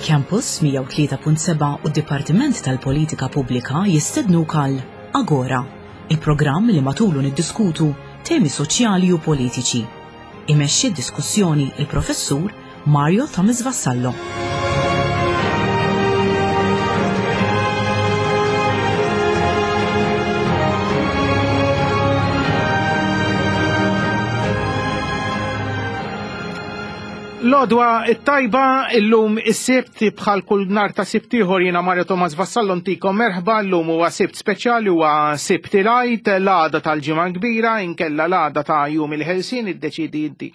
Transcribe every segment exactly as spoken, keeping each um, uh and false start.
Campus mija u tlieta punt seba' u d-Dipartiment tal-Politika Pubblika jistednuk għal Agora, il-programm li matulu niddiskutu temi soċjali u politiċi. Imexxi d-diskussjoni il-Professur Mario Thomas Vassallo. L-odwa it-tajba illum is-Sibt bħal kull nhar ta' Sibt ieħor jiena Mario Thomas Vassallo ntikom merħba. Llum huwa Sibt speċjali, huwa Sibt il-Għid, l-għada tal-Ġimgħa Kbira, inkella l-għada ta' Jum il-Ħelsien, iddeċidi inti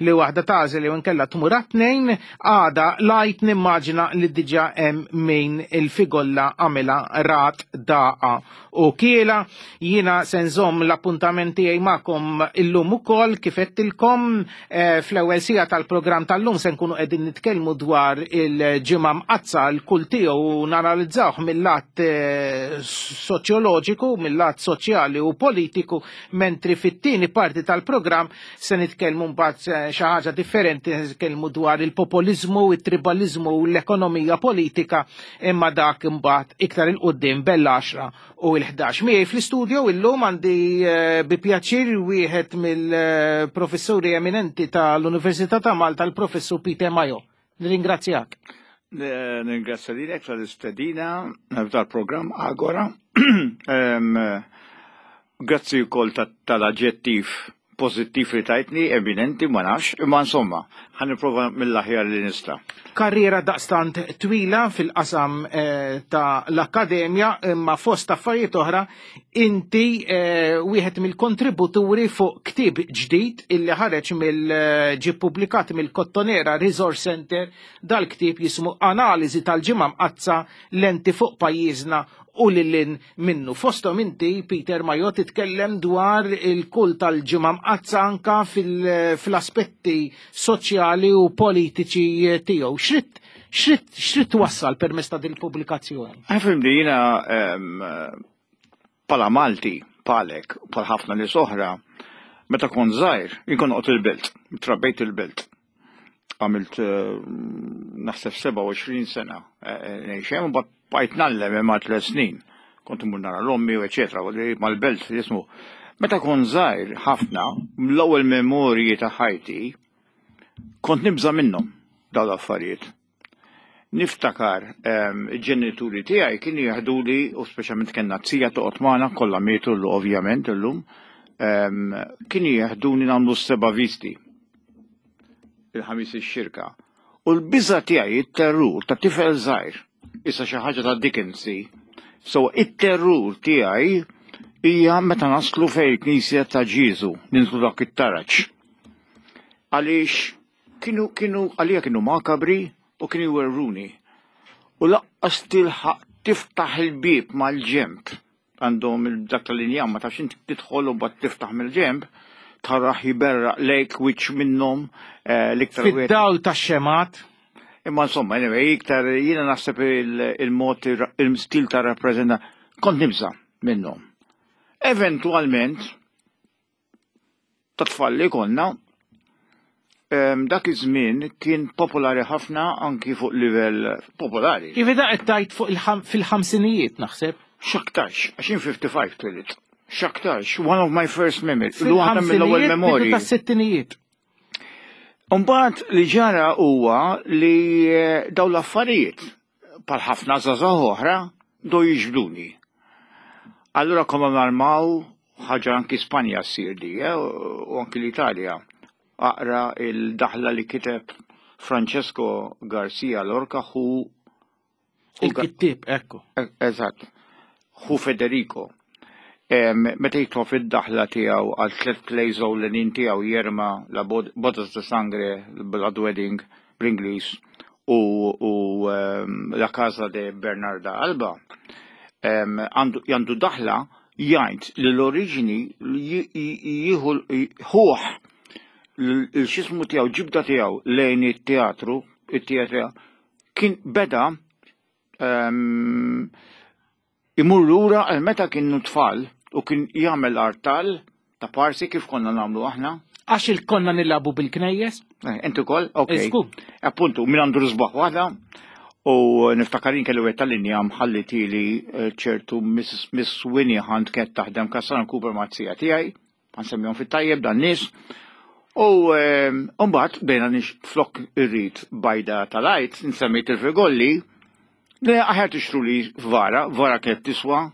li waħda tagħżel jew inkella tmur għat-tnejn. Għada l-Għid nimmaġina li diġà hemm min il-figolla għamilha rat daqa u kiela. Jiena se nżomm l-appuntament tiegħi magħkom illum ukoll kif għedtilkom, eh, fl-ewwel siegħa tal-programm tal-lum se nkunu qegħdin nitkellmu dwar il-Ġimgħa Mqaddsa l-kull tiegħu u nanalizzawh mill-lat, eh, soċjoloġiku, mill-lat soċjali u politiku, mentri fit-tieni parti tal-programm se nitkellmu mbagħad, eh, xi ħaġa differenti, nitkellmu dwar il-popoliżmu, it-tribaliżmu u l-ekonomija politika, imma dak imbagħad iktar il-qudiem bell-għaxra u l-ħdax. Miegħi fl-istudio illum għandi, eh, bi pjaċir wieħed mill-professuri eminenti tal-Università ta' Malta, l-Professur Peter Mayo. Nirringrazzjak. Eh, nirringrazzja lilek tal-istedina tal-programm Agora. Em, grazzi wkoll ta-, tal-aġġettiv pożittiv li tajtni, eminenti, ma nafx, imma insomma, ħa nipprova mill-aħjar li nista'. Karriera daqstant twila fil-qasam, eh, ta' l-akkademja, imma fost affarijiet oħra, inti, eh, wieħed mill-kontributuri fuq ktieb ġdid illi ħareġ mill-, eh, ġie ppubblikat mill-Kottonera Resource Center. Dal-ktieb jismu Analiżi tal-Ġimgħa Mqaddsa, lenti fuq pajjiżna u lil minnu. Fosthom inti, Peter Mayo, titkellem dwar il-kult tal-Ġimgħa Mqaddsa anka fil-, fl-aspetti soċjali u politiċi tiegħu. X'rid, x'rid, x'rid twassal permezz ta' din il-pubblikazzjoni? Għafim li jiena, em, bħala Malti, bħalek, bħal ħafna nies oħra, meta kont żgħir, jien kont noqgħod il-belt, trabbejt il-belt. Għamilt, eh, naħseb sebgħa u għoxrin sena, eh, eh, ngħix hemm, u mbagħad bqajt ngħallem hemm għal tliet snin. Kont immur nara l-ommi u eċetera, u li mal-belt jismu. Meta kont żgħir ħafna, l-ewwel memorji ta' ħajti, kont nibża' minnhom dawn l-affarijiet. Niftakar, ehm, il-ġenituri tiegħi kienu jaħduli, u speċjalment kellna zija toqgħod magħna, kollha mietu l-, ovvjament illum, ehm, kienu jaħduni nagħmlu s-seba' visti il-ħamis ix-xirka. U l-biża' tiegħi, it-terrur ta' tifel żgħir, issa xi ħaġa ta' Dickens, so it-terrur tiegħi hija meta naslu fejn il-Knisja ta' Ġieżu, ninżlu dak it-taraġ. Għaliex kienu, kienu, għalija kienu makabri u kienu jwerruni. U laqqas tilħaq tiftaħ il-bieb mal-ġemp, għandhom il-dak tal-injam, ma tafx inti tidħol u mbagħad tiftaħ mill-ġemp, taraħ jiberraq lejk wiċċ minnhom, eh, l-iktar wieħed. Fid-dawl tax-xemat. Imma insomma, anyway, iktar jiena naħseb il-, il-mod, il-stil ta' rappreżenta, kont nibża' minnhom. Eventualment, ta' tfal li konna, em, dak iż-żmien kien popolari ħafna anki fuq livell popolari. Ivi da qed tgħid fuq il-ħam-, fil-ħamsinijiet naħseb. X'aktarx, għax jien fifty-five twilit. X'aktarx, one of my first memories. Waħda mill-ewwel Fil-ħamsinijiet, memorji. bidu tas-sittinijiet. Imbagħad li ġara huwa li, eh, dawn l-affarijiet bħal ħafna żgħażagħ oħra do jiġbduni. Allura konna narmaw ħaġa anki Spanja ssir di, eh, u anki l-Italja. Aqra il-daħla li kiteb Francesco Garcia Lorca hu Il-kittieb, ekku. E-, eżatt, hu Federico. Em, meta jitfa' fid-daħla tiegħu għal tliet plays ewlenin tiegħu Yerma, la Bod-, Bodas de Sangre, Blood Wedding bl-Ingliż u, u um, La Casa de Bernarda Alba għandu għandu daħla jgħid li l-oriġini jieħu ħuħ l-xismu tiegħu, ġibda tiegħu lejn it-teatru, it-teatru kien beda um, imur lura għal meta kienu tfal u kien jagħmel artal ta' parsi kif konna nagħmlu aħna. Għax il-konna nilagħbu bil-knejjes? Eh, Inti ukoll? Ok. Żgur. Appuntu, min għandu r-sbaħ waħda u niftakarin kellu għet tal-linja mħallitili eh, ċertu Miss Miss Winnie Hunt kienet taħdem Cassano Cooper mazzija tiegħi, nsemmihom fit-tajjeb dan nies. U eh, mbagħad bdejna nix flok irrid bajda tal-Għid, nsemmejt il-frigolli, li aħjar tixtru li vara, vara kienet tiswa,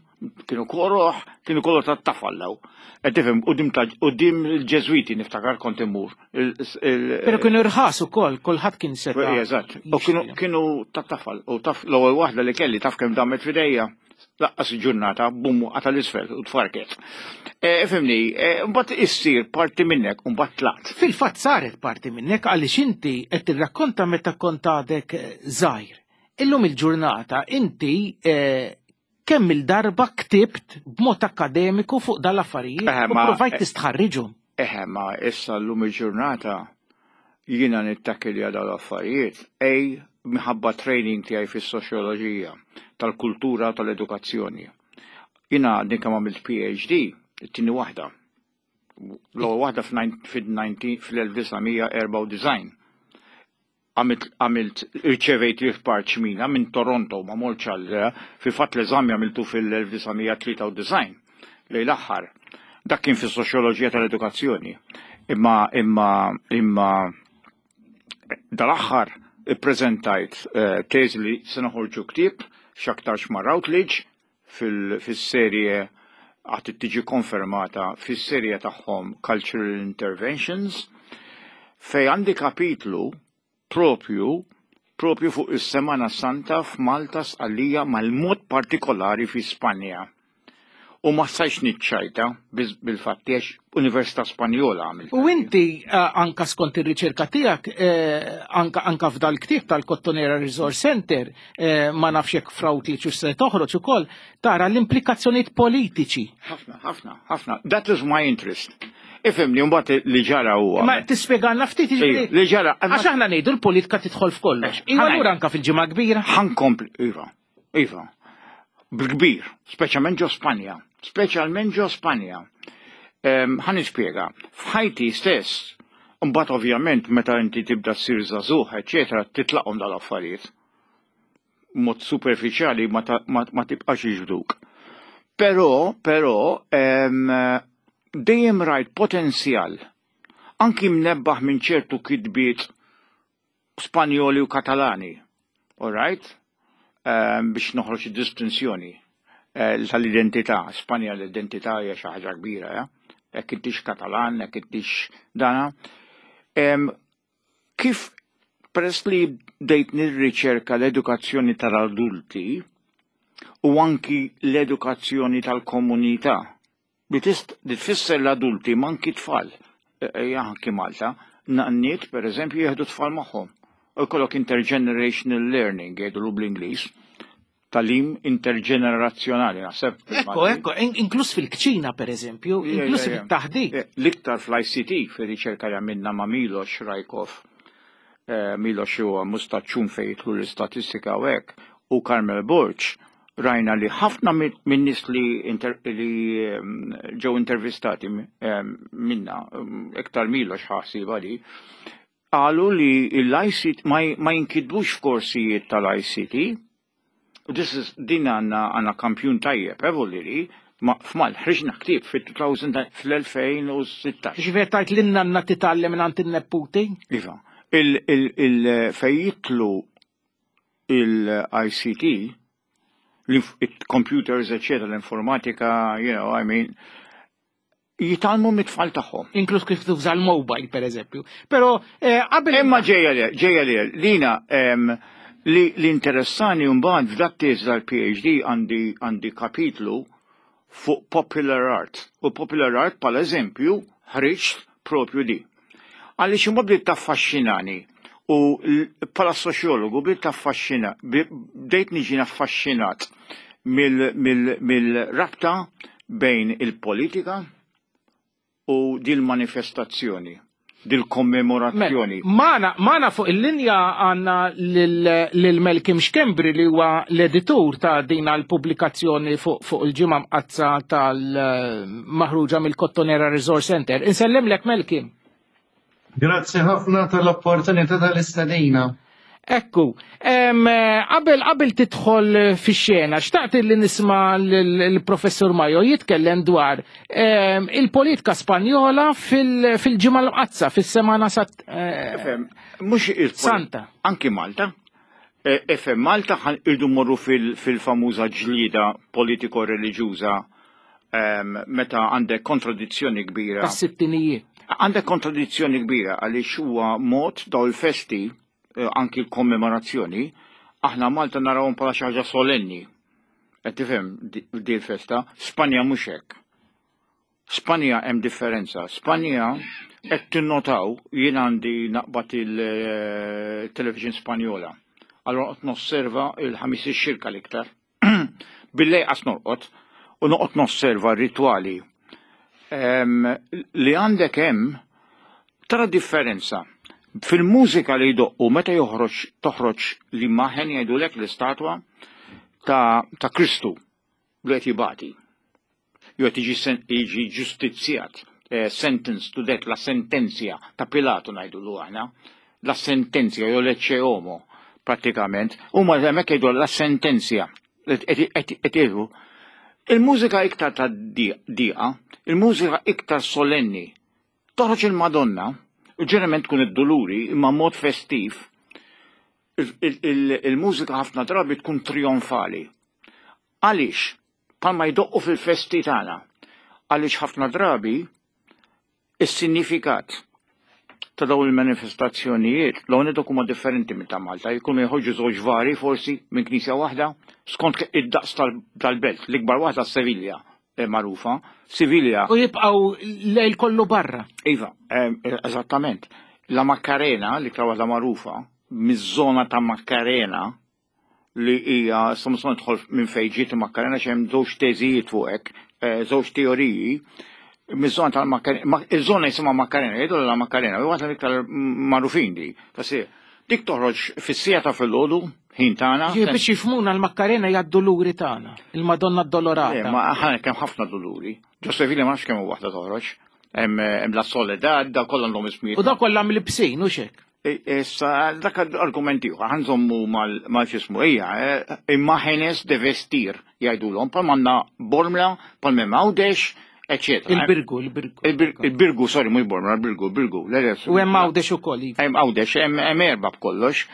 kienu koroħ, kienu kollu ta' tafallaw. Qed tifhem, quddiem ta' quddiem il-Ġeżwiti niftakar kont immur. Il- il- Pero kienu irħas ukoll, kulħadd kien seta'. Eżatt. U kienu kienu ta' tafal. U taf l-ewwel waħda li kelli taf kemm damet f'idejja. Laqqas il-ġurnata, bum, għata l-isfel u tfarket. E, Ifhimni, e, mbagħad issir parti minnek u mbagħad tlaqt. Fil-fatt saret parti minnek għaliex inti qed tirrakkonta meta kont għadek eh, żgħir. Illum il-ġurnata inti eh, kemm il-darba ktibt b'mod akademiku fuq dal-affarijiet Eh, u ma- provajt tistħarriġhom. Eħe, ma issa l-lum il-ġurnata jiena nittakilja dal-affarijiet ej minħabba training tiegħi fis-soċjoloġija tal-kultura tal-edukazzjoni. Jiena għadni kemm għamilt P H D, it-tieni waħda. L-ewwel waħda fil-elf disa' mija erbgħa u disgħin. Għamilt għamilt irċevejt li parċmina minn Toronto ma mortx għal fil-fatt l-eżami għamiltu fil-elf disa' mija tlieta u disgħin lejn l-aħħar. Dak kien fis-soċjoloġija tal-edukazzjoni. Imma imma imma dal-aħħar ippreżentajt eh, teżi li se noħorġu ktieb x'aktarx ma' Routledge fil-serje għad tiġi konfermata fis-serje tagħhom Cultural Interventions, fej għandi kapitlu propju propju fuq is-Semana Santa f'Malta, Sqallija, mal-mod partikolari fi Spanja. U ma stajx niċċajta bil-fatti għax Università Spanjola għamilt. U inti eh, anka skont ir-riċerka tiegħek eh, anka anka f'dal ktieb tal-Cottonera Resource Center, eh, ma nafx jekk f'Routledge u se toħroġ ukoll, tara l-implikazzjonijiet politiċi. Ħafna, ħafna, ħafna. That is my interest. Ifhimni, mbagħad li ġara huwa. Ma tispjegalna ftit, jiġifieri- Li ġara. Għax aħna ngħidu l-politika tidħol f'kollox. Iva, allura anka fil-Ġimgħa Kbira. Ħankompli, iva, iva. Bil-kbir, speċjalment ġo Spanja. Speċjalment ġo Spanja. Ħa nispjega, f'ħajti stess, mbagħad ovvjament meta inti tibda ssir żagħżugħ, eċetera, titlaqhom dal-affarijiet. Mod superfiċjali ma, ta, ma, ma tibqax jiġbduk. Però, però, em, dejjem rajt potenzjal, anki mnebbaħ minn ċertu kitbiet Spanjoli u Katalani, all right? Um, biex noħroġ id-distinzjoni eh, tal-identità. Spanja l-identità hija xi ħaġa kbira, ja? Jekk intix Katalan, jekk intix dana. Em, kif peress li bdejt nirriċerka l-edukazzjoni tal-adulti u anki l-edukazzjoni tal-komunità, li tist li tfisser l-adulti ma anki tfal, e, e, anki Malta, nanniet per eżempju jieħdu tfal magħhom. U jkollok intergenerational learning, jgħidu bl-Ingliż, tagħlim interġenerazzjonali, naħseb. Ekko, ekko, in- inkluż fil-kċina per eżempju, inkluż fil-taħdit. L-iktar fl-I C T, fil-riċerka li għamilna ma' Milos Rajkov, eh, Milos huwa mustaċċun fejn jidħlu l-istatistika u hekk, u Carmel Borg, rajna li ħafna minn nies li, inter, li em, ġew intervistati em, minna, em, iktar Milos ħasiba li, qalu li l-I C T ma, ma jinkitbux f'korsijiet tal-I C T. This is, din għanna għanna kampjun tajjeb, eh, ma f'mal, ħriġna ktieb fil-elfejn u sittax. Ġifieri tajt l-nanna titgħallem minn għand in-neputi? Iva, il, il, il, fej jitlu il-I C T, il-computers, eccetera, l-informatika, you know, I mean, jitgħallmu mit-tfal tagħhom. Inkluż kif tuża l-mobile, per eżempju. Però eh, qabel. Imma ġejja li, ġejja li, lina, em, li l-interessani mbagħad f'dat też tal-P H D għandi għandi kapitlu fuq popular art. U popular art, pal eżempju, ħriġt propju di. Għaliex imbagħad bdiet taffaxxinani. U bħala soċjologu bdejt affaxxina, bdejt niġi affaxxinat mill-rabta bejn il-politika u dil-manifestazzjoni, dil-kommemorazzjoni. Magħna, magħna fuq il-linja għandna lil Malcolm Schembri, li huwa l-editur ta' din l-pubblikazzjoni fuq fuq il-Ġimgħa Mqaddsa tal-maħruġa mill-Kottonera Resource Center. Insellimlek, Malcolm. Grazzi ħafna tal-opportunità tal-istedina. Ekku, qabel qabel tidħol fix-xena, xtaqt li nisma' l-professur Majo jitkellem dwar il-politika Spanjola fil-Ġimgħa l-Mqaddsa, fis-Semana Mhux Santa. Anki Malta. Ifhem, Malta irdu morru fil-famuża ġlida politiko-reliġjuża, meta għandek kontradizzjoni kbira. Tas-sittinijiet. Għandek kontradizzjoni kbira għaliex huwa mod daw il-festi, anki l-kommemorazzjoni, aħna Malta narawhom bħala xi ħaġa solenni. Qed tifhem di l-festa, Spanja mhux hekk. Spanja hemm differenza. Spanja qed tinnotaw, jien għandi naqbad il-television Spanjola. Allora qed nosserva il-Ħamis ix-Xirka l-iktar. Billejl qas norqod u noqgħod nosserva r-ritwali. Li għandek hemm tara differenza. Fil-mużika li jdoqqu meta joħroġ toħroġ l-imaġni, jgħidulek, l-istatwa ta', ta Kristu li qed jibati. Jew qed jiġi ġustizzjat, eh, sentence to death, la sentenza ta' Pilato ngħidulu aħna, la sentenza jew l-Ecce Homo pratikament, huma hemmhekk jgħidu la sentenza. Qed jgħidu il-mużika iktar ta' diqa, il-mużika iktar solenni. Toħroġ il-Madonna, u ġeneralment tkun id-Duluri, imma mod festiv, il-mużika ħafna drabi tkun trionfali. Għaliex? Palma jdoqqu fil-festi tagħna. Għaliex ħafna drabi is-sinifikat ta' dawn il-manifestazzjonijiet l dak huma differenti minn ta' Malta, jkunu jħorġu żewġ vari forsi minn knisja waħda skont id-daqs tal-belt, l-ikbar waħda Sevilla magħrufa. Sevilla. U jibqgħu lejl kollu barra. Iva, eżattament. La Macarena, li iktar waħda magħrufa, miż-żona ta' Macarena, li hija samson tidħol minn fejn ġiet Macarena, x'hemm żewġ teżijiet fuq hekk, żewġ teoriji. Miż-żona tal-Macarena, iż-żona jisimha Macarena, jgħidu la Macarena, u waħda iktar magħrufin di. Tassi, dik toħroġ fis-siegħa ta' filgħodu, ħin tagħna. Ġie biex jifhmuna, l-Macarena hija d-Duluri tagħna, il-Madonna Addolorata. Ma aħna kemm ħafna Duluri. Ġo Sevilla ma nafx kemm waħda toħroġ. Hemm la Soledad, da kollha għandhom ismijiet. U da kollha mlibsin, u xek. Issa, dak argumenti ieħor, ħa nżommu mal-xismu, ejja, imágenes de vestir, jgħidulhom, bħal m'għandna Bormla, bħal m'hemm Għawdex, eccetera. Il-Birgu, il-Birgu. Il-Birgu, sorry, mhux Bormla, il-Birgu, il-Birgu. U hemm Għawdex ukoll. Iva. Hemm Għawdex, hemm erba' b'kollox.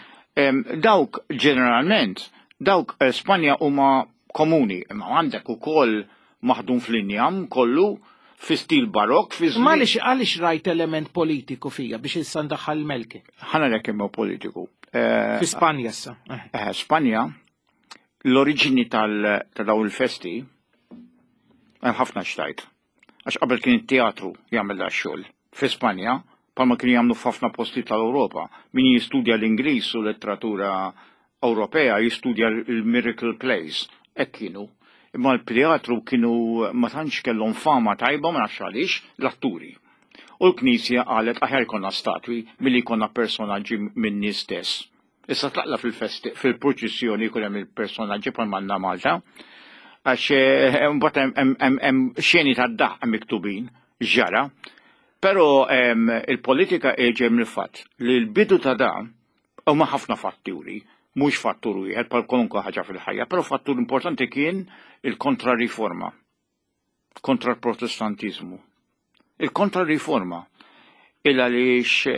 Dawk ġeneralment, dawk Spanja huma komuni, imma għandek ukoll maħdum fl-injam kollu, fi stil barok, fi żmien. Għaliex għaliex rajt element politiku fija biex issa ndaħħal Malcolm? Ħa ngħidlek kemm politiku. Fi Spanja issa. Spanja, l-oriġini ta' dawn il-festi, hemm ħafna xtajt. Għax qabel kien it-teatru jagħmel da xogħol. Fi Spanja, palma kienu jagħmlu f'ħafna posti tal-Ewropa. Min jistudja l-Ingliż u letteratura Ewropea jistudja l-Miracle Plays. Hekk kienu. Imma l-teatru kienu ma tantx kellhom fama tajba, ma nafx għaliex, l-atturi. U l-Knisja qalet aħjar jkollna statwi milli jkollna personaġġi minn nies stess. Issa tlaqla fil-festi, fil-proċessjoni jkun hemm il-personaġġi bħal m'għandna Malta. Għax mbagħad hemm xeni tad-daħq miktubin ġara. Però il-politika ġej mill-fatt li l-bidu ta' da huma ħafna fatturi, mhux fattur wieħed bħal kwalunkwe ħaġa fil-ħajja, però fattur importanti kien il-kontrariforma, kontra l-Protestantizmu. Il-kontrariforma, il għaliex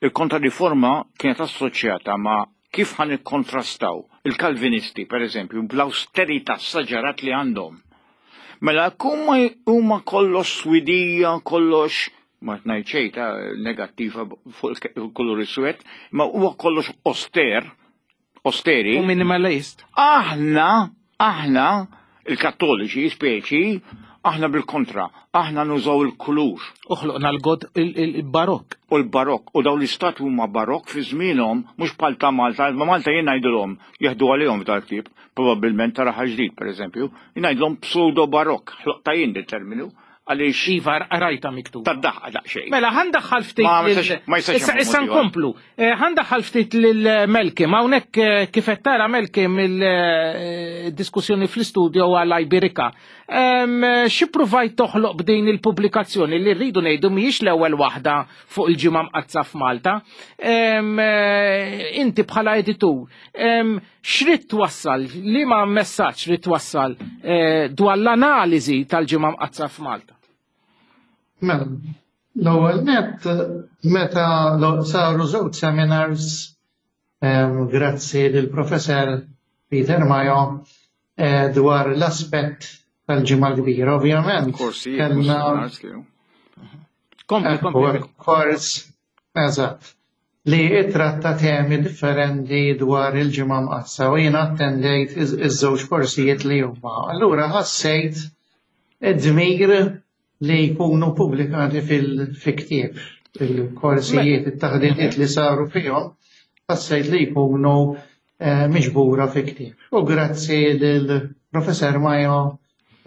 il-kontrariforma kienet assoċjata ma' kif ħan ikkontrastaw il-Kalvinisti, per eżempju, bl-austerità saġarat li għandhom. Mela, kumma huma kollox swidija, kollox, ma ngħid xejn ta' negattiva fuq il-kulur iswed, ma huwa kollox auster, austeri. U minimalist. Aħna, aħna, il-Kattoliċi, speċi, Aħna bil-kontra, aħna nużaw il-kulur. Uħloqna l-god il-barok. U l-barok, u daw l-istatwi huma barok fi żmienhom, mhux bħal ta' Malta, ma Malta jien ngħidilhom jeħdu għalihom f'dal ktieb, probabbilment ta' Raħal Ġdid pereżempju, jien ngħidilhom pseudo barok, ħloqta jien dit-terminu, għaliex Iva, rajta miktub. Tad-daħqa daqsxejn. Mela, ħa ndaħħal ftit. Ma jistax- ma jistax Issa hemm issa mod ieħor. nkomplu. Eh, Ħa ndaħħal ftit lil Melkim. Hawnhekk eh, kif qed tara Melkim il-diskussjoni fl-istudio għal Iberica. Em, Xi provajt toħloq b'din il-pubblikazzjoni li rridu ngħidu mhijiex l-ewwel waħda fuq il-ġimgħa mqaddsa f'Malta. Em, eh, Inti bħala editur, em, x'rid twassal, liema messaġġ rid twassal eh, dwar l-analiżi tal-ġimgħa mqaddsa f'Malta? Mela, l-ewwel net meta lo- saru żewġ seminars em, grazzi lill professor Peter Mayo eh, dwar l-aspett tal-ġimgħa l-kbira, ovvjament. Korsijiet, Kellna seminars kienu. Kompli, Ekku, kompli. kors, eżatt, li ittratta temi differenti dwar il-ġimgħa mqaddsa u jiena attendejt iż- iż-żewġ korsijiet li huma. Allura ħassejt id-dmir li jkunu pubblikati fil-ktieb, il-korsijiet, it-taħdidiet li saru fihom, ħassejt li jkunu eh, miġbura fi ktieb. U grazzi lill-Professor Mayo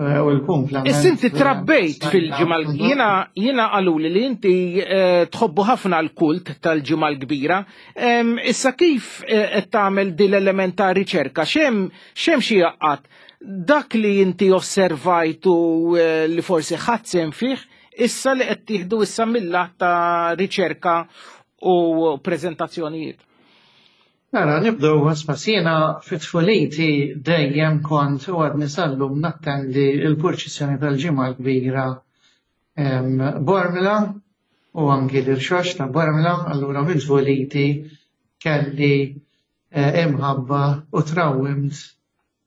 eh, u l-kumplament. Issa inti trabbejt fil-ġimgħa Mhm. jiena jiena qaluli li inti eh, tħobbu ħafna l-kult tal-ġimgħa l-kbira. Em, Issa kif eh, qed tagħmel din l-element ta' riċerka? X'hemm x'hemm xi jaqgħad dak li inti osservajtu eh, li forsi ħadd sehem fih, issa li qed tieħdu issa mill-lat ta' riċerka u preżentazzjonijiet. Mela, nibdew għasma fit-tfuliti dejjem kont u għadni sal-lum nattendi il-purċissjoni tal-ġimgħa l-kbira em, Bormla u anki l-irxox ta' Bormla, allura minn tfuliti kelli eh, imħabba u trawwimt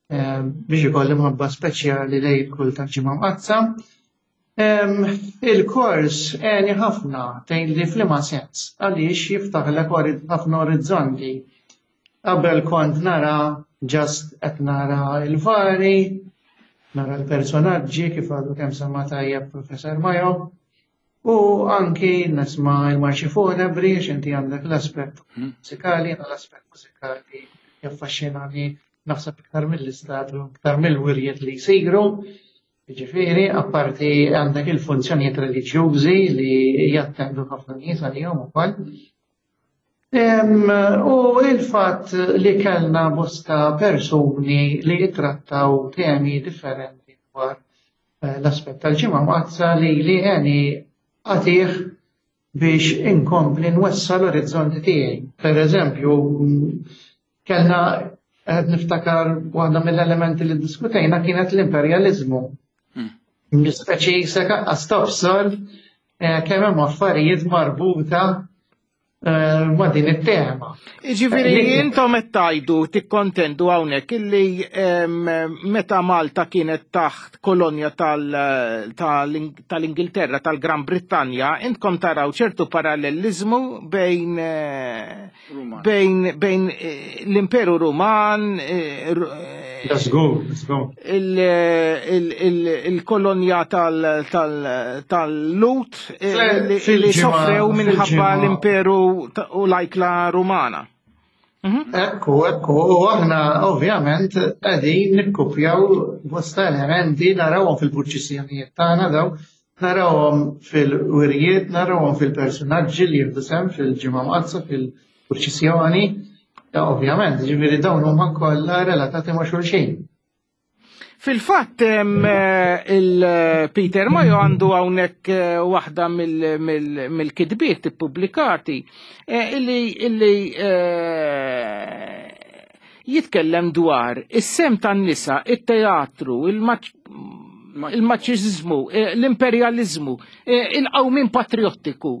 eh, biex ikolli imħabba speċjali lejn il-kult tal-ġimgħa mqaddsa. Em, Il-kors għeni ħafna tgħidli f'liema sens għaliex jiftaħlek ori- ħafna orizzonti. Qabel kont nara just qed nara il-vari, nara l-personaġġi kif għadu kemm semma tajjeb Professor Mayo, u anki nisma' il-marċi funebri għax inti għandek l-aspett mużikali, jiena l-aspett mużikali jaffaxxinani naħseb iktar mill-istatwi, iktar mill-wirjiet li jsiru. Ġifieri, apparti għandek il-funzjonijiet reliġjużi li jattendu ħafna nies għalihom ukoll. Em, U il-fatt li kellna bosta persuni li jitrattaw temi differenti dwar eh, l-aspett tal-ġimgħa mqaddsa li li għeni għatih biex inkompli nwessa l-orizzonti tiegħi. Per eżempju, mm, kellna qed niftakar waħda mill-elementi li diskutejna kienet l-imperjaliżmu. Speċi seka tobsor eh, kemm hemm affarijiet marbuta eh, ma' din it-tema. Ġifieri, Eh, intom qed tgħidu tikkontendu hawnhekk illi em, meta Malta kienet taħt kolonja tal- tal- tal-Ingilterra, tal-Gran Brittanja, intkom taraw ċertu parallelizmu bejn eh, Ruman. bejn bejn eh, l-Imperu Ruman, eh, ru- eh, Let's go, let's go. il- il- il- il-kolonja tal- tal- tal-Lut eh, li li Fil-ġimgħa- sofrew minħabba fil-ġimgħa- l-Imperu ta- u l-ajkla Rumana. Ekku, ekku, u aħna ovvjament qegħdin nikkupjaw bosta elementi narawhom fil-purċissjonijiet tagħna daw, narawhom fil-wirjiet, narawhom fil-personaġġi li jieħdu sehem fil-ġimgħa mqaddsa fil-purċissjoni. Ja, ovvjament, ġifieri dawn huma kollha relatati ma' xulxin. Fil-fatt em, eh, il-Peter Mayo għandu hawnhekk eh, waħda mill- mill- mill-kitbiet ippubblikati eh, illi illi eh, jitkellem dwar is-sehem tan-nisa, it-teatru, il-maċiżmu, l-imperjaliżmu, eh, il-qawmin patriottiku.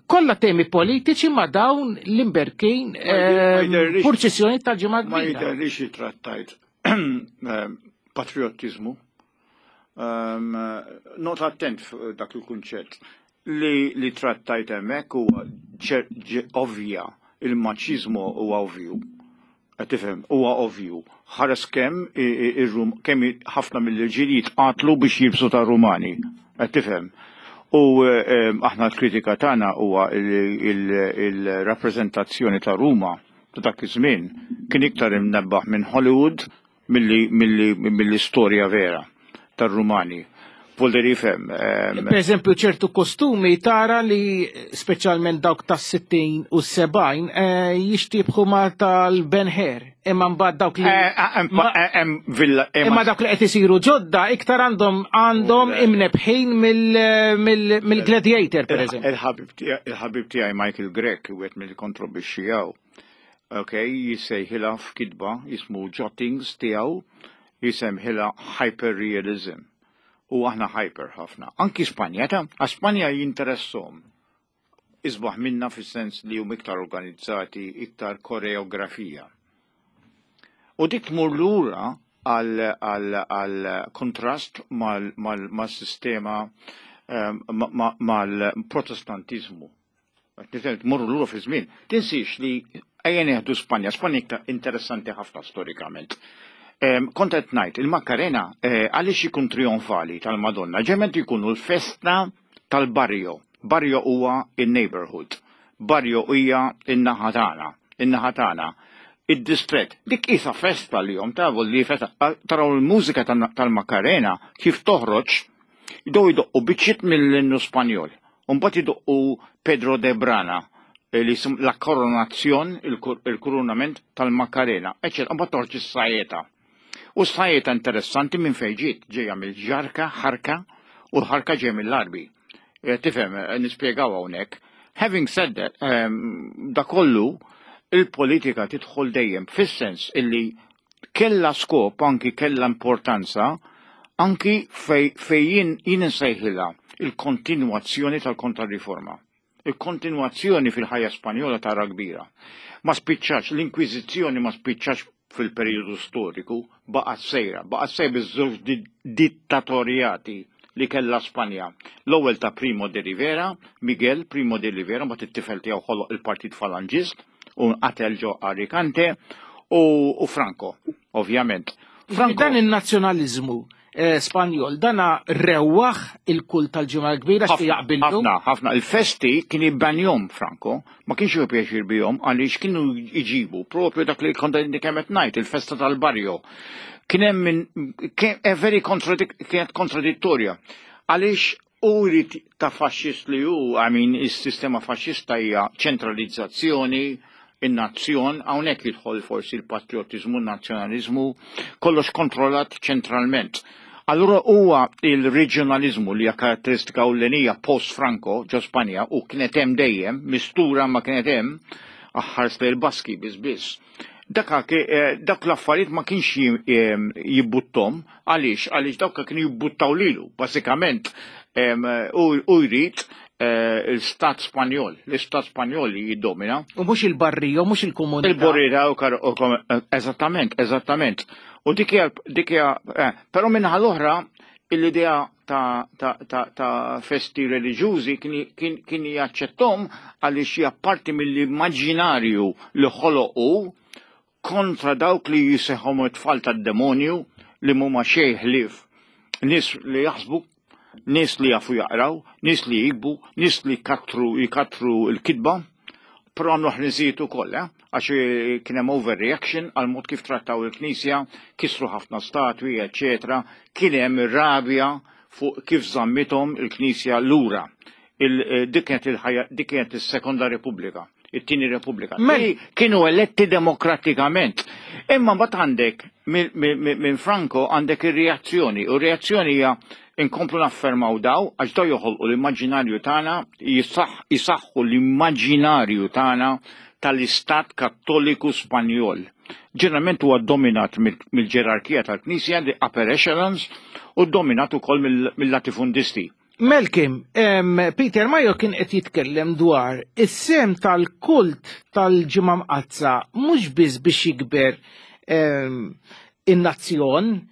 Kollha temi politiċi ma dawn l-imberkin Ma jidher- ma jidherlix- purċissjoni tal-ġimgħa Ma kbira. jiderlix trattajt patriotizmu. Um, Not attent fuq dak il-kunċett li, li trattajt hemmhekk huwa ġer- ġe- ovvja, il-maċiżmu huwa ovvju. Qed tifhem, huwa ovvju. Ħares kemm ir-Rum kemm ħafna mill-irġiel jitqatlu biex jilbsu ta' Rumani. Qed tifhem. U aħna l-kritika tagħna huwa il-rappreżentazzjoni ta' Ruma ta' dak iż-żmien kien iktar imnebbaħ minn Hollywood mill-istorja vera tar-Rumani. Volderi ifhem. Per eżempju, ċertu kostumi tara li speċjalment dawk tas-sittin u s-sebgħin jixtiebħu ma tal-Ben Hur. Imma mbagħad dawk li Imma dawk li qed isiru ġodda iktar għandhom għandhom imnebħin mill-Gladiator, per eżempju. Il-ħabib tiegħi Michael Grech, wieħed mill-kontribwixxijaw. Ok, jissejħilha f'kitba jismu Jottings tiegħu, jisemħilha hyperrealism. U aħna hyper ħafna. Anki Spanja, ta' Spanja jinteressom. Isbaħ minna fis-sens li hum iktar organizzati, iktar koreografija. U dik tmur lura għal kontrast mal-sistema mal-protestantizmu. Tmur lura fi żmien. Tinsiex li ejja nieħdu Spanja. Spanja iktar interessanti ħafna storikament. Kont qed ngħid, il-Macarena għaliex ikun trionfali tal-Madonna, ġement jkunu l-festa tal-barrio. Barrio huwa in-neighborhood. Barrio hija in-naħa tagħna, in-naħa tagħna. Id-distret, dik isa festa li jom tavu li festa, taraw il-mużika tal-Macarena kif toħroġ, jdow jdoqqu biċċiet mill-innu Spanjol. Mbagħad jdoqqu Pedro de Brana, li jisum la koronazzjon, il-kurunament tal-Macarena, eccetera. Mbagħad toħroġ is-sajeta. U s-sajeta interessanti minn fejn ġiet, ġejja mill-ġarka, ħarka, u l-ħarka ġejja mill-Arbi. Tifhem, nispjegaw hawnhekk. Having said that, da kollu, il-politika tidħol dejjem fis-sens illi kella skop, anki kella importanza, anki fej jien insejħilha il-kontinwazzjoni tal-kontrariforma. Il-kontinwazzjoni fil-ħajja Spanjola tara kbira. Ma spiċċax, l-Inkwiżizzjoni ma spiċċax fil-periodu storiku, baqgħet sejra, baqgħet sejra biż-żewġ dittatorjati li kella Spanja. L-ewwel ta' Primo de Rivera, Miguel Primo de Rivera, mbagħad it-tifel tiegħu ħoloq il-Partit Falangist u qatel ġo Alicante u Franco, ovvjament. Franco dan in-nazzjonaliżmu Spanjol, dana rewwaħ il-kult tal-Ġimgħa l-Kbira xi jaqbillu. Ħafna, ħafna. Il-festi kien jibbanjhom Franco, ma kienx jieħu pjaċir bihom għaliex kienu jġibu propju dak li kont kemm qed ngħid, il-festa tal-barrio. Kien hemm minn very kienet kontradittorja. Għaliex u jrid ta' faxxist li hu, I mean, is-sistema faxxista hija ċentralizzazzjoni, in-nazzjon, hawnhekk jidħol forsi l-patriotizmu, n-nazzjonaliżmu, kollox kontrollat ċentralment. Allura huwa il-reġjonalizmu li hija karatteristika ewlenija post-Franco ġo Spanja u kienet hemm dejjem, mistura ma kienet hemm, aħħars lejn il-Baski biss biss. Dak dak l-affarijiet ma kienx jibbuttom, għaliex għaliex dawk kienu jibbuttaw lilu, bażikament u jrid l-Stat Spanjol, l-Istat Spanjol li jiddomina. U mhux il-barrio, mhux il-komunità. Il-barrio, eżattament, eżattament. U dik hija, dik hija, però minnaħa l-oħra l-idea ta', ta, ta, ta' festi reliġjużi kien, kien jaċċettom għaliex hija parti mill-immaġinarju li ħoloqu kontra dawk li jiseħħom it-tfal tad-demonju li mhuma xejn ħlief nies li jaħsbu, nies li jafu jaqraw, nies li jikbu, nies li katru jkatru l-kitba, però għamlu ħniżijiet ukoll, eh? Għax kien hemm overreaction għal mod kif trattaw il-Knisja, kisru ħafna statwi, eċetera. Kien hemm rabja fuq kif żammithom il-Knisja lura. Dik kienet il-ħajja, dik kienet is-Sekonda Repubblika, it-Tieni Repubblika. Kienu eletti demokratikament. Imma mbagħad għandek minn Franco għandek ir-reazzjoni, u r-reazzjoni hija inkomplu naffermaw daw, għax daw joħolqu l-immaġinarju tagħna, jisaħħu l-immaġinarju tagħna tal-Istat Kattoliku Spanjol. Ġeneralment huwa dominat mill-ġerarkija tal-Knisja, the upper echelons, u dominat ukoll mill-latifundisti. Melkim, Peter Majo kien qed jitkellem dwar is-sem tal-kult tal-Ġimgħa Mqaddsa mhux biss biex jikber in-nazzjon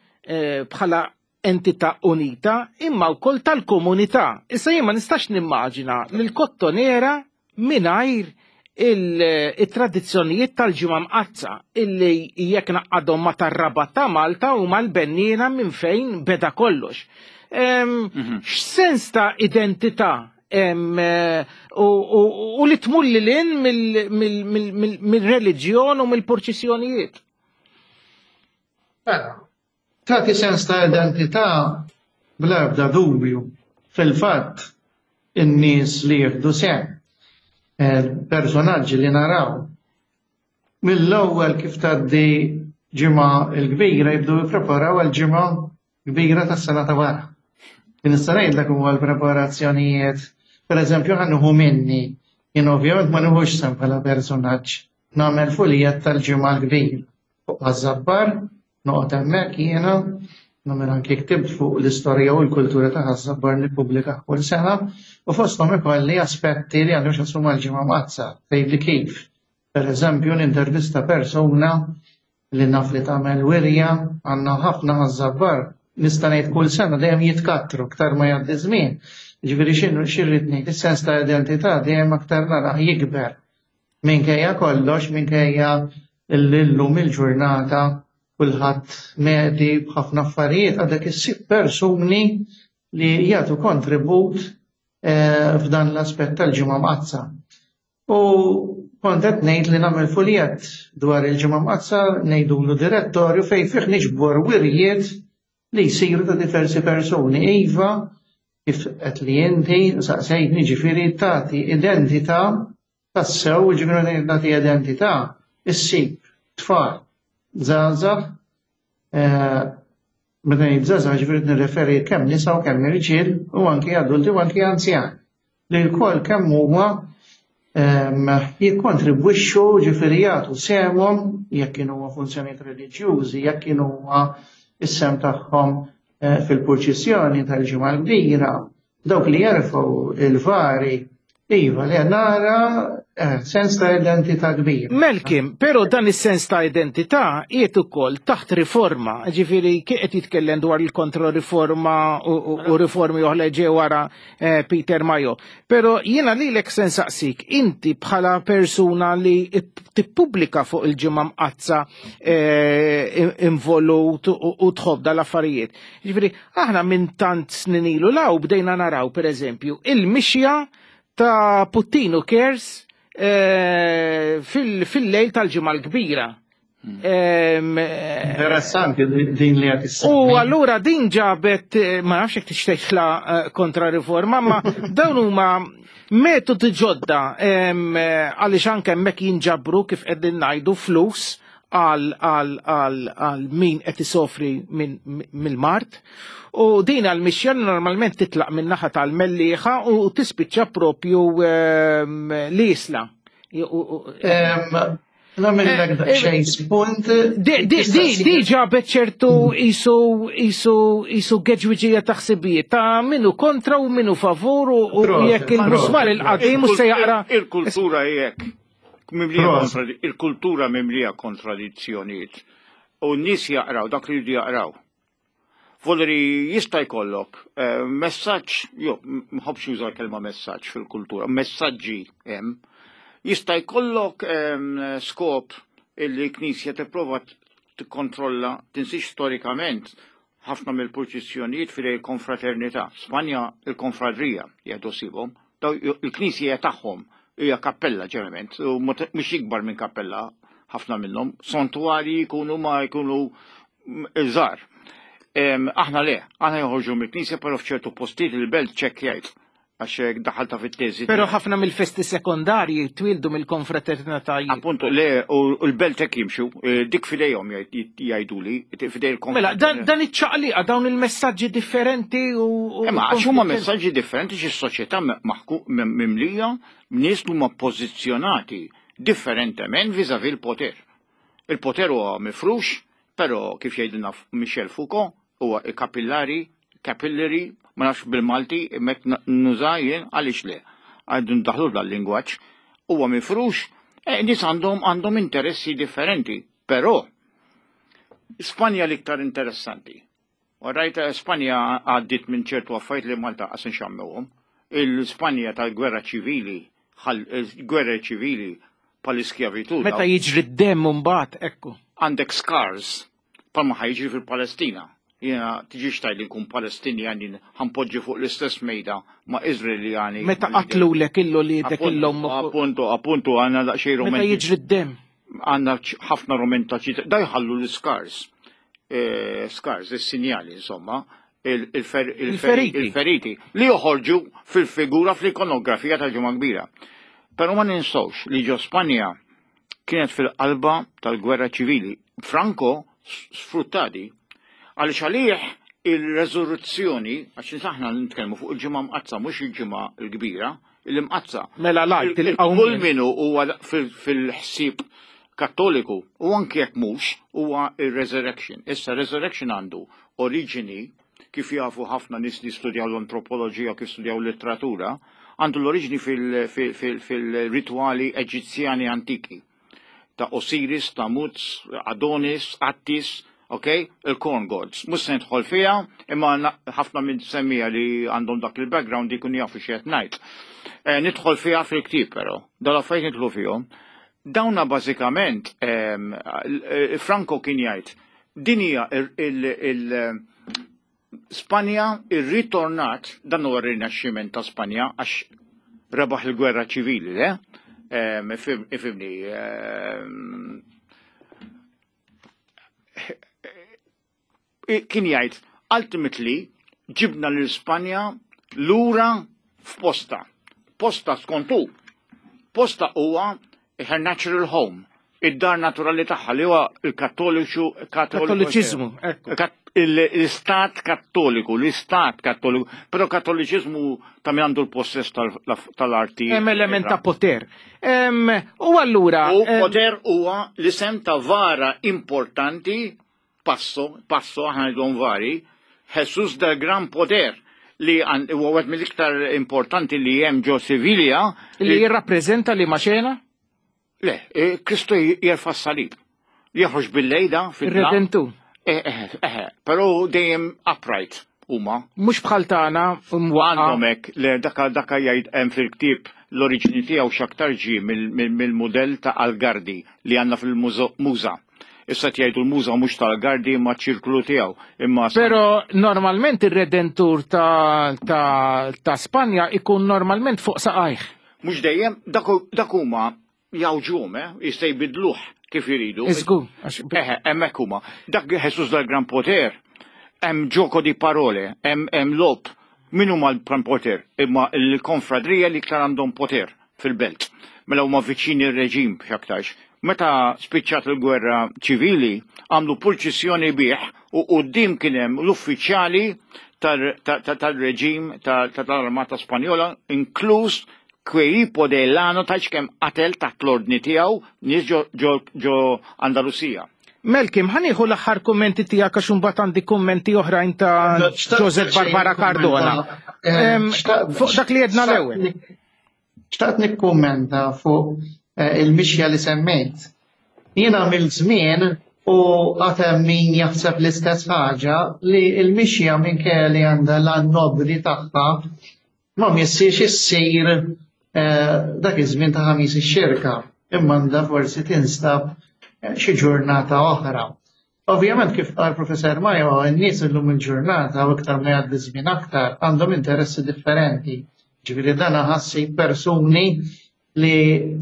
bħala entità unita, imma wkoll tal-komunità. Issa jien ma nistax nimmaġina l-Kottonera mingħajr Il-tradizzjonijiet tal-Ġimgħa Mqaddsa illi jekk naqadhom ma tar-Rabat ta' Malta u mal-Benniena minn fejn beda kollox. Mhm. X'sens ta' identità u li tmur lil hinn mill-reliġjon u mill-purċissjonijiet? Mela, tagħti sens ta' identità bla ebda dubju. Fil-fatt, in-nies li jieħdu sehem, eh, personaġġi li naraw, mill-ewwel kif tgħaddi Ġimgħa l-Kbira jibdew jippreparaw għal-Ġimgħa Kbira tas-sena ta' wara. Nista' ngħidlek huwa l-preparazzjonijiet, pereżempju ħa nieħu minni, jien ovvjament ma nieħux sehem bħala personaġġ, nagħmel fuljett tal-Ġimgħa l-Kbira. Fuq Ħaż-Żabbar, noqgħod hemmhekk jiena, nagħmel anki ktibt fuq l-istorja u l-kultura ta' Ħaż-Żabbar nippubblika kull sena, u fosthom ikolli aspetti li għandhom x'jaqsmu mal-Ġimgħa Mqaddsa, tgħidli kif. Per eżempju, nintervista persuna li naf li tagħmel wirja, għandna ħafna Ħaż-Żabbar, nista' ngħid kull sena dejjem jitkattru aktar ma jgħaddi żmien. Ġifieri x'inhu x'irrid ngħid, is-sens ta' identità dejjem aktar narah jikber. Minkejja kollox, minkejja llum il-ġurnata kulħadd medhi b'ħafna affarijiet, għadek issib persuni li jagħtu kontribut eh, f'dan l-aspett tal-Ġimgħa Mqaddsa. U kont qed ngħid li nagħmel fuljett dwar il-Ġimgħa Mqaddsa, ngħidulu direttorju, fejn fih niġbor wirjiet li jsiru ta' diversi persuni. Iva, kif qed li inti saqsejtni, ġifieri tagħti identità tassew, ġifieri tagħti identità, issib tfal, żgħażagħ, eh, meta ngħid żgħażagħ ġifieri nirreferi kemm nisa u kemm irġiel u anki adulti u anki anzjan, li lkoll kemm huma ehm, jikkontribwixxu, ġifieri jagħtu sehemhom, jekk kienu huma funzjonijiet reliġjużi, jekk kienu huma is-sehem tagħhom eh, fil-purċissjoni tal-Ġimgħa l-Kbira, dawk li jerfgħu il-vari, iva li nara eh, sens ta' identità kbir. Melkim, pero dan is-sens ta' identità qiegħed ukoll taħt riforma, ġifieri qed jitkellem dwar il-kontroriforma u, u, u riformi oħra ġew wara eh, Peter Majo. Pero jiena lilek se nsaqsik, inti bħala persuna li tippubblika fuq il-Ġimgħa Mqaddsa eh, involut u, u tħobb dal-affarijiet. Ġifieri aħna minn tant snin ilu 'l hawn bdejna naraw pereżempju il-mixja ta' Puttinu Cares eh, fil-lejl tal-Ġimgħa l-Kbira. Em, eh, Interessanti din li qed U allura din ġabet, eh, ma nafx jekk tixtieqla kontra riforma, ma dawn huma metodi ġodda em, eh, għaliex anke hemmhekk jinġabru, kif qegħdin ngħidu, flus għal għal għal għal min qed isofri minn mill-mard. U din għal-mixja normalment titlaq minn naħa tal-Mellieħa u tispiċċa propju em, l-Isla. Nagħmillek daqsxejn spunt. Di, di, di, di ġabet ċertu isu isu isu geġwiġija ta' ħsibijiet ta' minu kontra u minu favur u u Proset, jekk il-musmar il-qadim u se jaqra. Il-kultura jekk. Mimlija Proset. kontradi- Il-kultura mimlija kontradizzjonijiet. U n-nies jaqraw dak li jridu jaqraw. Voleri jista' jkollok eh, messaġġ, jo, mħobbx juża l-kelma messaġġ fil-kultura, messaġġi hemm. Jista' jkollok em, skop illi Knisja tipprova tikkontrolla, tinsix storikament ħafna mill-purċissjonijiet fil konfraternità. Spanja il-konfradrija jgħidu sibhom, daw il-Knisja hija tagħhom, hija kappella ġeneralment, u mhux ikbar minn kappella ħafna minnhom, santuari jkunu ma jkunu żgħar. Aħna le, aħna joħorġu mill-Knisja, però f'ċertu postijiet il-belt ċekkjajt għax daħalta fit-teżi. Pero ħafna mill-festi sekondarji twildu mill-konfraternitajiet. Appunto, le, u l-belt hekk jimxu, eh, dik fidejhom jgħiduli, fidej il Mela, dan, dan iċ-ċaqliqa, dawn il-messaġġi differenti u. Imma għax huma messaġġi differenti, xi soċjetà mimlija nies li huma pożizzjonati differentement vis-à-vis il-poter. Il-poter huwa mifrux, però kif jgħidilna Michel Foucault, huwa kapillari, capillary, ma nafx bil-Malti, met nuża jien, għaliex le. Għaddu ndaħlu dal-lingwaġġ, huwa mifrux, e, nies għandhom għandhom interessi differenti, però Spanja l-iktar interessanti. Rajta Spanja għaddit minn ċertu affarijiet li Malta qas nxammewhom. Il-Spanja tal-gwerra ċivili Gwerra ċivili pal-iskjavitu. Meta jiġri d-demm mbagħad, ekku. Għandek scars palma ħa jiġri fil-Palestina. Jiena tiġix tgħid li nkun Palestinjan, jien ħa npoġġi fuq l-istess mejda ma' Izraeljani. Meta qatlulek illu li dek illum. Appunto, appunto, għandna daqsxejn Meta romanti. jiġri d-demm. Għandna ħafna romantiċi, da jħallu l-scars. Eh, scars, il-sinjali, insomma, il- il-fer- Il-feriti. Il-feriti li joħorġu fil-figura, fl-ikonografija ta' Ġimgħa Kbira. Però ma ninsawx li ġo Spanja kienet fil-qalba tal-gwerra ċivili. Franco sfrutta di għaliex għalih il-resurrezzjoni, għax aħna nitkellmu fuq il-Ġimgħa Mqaddsa, mhux il-Ġimgħa l-Kbira, il-Mqaddsa. Mela l-Għid, il-qawmien. Kull minu huwa fil-ħsieb kattoliku u anke jekk mhux huwa il-resurrection. Issa resurrection għandu oriġini, kif jafu ħafna nies li studjaw l-antropoloġija, kif studjaw l-letteratura, għandu l-oriġini fil-rituali Eġizzjani antiki ta' Osiris, Tammuz, Adonis, Attis, ok? Il-corn gods. Mhux se nidħol fiha, imma ħafna minn semmija li għandhom dak il-background jkun jafu x'qed ngħid. Eh, nidħol fiha fil-ktieb però, dal-affarijiet nidħlu fihom. Dawna bażikament ehm, eh, Franco kien jgħid din hija il- Spanja irritornat, dan huwa r-rinaxximent ta' Spanja għax rebaħ il-gwerra ċivili, le? Ehm, ifhimni, ehm, kien jgħid ultimately ġibna lil Spanja lura f'posta. Posta skontu. Posta huwa her natural home, id-dar naturali tagħha li huwa il-Kattoliċu. Kattoliċiżmu, ekku. L-istat kattoliku, l-istat kattoliku, però kattoliċiżmu ta' min għandu l-possess tal-arti. Hemm element ta' poter. U allura. U poter huwa l-isem ta' vara importanti, passo, passo, aħna ngħidhom vari, Jesus del Gran Poder, li huwa wieħed mill-iktar importanti li hemm ġo Sivilja. Li jirrappreżenta li maċena? Le, eh, Kristu jerfa' s-salib. Joħroġ bil-lejda fil Redentu. Eh, eh, però dejjem upright huma. Mhux bħal tagħna. Għandhom hekk, le daka daka jgħid hemm fil-ktieb l-oriġini tiegħu x'aktar ġie mill-mudell ta' Algardi li għandna fil-muża. Issa jgħidu l-muża mhux tal-Algardi ma ċirklu tiegħu. Imma Però normalment ir-redentur ta', ta, ta' Spanja ikun normalment fuq saqajh. Mhux dejjem, dak huma jawġum, eh, jista' jbidluh kif jridu. Iżgur. Eħe, hemmhekk huma. Dak Jesus dal-Gran Poter, hemm gioco di parole, hemm hemm lob. Min huma l-Gran Poter? Imma l-konfradrija li iktar għandhom poter fil-belt. Mela huma viċini ir-reġim x'aktarx. Meta spiċċat il-gwerra ċivili, għamlu purċissjoni bih u quddiem kien hemm l-uffiċjali tal-reġim tal-Armata Spanjola, inkluż Queipo de Llano taċ kemm qatel taħt l-ordni tiegħu nies ġo Andalusija. Melkim, ħa nieħu l-aħħar kummenti tiegħek għax imbagħad għandi kummenti oħrajn ta' Joseph Barbara Cardona. Fuq dak li jedna l-ewwel. Xtaqt nikkummenta fuq eh, il-mixja li semmejt. Jiena mill-żmien u għatem min jaħseb l-istess ħaġa li il-mixja minkejja li għandha l-nobli tagħha ma missiex issir eh, dak iż-żmien ta' Ħamis ix-Xirka, imma għandha forsi tinstab eh, xi ġurnata oħra. Ovvjament kif qal Professor Majo, n-nies illum il-ġurnata u iktar ma jgħaddi żmien aktar għandhom interessi differenti. Ġifieri dan ħassi persuni li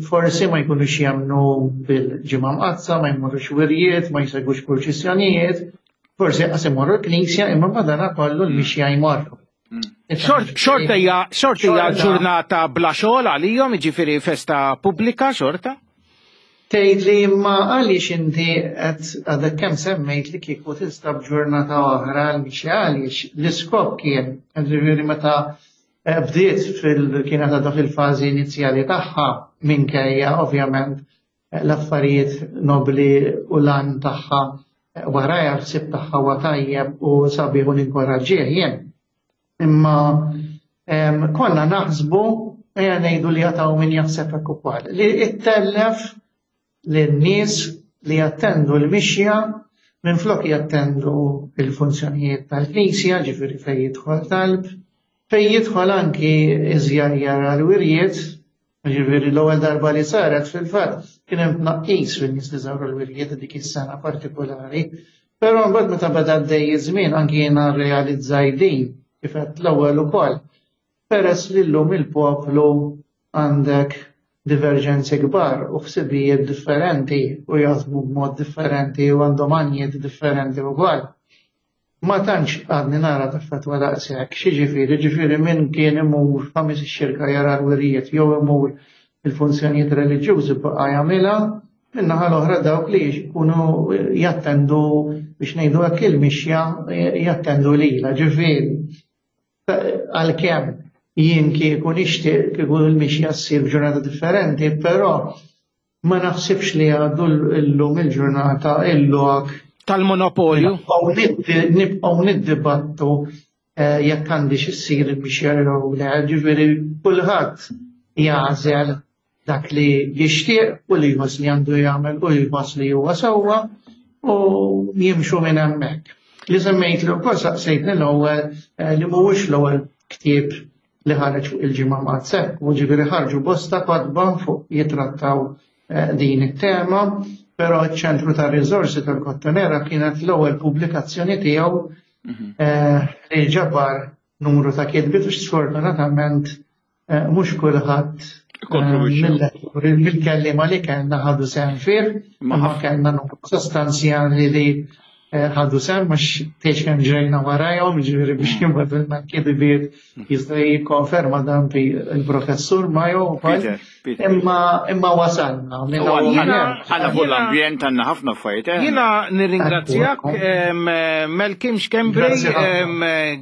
forsi ma jkunux jemmnu bil-Ġimgħa Mqaddsa, ma jmorrux wirjiet, ma jsegwux purċissjonijiet, forsi qas imorru l-knisja imma madana kollu l-mixja jmorru. Xorta hija xorta hija ġurnata bla xogħol għalihom, jiġifieri festa pubblika xorta? Tgħid li imma għaliex inti qed għadek kemm semmejt li kieku tinstab ġurnata oħra l-mixja, għaliex l-iskop kien, ġifieri meta bdiet fil kienet għadha fil-fażi inizjali tagħha minkejja ovvjament l-affarijiet nobli u lan tagħha warajha ħsieb tagħha huwa tajjeb u sabiħ u ninkoraġġih jien. Imma konna naħsbu, ejja ngħidu li jataw min jaħseb hekk ukoll, li ittellef lin-nies li jattendu l-mixja minflok jattendu il-funzjonijiet tal-Knisja, ġifieri fejn jidħol talb, fejn jidħol anki iżjajjar għal-wirjiet, Ġifieri l-ewwel darba li saret fil-fatt kien hemm tnaqqis fin-nies li żaru l-wirjiet dik is-sena partikolari. Però mbagħad meta beda għaddej iż-żmien anki jiena rrealizzaj din kif għedt l-ewwel ukoll. Peress li llum il-poplu għandek diverġenzi kbar u ħsibijiet differenti u jaħsbu b'mod differenti u għandhom għanijiet differenti wkoll. Ma tantx għadni nara taffettwa daqshekk, x'jiġifieri, ġifieri min kien imur Ħamis ix-Xirka jara l-wirjiet jew imur il-funzjonijiet reliġjużi baqa' jagħmilha, min-naħa l-oħra dawk li jkunu jattendu biex ngħidu hekk il-mixja jattendu lilha, ġifieri għalkemm jien kieku nixtieq kieku l-mixja ssir f'ġurnata differenti, però ma naħsibx li għadu llum il-ġurnata il-lok tal-monopolju. Nibqgħu niddibattu eh, jekk għandix issir il-mixja jew le, ġifieri kulħadd jagħżel dak li jixtieq u li jħoss li għandu jagħmel u jħoss li huwa sewwa u jimxu minn hemmhekk. Li semmejt li wkoll saqsejtni l-ewwel eh, li mhuwiex l-ewwel ktieb li ħareġ fuq il-Ġimgħa Mqaddsa, u ġifieri ħarġu bosta kotba fuq jitrattaw eh, din it-tema, però ċ-Ċentru ta' Riżorsi tal-Kottonera kienet l-ewwel pubblikazzjoni tiegħu mhm. eh, li ġabar numru ta' kitbiet u sfortunatament eh, mhux kulħadd eh, mill-kellima li kellna ħadu sehem fih, imma kellna numru sostanzjali li ħadu sehem mhux tgħidx kemm ġrejna warajhom, ġifieri biex mm. jibgħatulna kitbiet jista' jikkonferma dan il-professur Majo wkoll. Imma imma wasalna. Għandna fuq l-ambjent għandna ħafna affarijiet. Eh? Jiena nirringrazzjak Malcolm Schembri,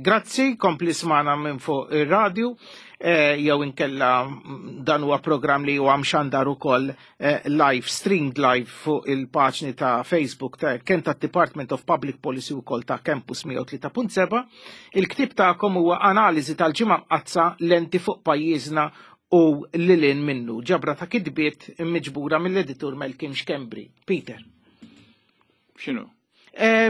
grazzi, kompli smagħna minn fuq ir-radju. Eh, jew inkella dan huwa programm li huwa mxandar ukoll eh, live, streamed live fuq il-paġni ta' Facebook ta' kemm ta' Department of Public Policy ukoll ta' Campus mija u tlieta punt seba'. Il-ktieb tagħkom huwa Analiżi tal-Ġimgħa Mqaddsa, lenti fuq pajjiżna u lil hinn minnu. Ġabra ta' kitbiet miġbura mill-editur Malcolm Schembri. Peter. X'inhu? Eh,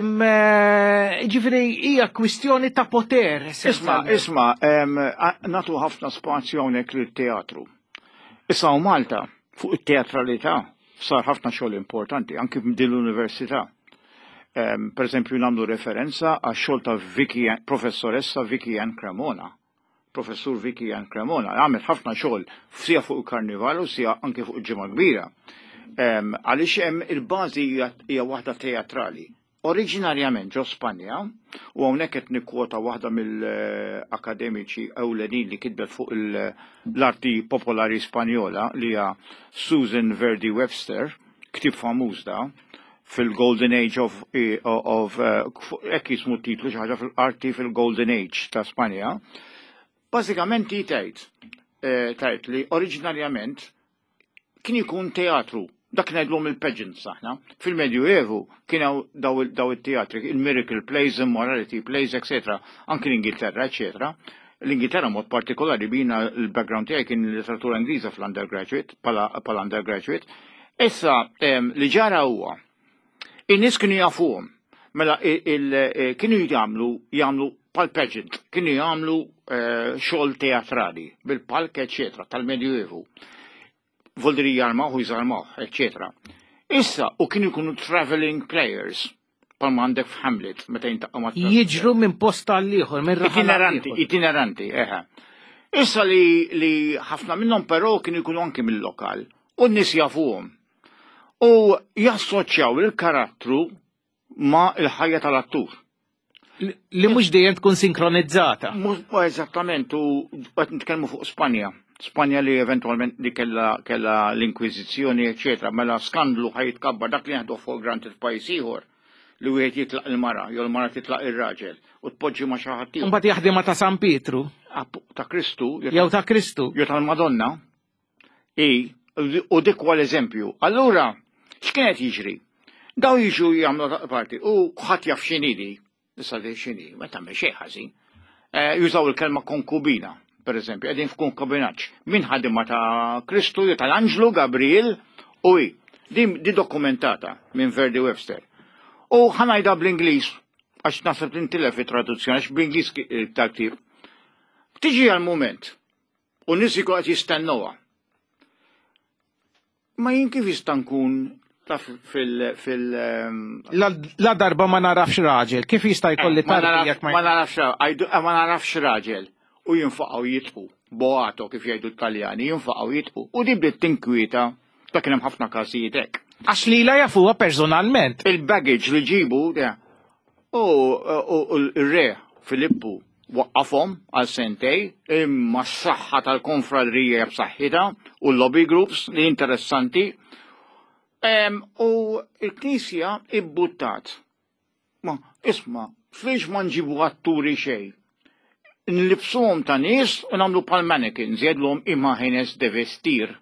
ġifieri, hija kwistjoni ta' poter. Isma, isma, nagħtu ħafna spazju hawnhekk lit-teatru. Issa u Malta, fuq it-teatralità, sar ħafna xogħol importanti, anki din l-università. Per eżempju, nagħmlu referenza għax xogħol ta' Vicky, professoressa Vicky Ann Cremona. Professur Vicky Ann Cremona, għamel ħafna xogħol sija fuq il-karnival u sija anke fuq il-Ġimgħa Kbira. Għaliex hemm il-bażi hija waħda teatrali. Oriġinarjament ġo Spanja, u hawnhekk qed nikkwota waħda mill-akademiċi ewlenin li kitbet fuq l-arti popolari Spanjola li hija Susan Verdi Webster, ktieb famuż da, fil-Golden Age of, of hekk jismu titlu xi ħaġa fil-arti fil-Golden Age ta' Spanja. Bażikament tgħid eh, tgħid li oriġinarjament kien ikun teatru. Dak ngħidlhom il-pageants aħna. Fil-Medju Evu kien daw daw it-teatri, il-miracle plays, immorality plays, et cetera. Anki l-Ingilterra, et cetera. L-Ingilterra mod partikolari bina l-background tiegħi kien l-letteratura Ingliża fl-undergraduate, pala undergraduate. Issa li ġara huwa in-nies kienu jafuhom. Mela kienu jagħmlu jagħmlu pal pageant, kienu jagħmlu eh, xogħol teatrali bil-palk, eccetera, tal-Medju Evu voldiri jarmaw u jżarmaw, et cetera. Issa, u kienu jkunu traveling players, palma għandek f'Hamlet, meta jiltaqgħu ma' Jiġru minn post għal ieħor, minn raħal Itineranti, itineranti, eħe. Issa li, li ħafna minnhom però kienu jkunu anki mill-lokal, u n-nies jafuhom. U jassoċjaw il-karattru ma' il-ħajja tal-attur. Li mhux dejjem tkun sinkronizzata. Mhux eżattament, u qed nitkellmu fuq Spanja. Spanja li eventualment li kella, kella l-Inkwiżizzjoni, eccetera, mela skandlu ħa jitkabbar dak li nieħdu for granted pajjiż ieħor li wieħed jitlaq il-mara, jew il-mara titlaq ir-raġel u tpoġġi ma' xi ħadd ieħor. Mbagħad jaħdimha ta' San Pietru. Ta' Kristu. Jew ta' Kristu. Jew tal-Madonna. I, u dik huwa l-eżempju. Allura, x'kienet jiġri? Daw jiġu jagħmlu parti u ħadd jaf x'inhi. Issa di x'inhi, ma tagħmel xejn ħażin. Eh, jużaw il-kelma konkubina, per eżempju, qegħdin f'konkubinaġġ. Min ħadima ta' Kristu jew tal-Anġlu Gabriel u hi. Din di dokumentata minn Verdi Webster. U ħa ngħidha bl-Ingliż, għax naħseb tintilef it-traduzzjoni, għax bl-Ingliż tal-ktieb. Tiġi għal-moment, u nies ikun qed jistennuha. Ma jien kif jista' nkun taf fil fil ehm, La, la darba ma narafx raġel, kif jista' jkolli Eh, ma tarbija naraf- jekk ma ma narafx għajdu- eh, ma narafx raġel u jinfaqgħu jitqu boato kif jgħidu t-Taljani jinfaqgħu jitqu u di bdiet tinkwieta ta' kien hemm ħafna każijiet hekk. Għax li la jafuha personalment. Il-baggage li ġibu ja, u u- u l-re Filippu waqqafhom għal sentej imma s-saħħa tal-konfradrija b'saħħitha u l-lobby groups li interessanti. Em, U l-Knisja ibbuttat. Ma, isma, fiex ma nġibu atturi xej. Nlibsuhom ta' nies u nagħmlu pal mannequins, jgħidlhom imágenes de vestir.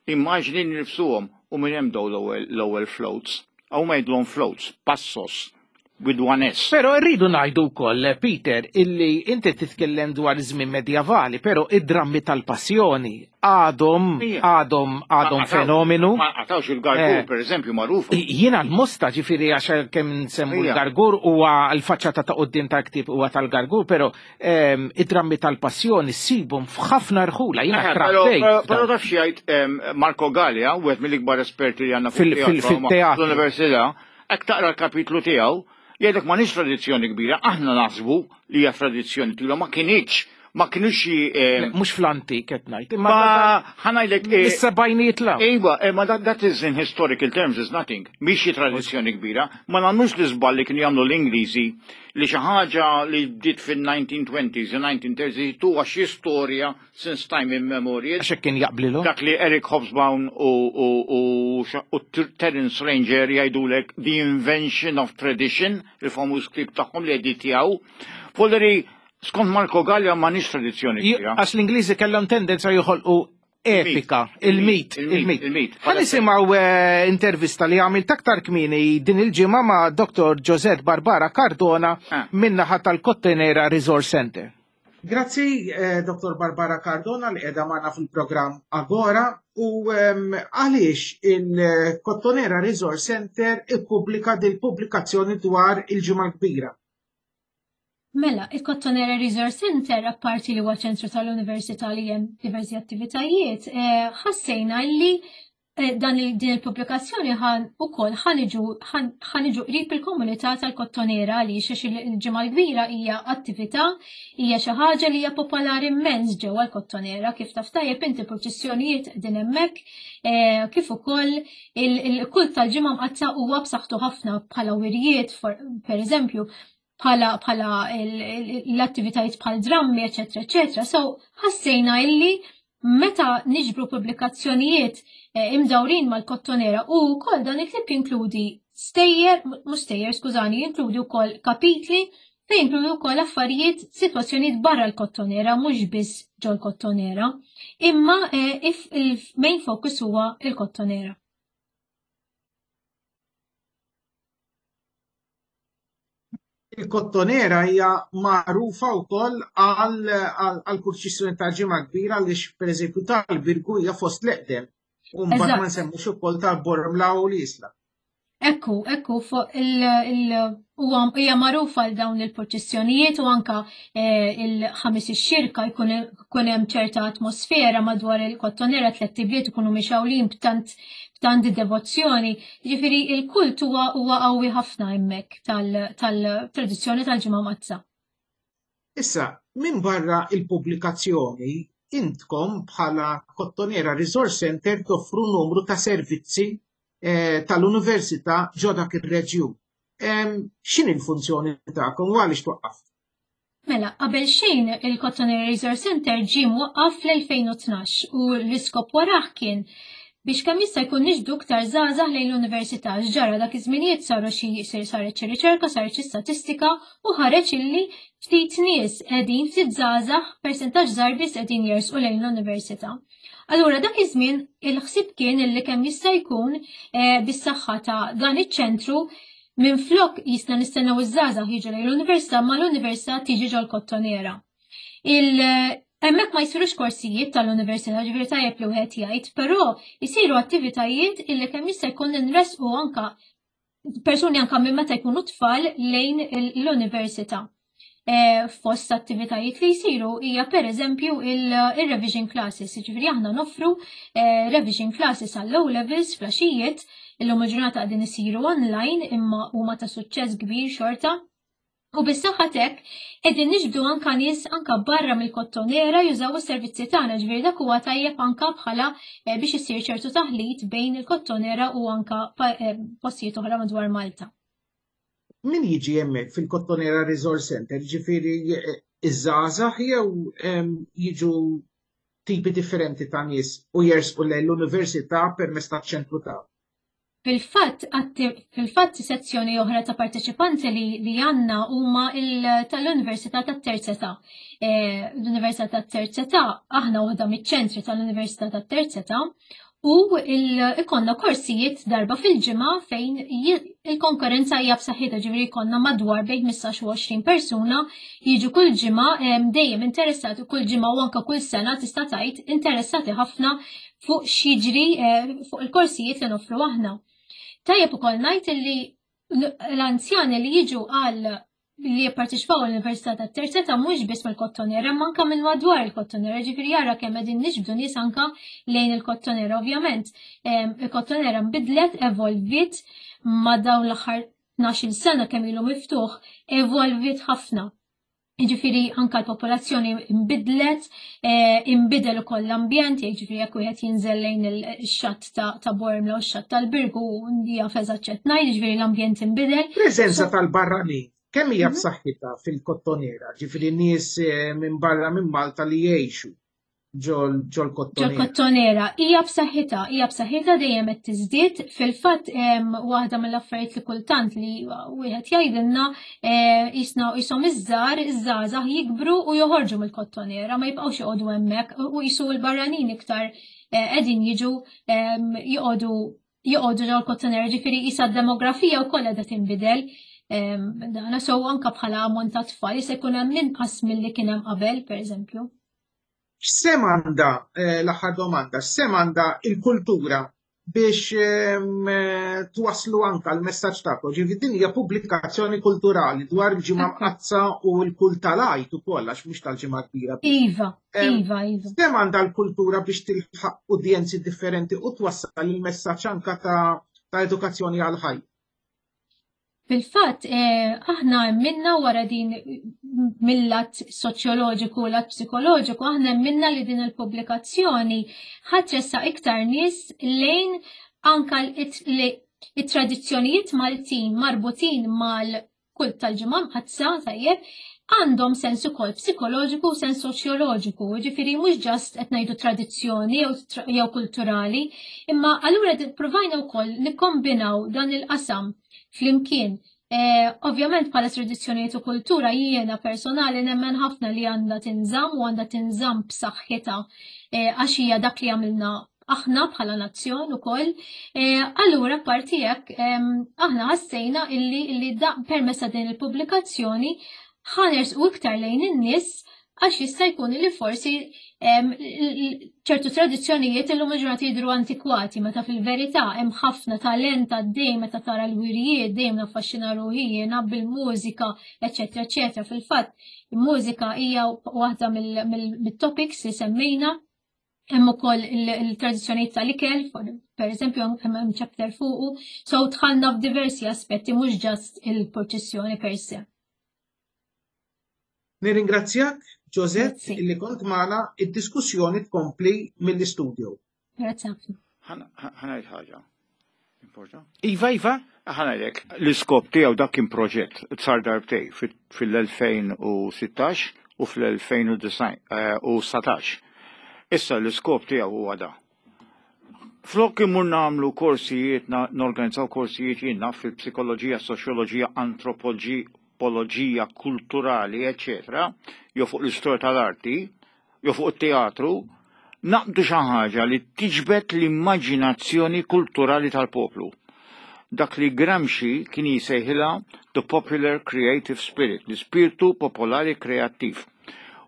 Immaġni nilbsuhom u minn hemm daw l-ewwel l-ewwel floats. Aw ma jgħidlhom floats, passos, with one S. Pero rridu ngħidu wkoll, Peter, illi inti titkellem dwar żmien medjavali, pero id-drammi tal-passjoni għadhom Ija. għadhom għadhom Ma qatawx- fenomenu. Ma qatawx il-gargur, Eh. per eżempju, magħrufa. Jiena l-mosta ġifieri għax kemm nsemmu Ija. l-gargur huwa l-faċċata ta' quddiem tal-ktieb huwa tal-gargur, pero ehm, id-drammi tal-passjoni ssibhom f'ħafna rħula, jiena Eh, Però trabbejt. però- però taf xi jgħid em, Marco Gallia, wieħed mill-ikbar esperti li għandna fuq Fil- fil- teatru ma- fit-teatru. fl-università, hekk taqra l-kapitlu tiegħu, jgħidlek ma nix tradizzjoni kbira, aħna naħsbu li hija tradizzjoni twila, ma kinitx, ma kinux xi em, Mhux fl-antik qed ngħid, imma ma ħa ngħidlek eh, is-sebgħinijiet la. Iva, eh, ma that, that is in historical terms is nothing. Mhix xi tradizzjoni kbira. Ma nagħmlux l-iżball li kienu jagħmlu l-Ingliżi li xi ħaġa li bdiet fil-nineteen twenties u nineteen thirties tuha xi storja since time immemorial. Għax hekk kien jaqblilu. Dak li Eric Hobsbawm u, u, u, u Terence Ranger jgħidulek The Invention of Tradition, il-famuż ktieb tagħhom li editjaw. Polleri, skont Marco Gallia ma nix tradizzjoni kbira. Għax l-Ingliżi kellhom tendenza joħolqu epika, il-mit, Il-mit, il-mit. il-mit. Ħa nisimgħu eh, intervista li għamilt aktar kmieni din il-ġimgħa ma' Doktor Josette Barbara Cardona Ah. min-naħa tal-Kottonera Resource Center. Grazzi, eh, Doktor Barbara Cardona li qiegħda magħna fil-programm Agora u ehm, għaliex il-Kottonera Resource Center ippubblika dil-pubblikazzjoni dwar il-Ġimgħa Kbira. Mela, il-Kottonera Resource Center, apparti li huwa ċentru tal-Università li hemm diversi attivitajiet, eh, ħassejna li eh, dan il din il-pubblikazzjoni ħan ukoll ħaniġu ħaniġu qrib il-komunità tal-Kottonera għaliex għax il-Ġimgħa l-Kbira hija attività, hija xi ħaġa li hija popolari immens ġewwa l-Kottonera, kif taf tajjeb inti purċissjonijiet din hemmhekk, eh, kif ukoll il-kult tal-Ġimgħa Mqaddsa huwa b'saħħtu ħafna bħala wirjiet, per eżempju, bħala bħala l-attivitajiet bħal drammi, eċetera, eċetera. So, ħassejna illi meta niġbru pubblikazzjonijiet eh, imdawrin mal-Kottonera u wkoll dan il-ktieb jinkludi stejjer, mhux stejjer, skużani, jinkludi wkoll kapitli fejn jinkludi wkoll affarijiet, sitwazzjonijiet barra l-Kottonera, mhux biss ġol Kottonera, imma eh, il-main focus huwa il-Kottonera. Il-Kottonera hija magħrufa wkoll għal purċissjoni ta' Ġimgħa Kbira għaliex pereżempju tal-Birgu hija fost l-eqdem. U mbagħad ma nsemmux ukoll tal-Bormla u l-Isla. Ekku, ekku, fuq il hija magħrufa għal dawn il-purċissjonijiet u anka eh, il-Ħamis ix-Xirka jkun hemm ċerta atmosfera madwar il-Kottonera, tliet ibliet ikunu mixgħulin b'tant b'tant devozzjoni. Ġifieri il-kult huwa huwa qawwi ħafna hemmhekk tal-tradizzjoni tal-Ġimgħa Mqaddsa. Issa, minn barra il-pubblikazzjoni, intkom bħala Kottonera Resource Center toffru numru ta' servizzi eh, tal-Università ġo dak ir-reġjun. X'inhi l-funzjoni tagħkom u għaliex twaqqaf? Mela, qabel xejn il-Kottonera Resource Center ġie mwaqqaf fl-elfejn u tnax u l-iskop warah kien biex kemm jista' jkun niġbdu iktar żgħażagħ lejn l-università. Ġara dak iż-żminijiet saru xi saret xi riċerka, saret xi statistika u ħareġ illi ftit nies qegħdin, ftit żgħażagħ, persentaġġ żgħar biss qegħdin jersqu lejn l-università. Allura dak iż-żmien il-ħsieb kien illi kemm jista' jkun eh, bis-saħħa ta' dan iċ-ċentru minn flok jisna nistennew iż-żgħażagħ jiġu lejn l-università, ma l-università tiġi ġol Kottonera. Il Hemmhekk ma jsirux korsijiet tal-università, ġifieri tajjeb li wieħed jgħid, però jsiru attivitajiet illi kemm jista' jkun nresqu anka persuni anka minn meta jkunu tfal lejn l-università. Eh, fost attivitajiet li jsiru hija pereżempju il-revision classes, jiġifieri aħna noffru eh, revision classes għall-O levels filgħaxijiet. Illum il-ġurnata qegħdin isiru online, imma huma ta' suċċess kbir xorta. U bis-saħħa t'hekk qegħdin niġbdu anka nies anka barra mill-Kottonera jużaw is-servizzi tagħna, ġifieri dak huwa tajjeb anka bħala eh, biex isir ċertu taħlit bejn il-Kottonera u anka eh, postijiet oħra madwar Malta. Min jiġi hemmhekk fil-Kottonera Resource Center, ġifieri eh, iż-żgħażagħ jew jiġu tipi differenti ta' nies u jersqu lejn l-università permezz taċ-ċentru ta' Fil-fatt, fil-fatt sezzjoni oħra ta' parteċipanti li, li għandna huma tal-Università tat-Terza Età. Eh, L-Università tat-Terza Età, aħna waħda miċ-ċentri tal-Università tat-Terza Età u ikollna korsijiet darba fil-ġimgħa fejn il-konkurrenza hija b'saħħitha, ġifieri jkollna madwar bejn ħmistax u għoxrin persuna jiġu kull ġimgħa, dejjem interessati kull ġimgħa u anke kull sena tista' tgħid interessati ħafna fuq x'jiġri eh, fuq il-korsijiet li noffru aħna. Tajjeb ukoll ngħid li l-anzjani li jiġu għal li jipparteċipaw l-Università tat-Terza Età mhux biss mill-Kottonera, imma anke minn madwar il-Kottonera, ġifieri jara kemm qegħdin niġbdu nies anke lejn il-Kottonera. Ovvjament, il-Kottonera nbidlet, evolvit ma' dawn l-aħħar tnax-il sena kemm ilu miftuħ, evolvit ħafna. Ġifieri anka l-popolazzjoni imbidlet, eh, imbidel ukoll l-ambjent, jiġifieri jekk wieħed jinżel lejn il-xatt ta' Bormla u x-xatt tal-Birgu jaf eżatt x'qed ngħid, jiġifieri l-ambjent imbidel. Preżenza tal-barranin, kemm hija mhm. b'saħħitha fil-Kottonera, ġifieri nies eh, minn barra minn Malta li jgħixu ġol Kottonera? Ġol Kottonera, hija b'saħħitha, hija b'saħħitha, dejjem qed tiżdied. Fil-fatt waħda mill-affarijiet li kultant li wieħed jgħidilna eh, jisna jisom iż-żgħar, iż-żgħażagħ jikbru u joħorġu mill-Kottonera, ma jibqgħux joqogħdu hemmhekk u jisu l-barranin iktar eh, qegħdin jiġu joqogħdu joqogħdu ġol Kottonera, ġifieri jisa d-demografija wkoll qiegħda tinbidel. Dana so anka bħala ammont ta' tfal jista' jkun hemm inqas milli kien hemm qabel, pereżempju. X'sehem għandha, eh, l-aħħar domanda, x'sehem għandha il-kultura biex ehm, eh, twaslu anka l-messaġġ tagħkom? Ġifieri din hija pubblikazzjoni kulturali dwar il-Ġimgħa Mqaddsa u l-kult tal-Għid ukoll, għax mhux tal-Ġimgħa Kbira. Iva, ehm, iva, iva. X'sehem għandha l-kultura biex tilħaq udjenzi differenti u twassal il-messaġġ anka ta' ta' edukazzjoni għal ħajja? Fil-fatt, eh, aħna minna wara din mill-lat soċjoloġiku u lat psikoloġiku, aħna minna li din il-pubblikazzjoni ħa tressaq iktar nies lejn anka it-tradizzjonijiet Maltin marbutin mal-kult tal-Ġimgħa Mqaddsa, tajjeb, għandhom sens ukoll psikoloġiku u sens soċjoloġiku, ġifieri mhux just qed ngħidu tradizzjoni jew kulturali, imma allura provajna wkoll nikkombinaw dan il-qasam flimkien. Eh, ovvjament bħala tradizzjonijiet u kultura jiena personali nemmen ħafna li għandha tinżamm u għandha tinżamm b'saħħitha eh, għax hija dak li għamilna aħna bħala nazzjon ukoll. Eh, allura parti hekk aħna ħassejna illi illi da permezz ta' din il-pubblikazzjoni ħa nersqu iktar lejn in-nies, għax jista' jkun li forsi ċertu tradizzjonijiet illum il-ġurnata jidhru antikwati, meta fil-verità hemm ħafna talent għaddej. Meta tara l-wirjiet, dejjem naffaxxina ruħi jiena bil-mużika, eċetera, eċetera. Fil-fatt, il-mużika hija waħda mill-topics li semmejna. Hemm ukoll il-tradizzjonijiet tal-ikel, per eżempju hemm chapter fuqu, so dħalna f'diversi aspetti, mhux just il-proċessjoni per se. Nirringrazzjak, Josette, illi kont magħna. Id-diskussjoni tkompli mill-istudio. Grazzi ħafna. Ħa ngħid ħaġa. Importa? Iva, iva. Ħa ngħidlek, l-iskop tiegħu dak kien proġett sar darbtejn, fil-elfejn u sittax u fl-elfejn u dsatax. Issa l-iskop tiegħu huwa da. Flok imur nagħmlu korsijiet, norganizzaw korsijiet jiena fil-psikoloġija, soċjoloġija, antropoloġija kulturali, eccetera, jew fuq l-istorja tal-arti, jew fuq it-teatru, naqbdu xi ħaġa li tiġbed l-immaġinazzjoni kulturali tal-poplu. Dak li Gramsci kien jisejħilha the popular creative spirit, l-ispirtu popolari kreattiv.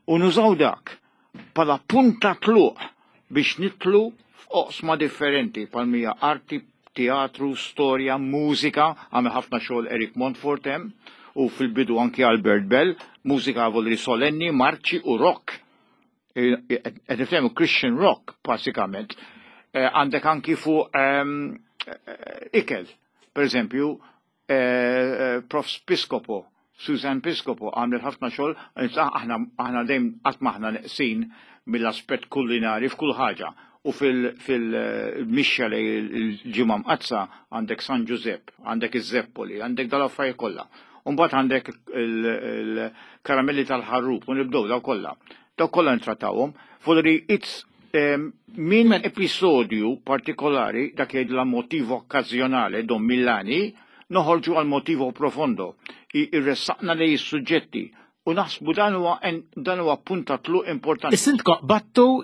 U nużaw dak bħala punta tluq biex nidħlu f'oqsma differenti bħal mija arti, teatru, storja, mużika, għamel ħafna xogħol Eric Montfort hemm, u fil-bidu anki Albert Bell, mużika volli solenni, marċi u rock. Qed niftehmu Christian rock, basikament. Għandek anki fuq ikel, per eżempju, Prof Piscopo, Susan Piscopo għamlet ħafna xogħol, aħna dejjem qatt m'aħna neqsin mill-aspett kulinari f'kull ħaġa. U fil-mixja li l-Ġimgħa Mqaddsa għandek San Giuseppe, għandek iż-Zeppoli, għandek dal-affarijiet kollha. U mbagħad għandek il-karamelli tal-ħarrub u nibdew daw kollha. Daw kollha ntrattawhom. Volli it's minn episodju partikolari dak jgħidla motivo okkażjonali Don Milani noħorġu għal motivo profondo. Irressaqna lej is-suġġetti u naħsbu dan huwa dan huwa punta tluq importanti. Is-sindko battu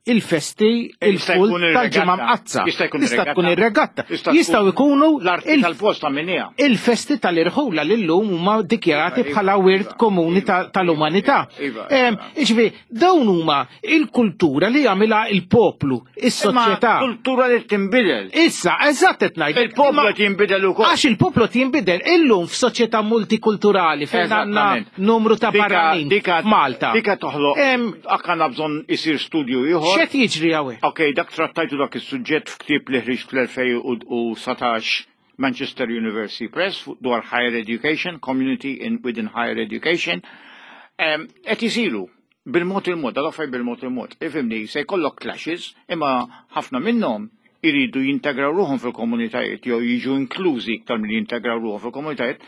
il-festi, il-kult tal-Ġimgħa Mqaddsa. Tista' tkun ir-regatta. Jistgħu jkunu l-arti tal-posta minnija. Il-festi tal-irħula li llum huma dikjarati bħala wirt komuni tal-umanità. Iġifieri, dawn huma il-kultura li jagħmilha il-poplu, is-soċjetà. Kultura li tinbidel. Issa, eżatt qed ngħid. Il-poplu qed jinbidel ukoll. Għax il-poplu qed jinbidel illum f'soċjetà multikulturali fejn għandna numru ta' barranin f'Malta. Dika toħloq. Għandna bżonn isir studju ieħor. X'qed jiġri hawnhekk? Ok, dak trattajtu dak is-suġġett f'ktieb li ħriġt fl-elfejn u satax Manchester University Press dwar higher education, community in within higher education. Qed isiru bil-mod il-mod, dal-affarijiet bil-mod il-mod. Ifhimni, se jkollok clashes, imma ħafna minnhom iridu jintegraw ruħhom fil-komunitajiet jew jiġu inklużi iktar milli jintegraw ruħhom fil-komunitajiet.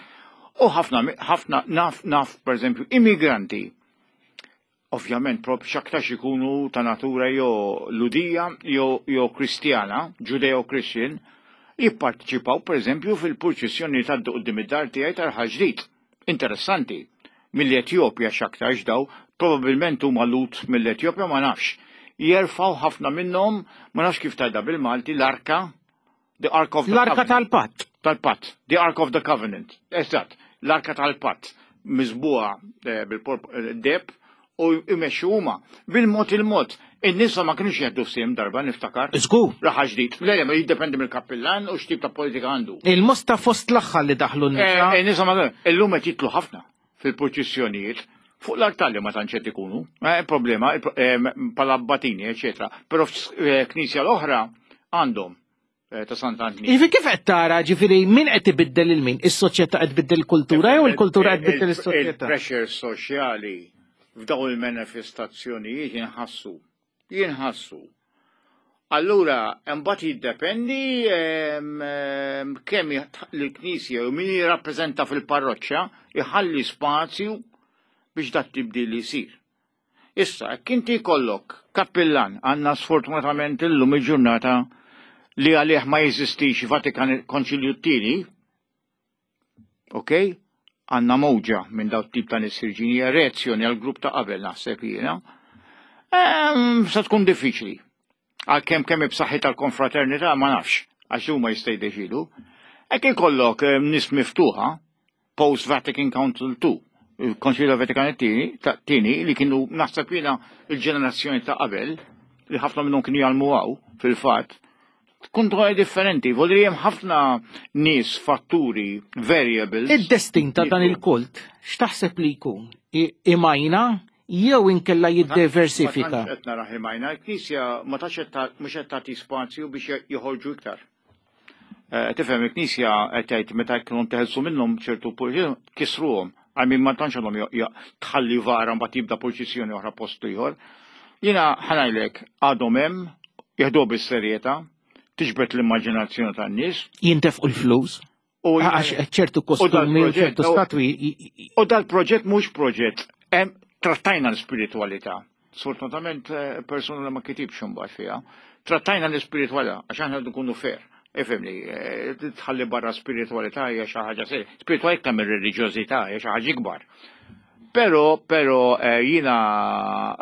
U ħafna ħafna naf naf pereżempju immigranti. Ovvjament, prop xaktax ikunu ta' natura jew Ludija jew Kristjana, Judeo-Christian, jipparteċipaw pereżempju fil-purċissjoni ta' quddiem id-dar tiegħi tal-Ħaġrid. Interessanti. Mill-Etjopja xaktarx daw, probabbilment huma Lut mill-Etjopja ma nafx. Jerfgħu ħafna minnhom, ma nafx kif tgħidha bil-Malti, l-arka, the Ark of the L-arka tal-Patt. Tal-Patt, the Ark of the Covenant. Eżatt, l-arka tal-Patt, miżbuha bil-deb u jmexxu huma bil-mod il-mod. In-nisa ma kienux jieħdu f'siem darba niftakar. Żgur. Raħa ġdid. Le, ma jiddependi mill-kappillan u x'tip ta' politika għandu. Il-mosta fost l-aħħar li daħlu n-nisa. In-nisa ma illum qed jitlu ħafna fil-purċissjonijiet fuq l-artalli ma tantx qed ikunu. Problema bħala abbatini, eċetera. Però f'knisja l-oħra għandhom ta' Sant'Antni. Jiġifieri kif qed tara, ġifieri min qed ibiddel il-min? Is-soċjetà qed tbiddel il-kultura jew il-kultura qed tbiddel is-soċjetà? Il-pressure soċjali f'dawn il-manifestazzjonijiet jinħassu. Jinħassu. Allura, imbagħad jiddependi kemm l-Knisja u min jirrappreżenta fil-parroċċa jħalli spazju biex dak tibdil isir. Issa, jekk inti jkollok kappillan, għandna sfortunatament illum il-ġurnata li għalih ma jeżistix Vatikan Konċilju t-tieni, ok? Għanna mowġa minn daw tip ta' nies ħirġin, reazzjoni għal grupp ta' qabel naħseb jiena. Sa tkun diffiċli. Għalkemm kemm b'saħħi tal-konfraternità ma nafx, għax huma jista' jiddeċidu. Hekk ikollok nies miftuħa post Vatican Council two, il-Konċilju Vatikan tieni li kienu naħseb jiena il-ġenerazzjoni ta' qabel, li ħafna minnhom kienu jgħallmu hawn fil-fatt, tkun dwar differenti, volli hemm ħafna nies, fatturi, variables. Id-destin ta' dan il-kult, x'taħseb li jkun? Imajna jew inkella jiddiversifika? Ma tantx qed naraħ imajna, il-Knisja ma tantx mhux qed tagħti spazju biex joħorġu iktar. Tifhem, il-Knisja qed tgħid meta jkunu teħelsu minnhom ċertu kisruhom, għal min ma tantx għandhom tħalli vara mbagħad jibda purċissjoni oħra post ieħor. Jiena ħanajlek għadhom hemm, jeħduha bis-serjetà, tiġbed l-immaġinazzjoni tan-nies. Jintefqu l-flus. Għax ċertu kostumi u ċertu statwi. U dal-proġett mhux proġett, hemm trattajna l-spiritualità. Sfortunatament persuna li ma kitibx imbagħad fiha. Trattajna l-spiritualità għax aħna nkunu fair. Ifhimni, tħalli barra spiritualità hija xi ħaġa serja. Spiritualità iktar mir-reliġjożità hija xi ħaġa ikbar. Però, però jiena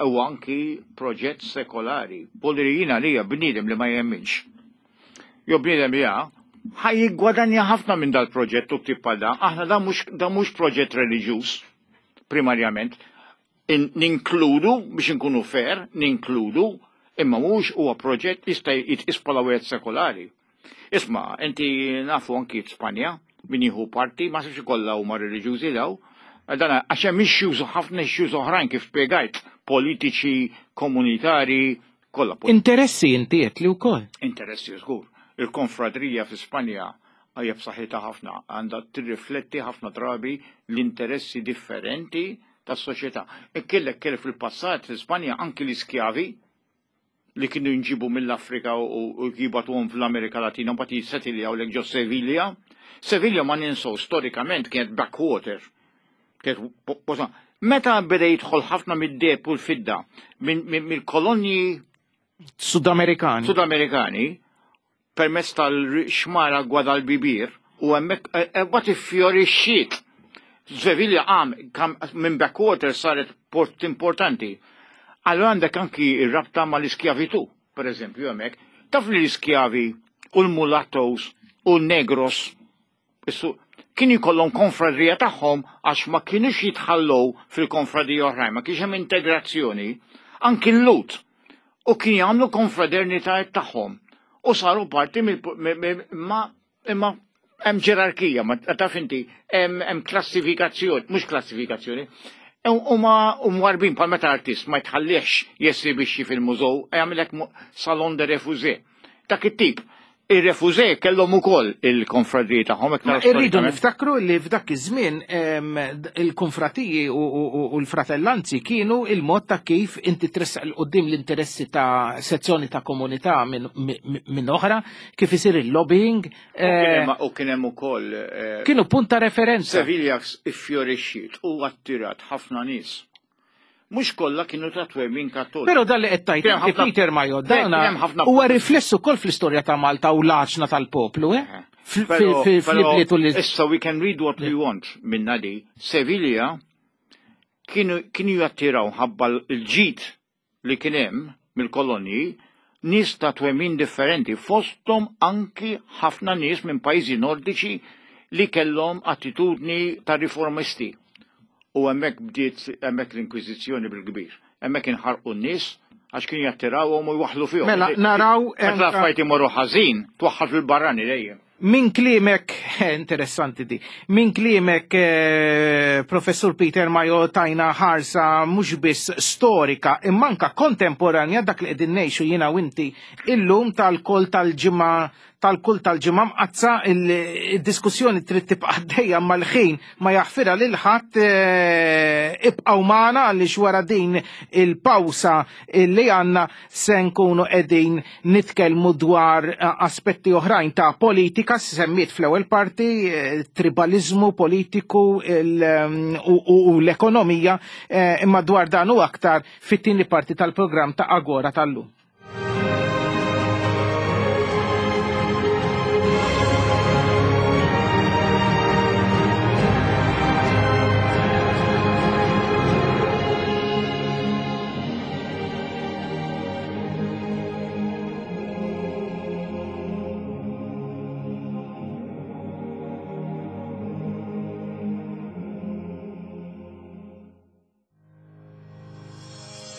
huwa anki proġett sekolari. Bolli jiena li hija bniedem li ma jemminx. Jo bniedem li ħaj jiggwadanja ħafna minn dal-proġett u tip bħal dan. Aħna dan mhux proġett reliġjuż primarjament. Ninkludu biex inkunu fair, ninkludu, imma mhux huwa proġett jista' jitqis bħala wieħed sekolari. Isma', inti nafu anki f'Spanja, Min jieħu parti, ma sibx kollha huma reliġjużi daw. Dan għax hemm issues, ħafna issues oħrajn kif spjegajt, politiċi, komunitari, kollha. Interessi inti qed li wkoll. Interessi żgur. Il-konfradrija fi Spanja hija b'saħħitha ħafna, għandha tirrifletti ħafna drabi l-interessi differenti tas-soċjetà. Ikkellek kelli fil-passat fi Spanja anki l-iskjavi li kienu jinġibu mill-Afrika u jibatuhom fl-Amerika Latina, mbagħad jissetiljaw lek ġo Sevilla. Sevilla ma ninsew storikament kienet backwater. Kienet Meta beda jidħol ħafna mid-deheb u l-fidda mill-kolonji Sudamerikani. Sudamerikani permezz tal-xmara Guadalquivir u hemmhekk mbagħad iffjorixxiet. Sevilla qam minn backwater saret port importanti. Allora għandek anki ir-rabta mal-iskjavitu, per eżempju, hemmhekk. Taf li l-iskjavi u l-mulattos u l-negros kienu jkollhom konfradrija tagħhom għax ma kienux jitħallow fil-konfradija oħrajn, ma kienx hemm integrazzjoni, anki l-Lhud. U kien jagħmlu konfraternitajiet tagħhom. U saru parti ma imma hemm ġerarkija, ma taf inti, hemm klassifikazzjoni, mhux klassifikazzjoni, huma mwarbin bħal meta artist ma jitħallix jesibixxi fil-mużew, jagħmilek salon de refusé. Dak it-tip. Ir-refusé kellhom ukoll il-konfradiji tagħhom iktar. Irridu niftakru li f'dak iż-żmien il-konfratiji u l-fratellanzi kienu il-mod ta' kif inti tressaq 'l quddiem l-interessi ta' sezzjoni ta' komunità minn oħra, kif isir il-lobbying. U kien hemm ukoll kienu punt ta' referenza. Sevilla iffjorixxiet u attirat ħafna nies. Mhux kollha kienu ta' twemmin Kattoliku. Però dan li qed tgħid Peter Mayo, dan huwa riflessu wkoll fl-istorja ta' Malta u l-għaxna tal-poplu, eh? Fl-ibliet u Issa we can read what we want minna di. Sevilla kienu jattiraw ħabba l-ġid li kien hemm mill-kolonji nies ta' twemmin differenti, fosthom anki ħafna nies minn pajjiżi nordiċi li kellhom attitudni ta' riformisti. U hemmhekk bdiet hemmhekk l-Inkwiżizzjoni bil-kbir. Hemmhekk inħarqu n-nies għax kienu jattirawhom u jwaħħlu fihom. Mela naraw meta l-affarijiet imorru ħażin, twaħħal fil-barrani dejjem. Min kliemek, interessanti di, min kliemek Professur Peter Mayo tajna ħarsa mhux biss storika imma anka kontemporanja dak li qegħdin ngħixu jiena u inti illum tal-kol tal-ġimgħa tal-kull tal-ġimgħa mqazza. Il-diskussjoni trid tibqa' għaddejja mal-ħin ma jaħfirha lil ħadd. Ibqgħu magħna għaliex wara din il-pawsa li għandna se nkunu qegħdin nitkellmu dwar aspetti oħrajn ta' politika. Semmiet fl-ewwel parti tribalizmu politiku u l-ekonomija, imma dwar dan u aktar fit-tieni parti tal-programm ta' Agora tal-lum.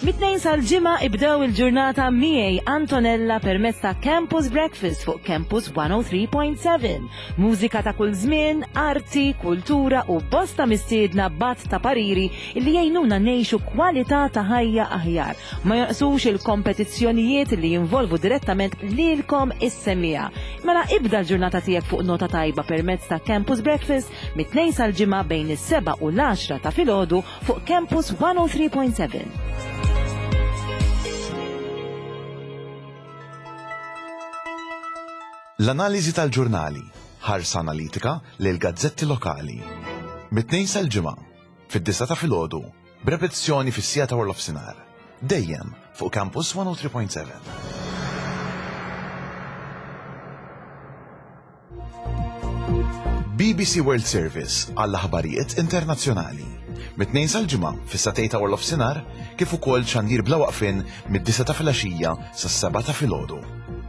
Mit-tnejn sal-ġimgħa ibdew il-ġurnata miegħi Antonella permezz ta' Campus Breakfast fuq Campus one oh three point seven. Mużika ta' kull żmien, arti, kultura u bosta mistiedna bat ta' pariri li jgħinuna ngħixu kwalità ta' ħajja aħjar. Ma jonqsux il-kompetizzjonijiet li jinvolvu direttament lilkom is-semmiegħa. Mela ibda l-ġurnata tiegħek fuq nota tajba permezz ta' Campus Breakfast mit-tnejn sal-ġimgħa bejn is-seba' u l-għaxra ta' filgħodu fuq Campus one oh three point seven. L-analiżi tal-ġurnali, ħarsa analitika lil gazzetti lokali. Mit-tnejn sal-ġimgħa, fid-disa ta' filgħodu, b'repetizzjoni fis-sija ta' warlofsinhar. Dejjem fuq Campus one oh three point seven. B B C World Service għall-aħbarijiet internazzjonali. Mit-tnejn sal-ġimgħa fis-satej ta' warlofsinhar kif ukoll xandir bla waqfien mid-disa ta' filgħaxija sas-seba' ta' filgħodu.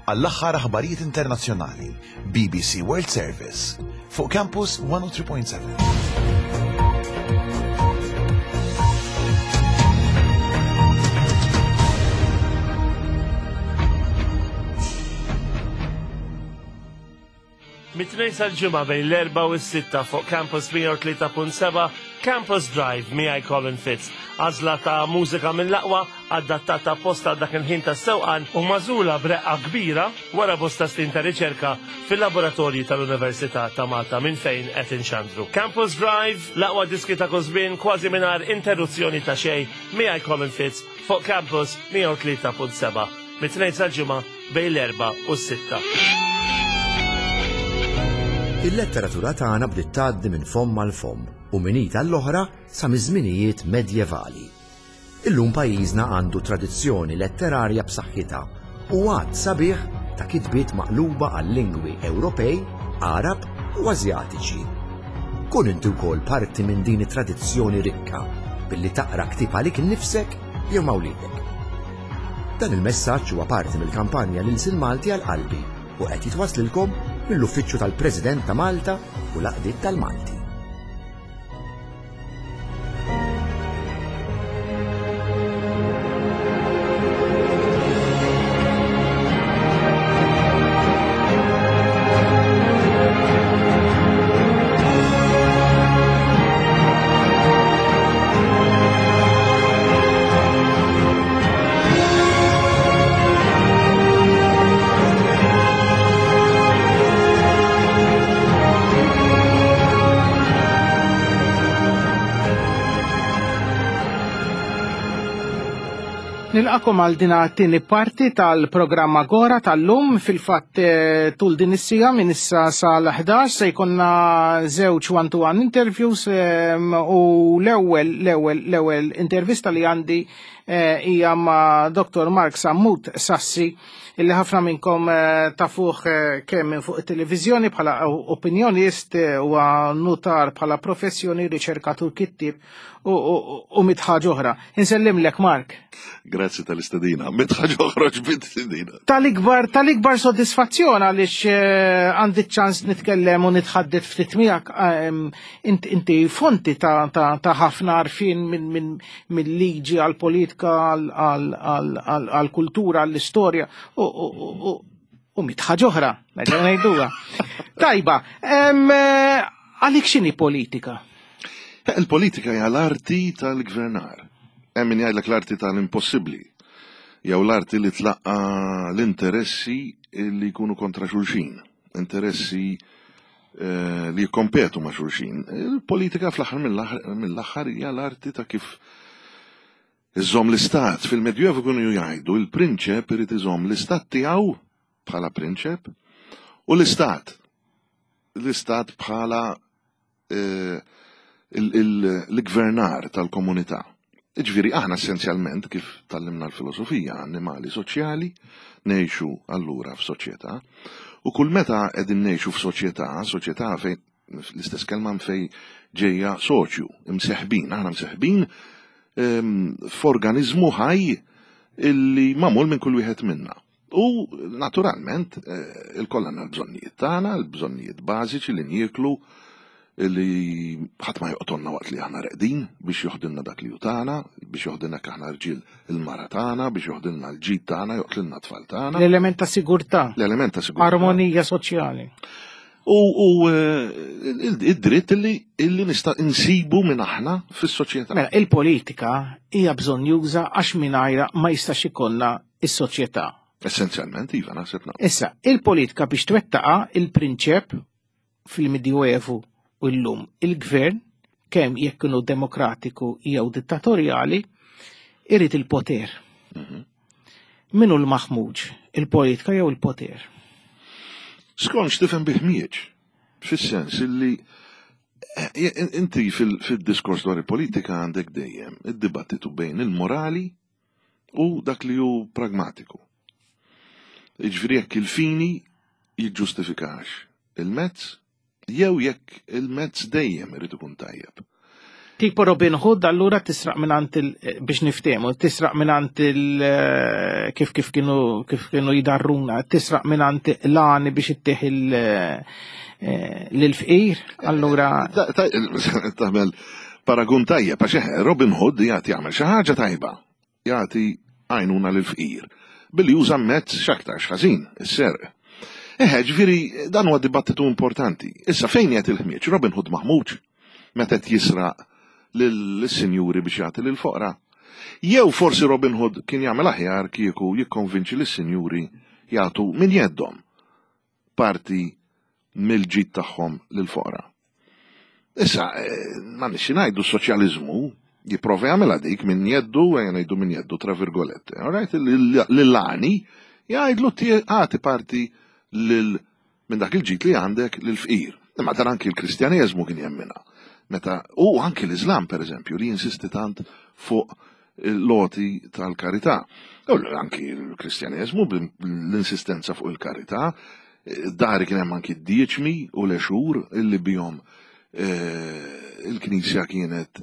Għall-aħħar aħbarijiet internazzjonali, B B C World Service fuq Campus one oh three point seven. Mit Mit-Tnejn sal-Ġimgħa bejn l-erbgħa u s-sitta fuq Campus mija u tlieta punt seba' Campus Drive miegħi Colin Fitz. Għażla ta' mużika mill-aqwa adattata apposta għal dak il-ħin tas-sewqan u magħżula b'reqqa kbira wara bosta snin ta' riċerka fil-laboratorji tal-Università ta' Malta minn fejn qed inxandru. Campus Drive, l-aqwa diski ta' kull żmien kważi mingħajr interruzzjoni ta' xejn miegħi Colin Fitz fuq Campus mija u tlieta punt seba' mit-Tnejn sal-Ġimgħa bejn l-erbgħa u s-sitta. Il-letteratura tagħna bdiet tgħaddi minn fomm għal fomm u minn id għall-oħra sa miż-żminijiet medjevali. Illum pajjiżna għandu tradizzjoni letterarja b'saħħitha u għadd sabiħ ta' kitbiet maqluba għal lingwi Ewropej, Għarab u Asjatiċi. Kun inti wkoll parti minn din it-tradizzjoni rikka billi taqra ktieb għalik innifsek jew ma' wliedek. Dan il-messaġġ huwa parti mill-kampanja l-Ilsien Malti għal qalbi u qed jitwaslilkom mill-Uffiċċju tal-President ta' Malta u l-Għaqdiet tal-Malti. Nilqakom għal din it-tieni parti tal-programm Agora tal-lum. Fil-fatt tul din is-sija minn issa sal-ħdax se jkollna żewġ one-to-one interviews u l-ewwel l-ewwel l-ewwel intervista li għandi hija ma' Doktor Mark Sammut Sassi illi ħafna minnkom tafuh kemm minn fuq it-televiżjoni bħala opinjonist u notar bħala professjoni, riċerkatur, kittieb u mitt ħaġa oħra. Insellimlek Mark. Grazzi tal-istedina, mitt ħaġa oħra ġbit istedina. Tal-ikbar, tal-ikbar soddisfazzjon għaliex għandi ċans nitkellem u nitħaddet ftit miegħek. Inti fonti ta' ħafna għarfien mill-liġi għall-politika, għall-kultura, għall-istorja u mitt ħaġa oħra, nerġgħu ngħiduha. Tajba, għalik x'inhi politika? Il-politika hija l-arti tal-gvernar. Hemm min jgħidlek l-arti tal-impossibbli, jew l-arti li tlaqqa l-interessi li jkunu kontra xulxin, interessi li jikkompetu ma' xulxin. Il-politika fl-aħħar mill-aħħar hija l-arti ta' kif iżomm l-istat. Fil-Medjuevu kienu jgħidu il-prinċep irid iżomm l-istat tiegħu bħala prinċep u l-istat l-istat bħala l-gvernar tal-komunità. Ġifieri aħna essenzjalment kif tallimna l-filosofija, annimali soċjali, ngħixu allura f'soċjetà, u kull meta qegħdin ngħixu f'soċjetà, soċjetà fejn l-istess kelma fejn ġejja soċju, imseħbin, aħna mseħbin f'organiżmu ħaj illi magħmul minn kull wieħed minna. U naturalment il-koll għandna l-bżonnijiet tagħna, l-bżonnijiet bażiċi li nieklu, li ħadd ma joqtolna waqt li aħna reqdin biex joħdilna dak li hu tagħna, biex joħdilna aħna rġiel il-mara tagħna, biex joħdilna l-ġid tagħna, joqtlilna t-tfal tagħna. L-element ta' sigurtà. L-element ta' sigurtà. Armonija soċjali. U id-dritt illi nista' insibu minn aħna fis-soċjetà. Mela, il-politika hija bżonn juża għax mingħajra ma jistax ikollna is-soċjetà. Essenzjalment, iva, naħseb naqbel. Issa, il-politika biex twettaqa il-prinċep fil-Medjuevu u llum il-gvern, kemm jekk kienu demokratiku jew dittatorjali, irid il-poter. Min hu l-maħmuġ, il-politika jew il-poter? Skont x'tifhem bi ħmieġ, fis-sens illi inti fil-diskors dwar il-politika għandek dejjem id-dibattitu bejn il-morali u dak li hu pragmatiku. Jiġifieri jekk il-fini jiġġustifikax il-mezz, jew jekk il-mezz dejjem irid ikun tajjeb. Tipo Robin Hood allura tisraq mingħand il, biex niftehmu, tisraq mingħand il, kif kif kienu kif kienu jidarruna, tisraq mingħand l-għani biex ittieħ il lill-fqir, allura tagħmel paragun tajjeb għax Robin Hood jagħti jagħmel xi ħaġa tajba, jagħti għajnuna lill-fqir billi juża mezz x'aktarx ħażin, is-serq. Eħe, ġifieri dan huwa dibattitu importanti. Issa fejn qed il-ħmieġ? Robin Hood maħmuġ meta qed jisraq lis-sinjuri biex jagħti lill-foqra. Jew forsi Robin Hood kien jagħmel aħjar kieku jikkonvinċi lis-sinjuri jagħtu minn jeddhom parti mill-ġid tagħhom lill-foqra. Issa, ma nixi ngħidu s-soċjaliżmu jipprova jagħmilha dik minn jeddu, ejja ngħidu minn jeddu tra virgolette. All right? Lill-għani jgħidlu agħti parti lil minn dak il-ġid li għandek lill-fqir. Imma dan anki l-Kristjaneżmu kien jemmina. Meta u anki l-Islam pereżempju li jinsisti tant fuq l-loti tal-karità. U anki l-Kristjaneżmu l-insistenza fuq il-karità, dari kien hemm anki d-dieċmi u l-exur illi bihom il-Knisja kienet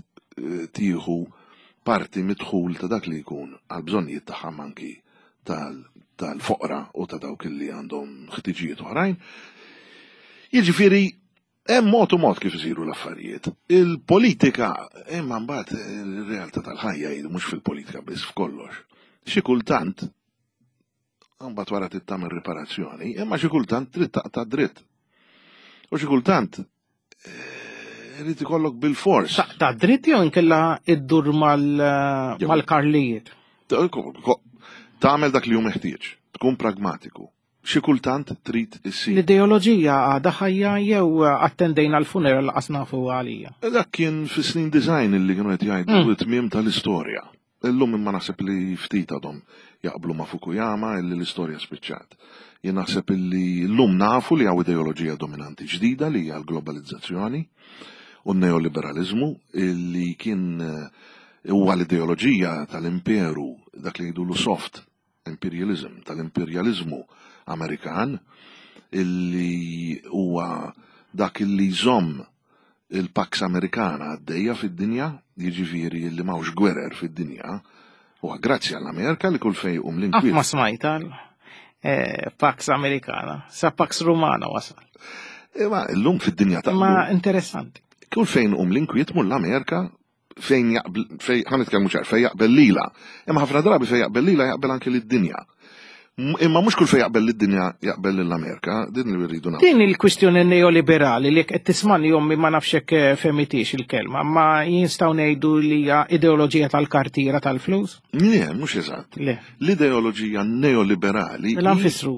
tieħu parti midħul ta' dak li jkun għal bżonnijiet tagħha anki tal-foqra u ta' dawk li għandhom ħtiġijiet oħrajn. Jiġifieri hemm mod u mod kif isiru l-affarijiet. Il-politika, imma mbagħad ir-realtà tal-ħajja hi mhux fil-politika biss f'kollox. Xi kultant mbagħad wara trid tagħmel riparazzjoni, imma xi kultant trid taqta' dritt. U xi kultant irid ikollok bil-fors. Taqta' dritt jew inkella iddur mal-karlijiet? Tagħmel dak li hu meħtieġ, tkun pragmatiku. Xi kultant trid issir. L-ideoloġija għadha ħajja jew attendejna l-funeral laqas nafu għalija? Dak kien fis-snin design illi kienu qed jgħidu t-tmiem tal-istorja. Illum imma naħseb li ftit għadhom jaqblu ma' Fukuyama illi l-istorja spiċċat. Jien naħseb illi llum nafu li hawn ideoloġija dominanti ġdida li hija l-globalizzazzjoni u n-neoliberalizmu illi kien huwa l-ideoloġija tal-imperu, dak li jgħidulu soft imperialism, tal-imperjaliżmu Amerikan, illi huwa dak illi jżomm il-Pax Amerikana għaddejja fid-dinja, jiġifieri illi m'hawnx gwerer fid-dinja, huwa grazzi għall-Amerika li kull fejn jqum l-inkwiet. Qatt ma smajta Pax Amerikana, sa Pax Romana wasal. Imma llum fid-dinja ta' Ma interessanti. Kull fejn jqum l-inkwiet mur l-Amerika fejn jaqbel, fejn ħa nitkellmu ċar, fejn jaqbel lila. Imma ħafna drabi fejn jaqbel lila jaqbel anke lid-dinja. Imma mhux kull fejn jaqbel lid-dinja jaqbel lill-Amerika, din li rridu nagħmlu. Din il-kwistjoni neoliberali li qed tismani ommi ma nafx hekk femitix il-kelma, ma jinstgħu ngħidu li hija ideoloġija tal-kartiera tal-flus? Le, mhux eżatt. Le. L-ideoloġija neoliberali Mela nfissru.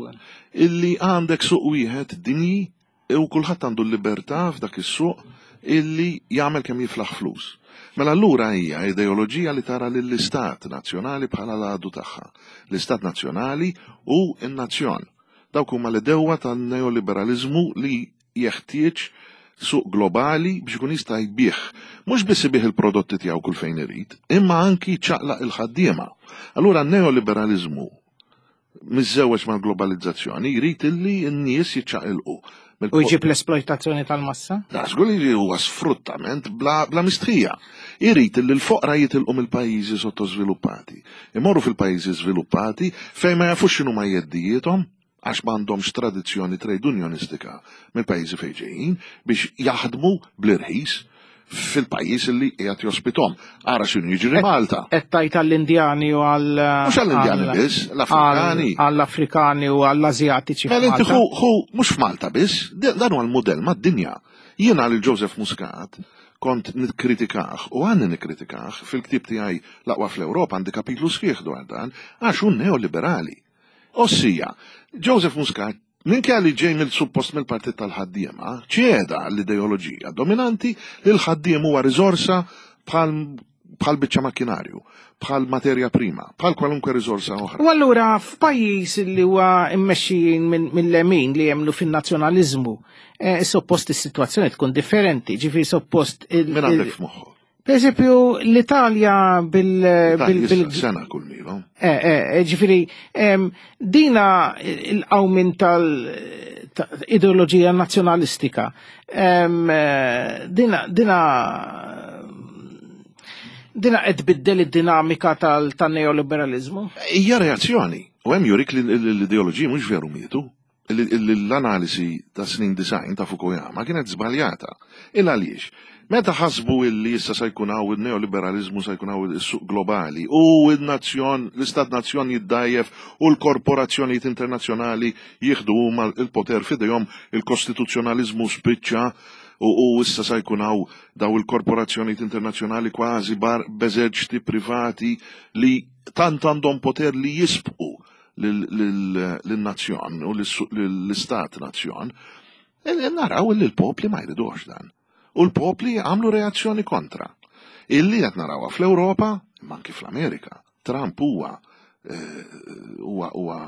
Illi għandek suq wieħed dinji u kulħadd għandu l-libertà f'dak is-suq illi jagħmel kemm jiflaħ flus. Mela allura hija ideoloġija li tara lill-istat nazzjonali bħala l-għadu tagħha. L-istat nazzjonali u n-nazzjon. Dawk huma l-idewwa tan-neoliberalizmu li jeħtieġ suq globali biex ikun jista' jbih. Mhux biss ibih il-prodotti tiegħu kull fejn irid, imma anki ċaqlaq il-ħaddiema. Allura n-neoliberalizmu miżżewweġ mal-globalizzazzjoni jrid illi n-nies jiċċaqilqu. U jġib l-esploitazzjoni tal-massa? Da, żgur li huwa sfruttament bla, bla mistħija. Irid li l-foqra jitilqu mill-pajjiżi sottosviluppati. Imorru fil-pajjiżi żviluppati fejn ma jafux x'inhu ma jeddijiethom għax m'għandhomx tradizzjoni trade unionistika mill-pajjiżi fejn ġejjin biex jaħdmu bl-irħis fil-pajjiż li qiegħed jospitom. Ara x'inhu jiġri Malta. Qed tajt għall-Indjani u għall Mhux għall-Indjani biss, l-Afrikani. Għall-Afrikani u għall-Asjatiċi. Mela inti hu hu mhux f'Malta biss, dan huwa l-mudell mad-dinja. Jiena lil Joseph Muscat kont nikkritikah u għandi nikkritikah fil-ktieb tiegħi l-aqwa fl-Ewropa għandi kapitlu sħiħ dwar dan għax hu neoliberali. Ossija, Joseph Muscat minkejja li ġej mill-suppost mill-partit tal-ħaddiema, ċeda l-ideoloġija dominanti li l-ħaddiem huwa riżorsa bħal bħal biċċa makkinarju, bħal materja prima, bħal kwalunkwe riżorsa oħra. U allura f'pajjiż li huwa immexxijin mill-lemin li jemmnu fin-nazzjonaliżmu, eh, suppost is-sitwazzjoni tkun differenti, ġifieri suppost il Min għandek f'moħħok? Per eżempju, l-Italja bil... bil sena kull milo. Eh, eh, ġifieri, dina il-qawmin tal-ideoloġija nazzjonalistika, dina dina dina qed tbiddel id-dinamika tal-neoliberalizmu? Hija reazzjoni. U hemm jurik li l-ideoloġiji mhux veru mietu. L-analisi ta' snin design ta' Fukuyama kienet żbaljata. Il għaliex? Meta ħasbu illi issa se jkun hawn il-neoliberalizmu, se jkun hawn is-suq globali u n-nazzjon, l-istat nazzjon jiddajjef u l-korporazzjonijiet internazzjonali jieħdu huma l-poter f'idejhom, il-kostituzzjonaliżmu spiċċa u, u issa se jkun hawn daw il-korporazzjonijiet internazzjonali kważi bar b'eżerċti privati li tant għandhom poter li jisbqu lin-nazzjon u l-istat nazzjon, naraw li l-popli ma jridux dan. U l-popli għamlu reazzjoni kontra. Illi qed narawha fl-Ewropa, imma anki fl-Amerika. Trump huwa huwa huwa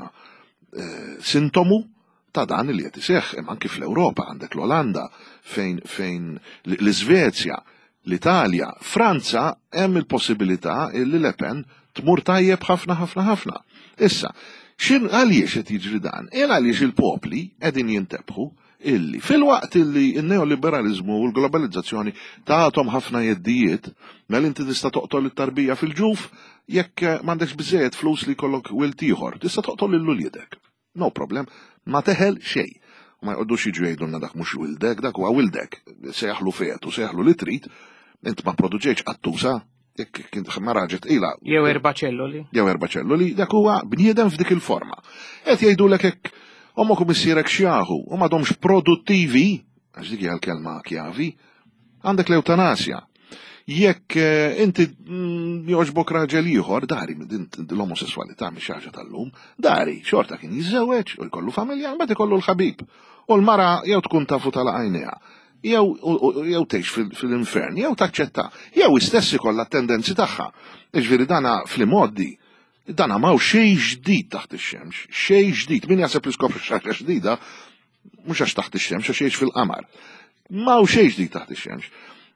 sintomu ta' dan li qed iseħħ, imma anki fl-Ewropa għandek l-Olanda, fejn fejn l-Iżvezja, l-Italja, Franza hemm il-possibilità illi Le Pen tmur tajjeb ħafna ħafna ħafna. Issa, xin għaliex qed jiġri dan? Il għaliex il-popli qegħdin jintebħu illi fil-waqt illi n-neoliberalizmu u l-globalizzazzjoni tagħtom ħafna jeddijiet, mela inti tista' toqtol it-tarbija fil-ġuf jekk m'għandekx biżejjed flus li jkollok wild ieħor, tista' toqtol lil uliedek. No problem, ma teħel xejn. U ma jqogħdux jiġu jgħidulna dak mhux wildek, dak huwa wildek, sejjaħlu fetu, sejjaħlu li trid, int ma produċejx qattusa, jekk kint ma raġet ila. Jew erba' ċelloli. Jew erba' ċelloli, dak huwa bniedem f'dik il-forma. Qed jgħidulek hekk ommok u missierek xjaħu u m'għadhomx produttivi, għax dik hija l-kelma kjavi, għandek l-eutanasja. Jekk inti jogħġbok raġel ieħor, dari din l-omosessualità mhix ħaġa tal-lum, dari xorta kien jiżżewweġ u jkollu familja, mbagħad ikollu l-ħabib. U l-mara jew tkun tafu tal-għajnejha, jew jew tgħix fil-infern, jew taċċetta, jew istess ikollha t-tendenzi tagħha. Jiġifieri dana fl-imoddi, dana m'hawn xejn ġdid taħt ix-xemx, xejn ġdid. Min jaħseb li skopri xi ħaġa ġdida, mhux għax taħt ix-xemx, għax jgħix fil-qamar. M'hawn xejn ġdid taħt ix-xemx.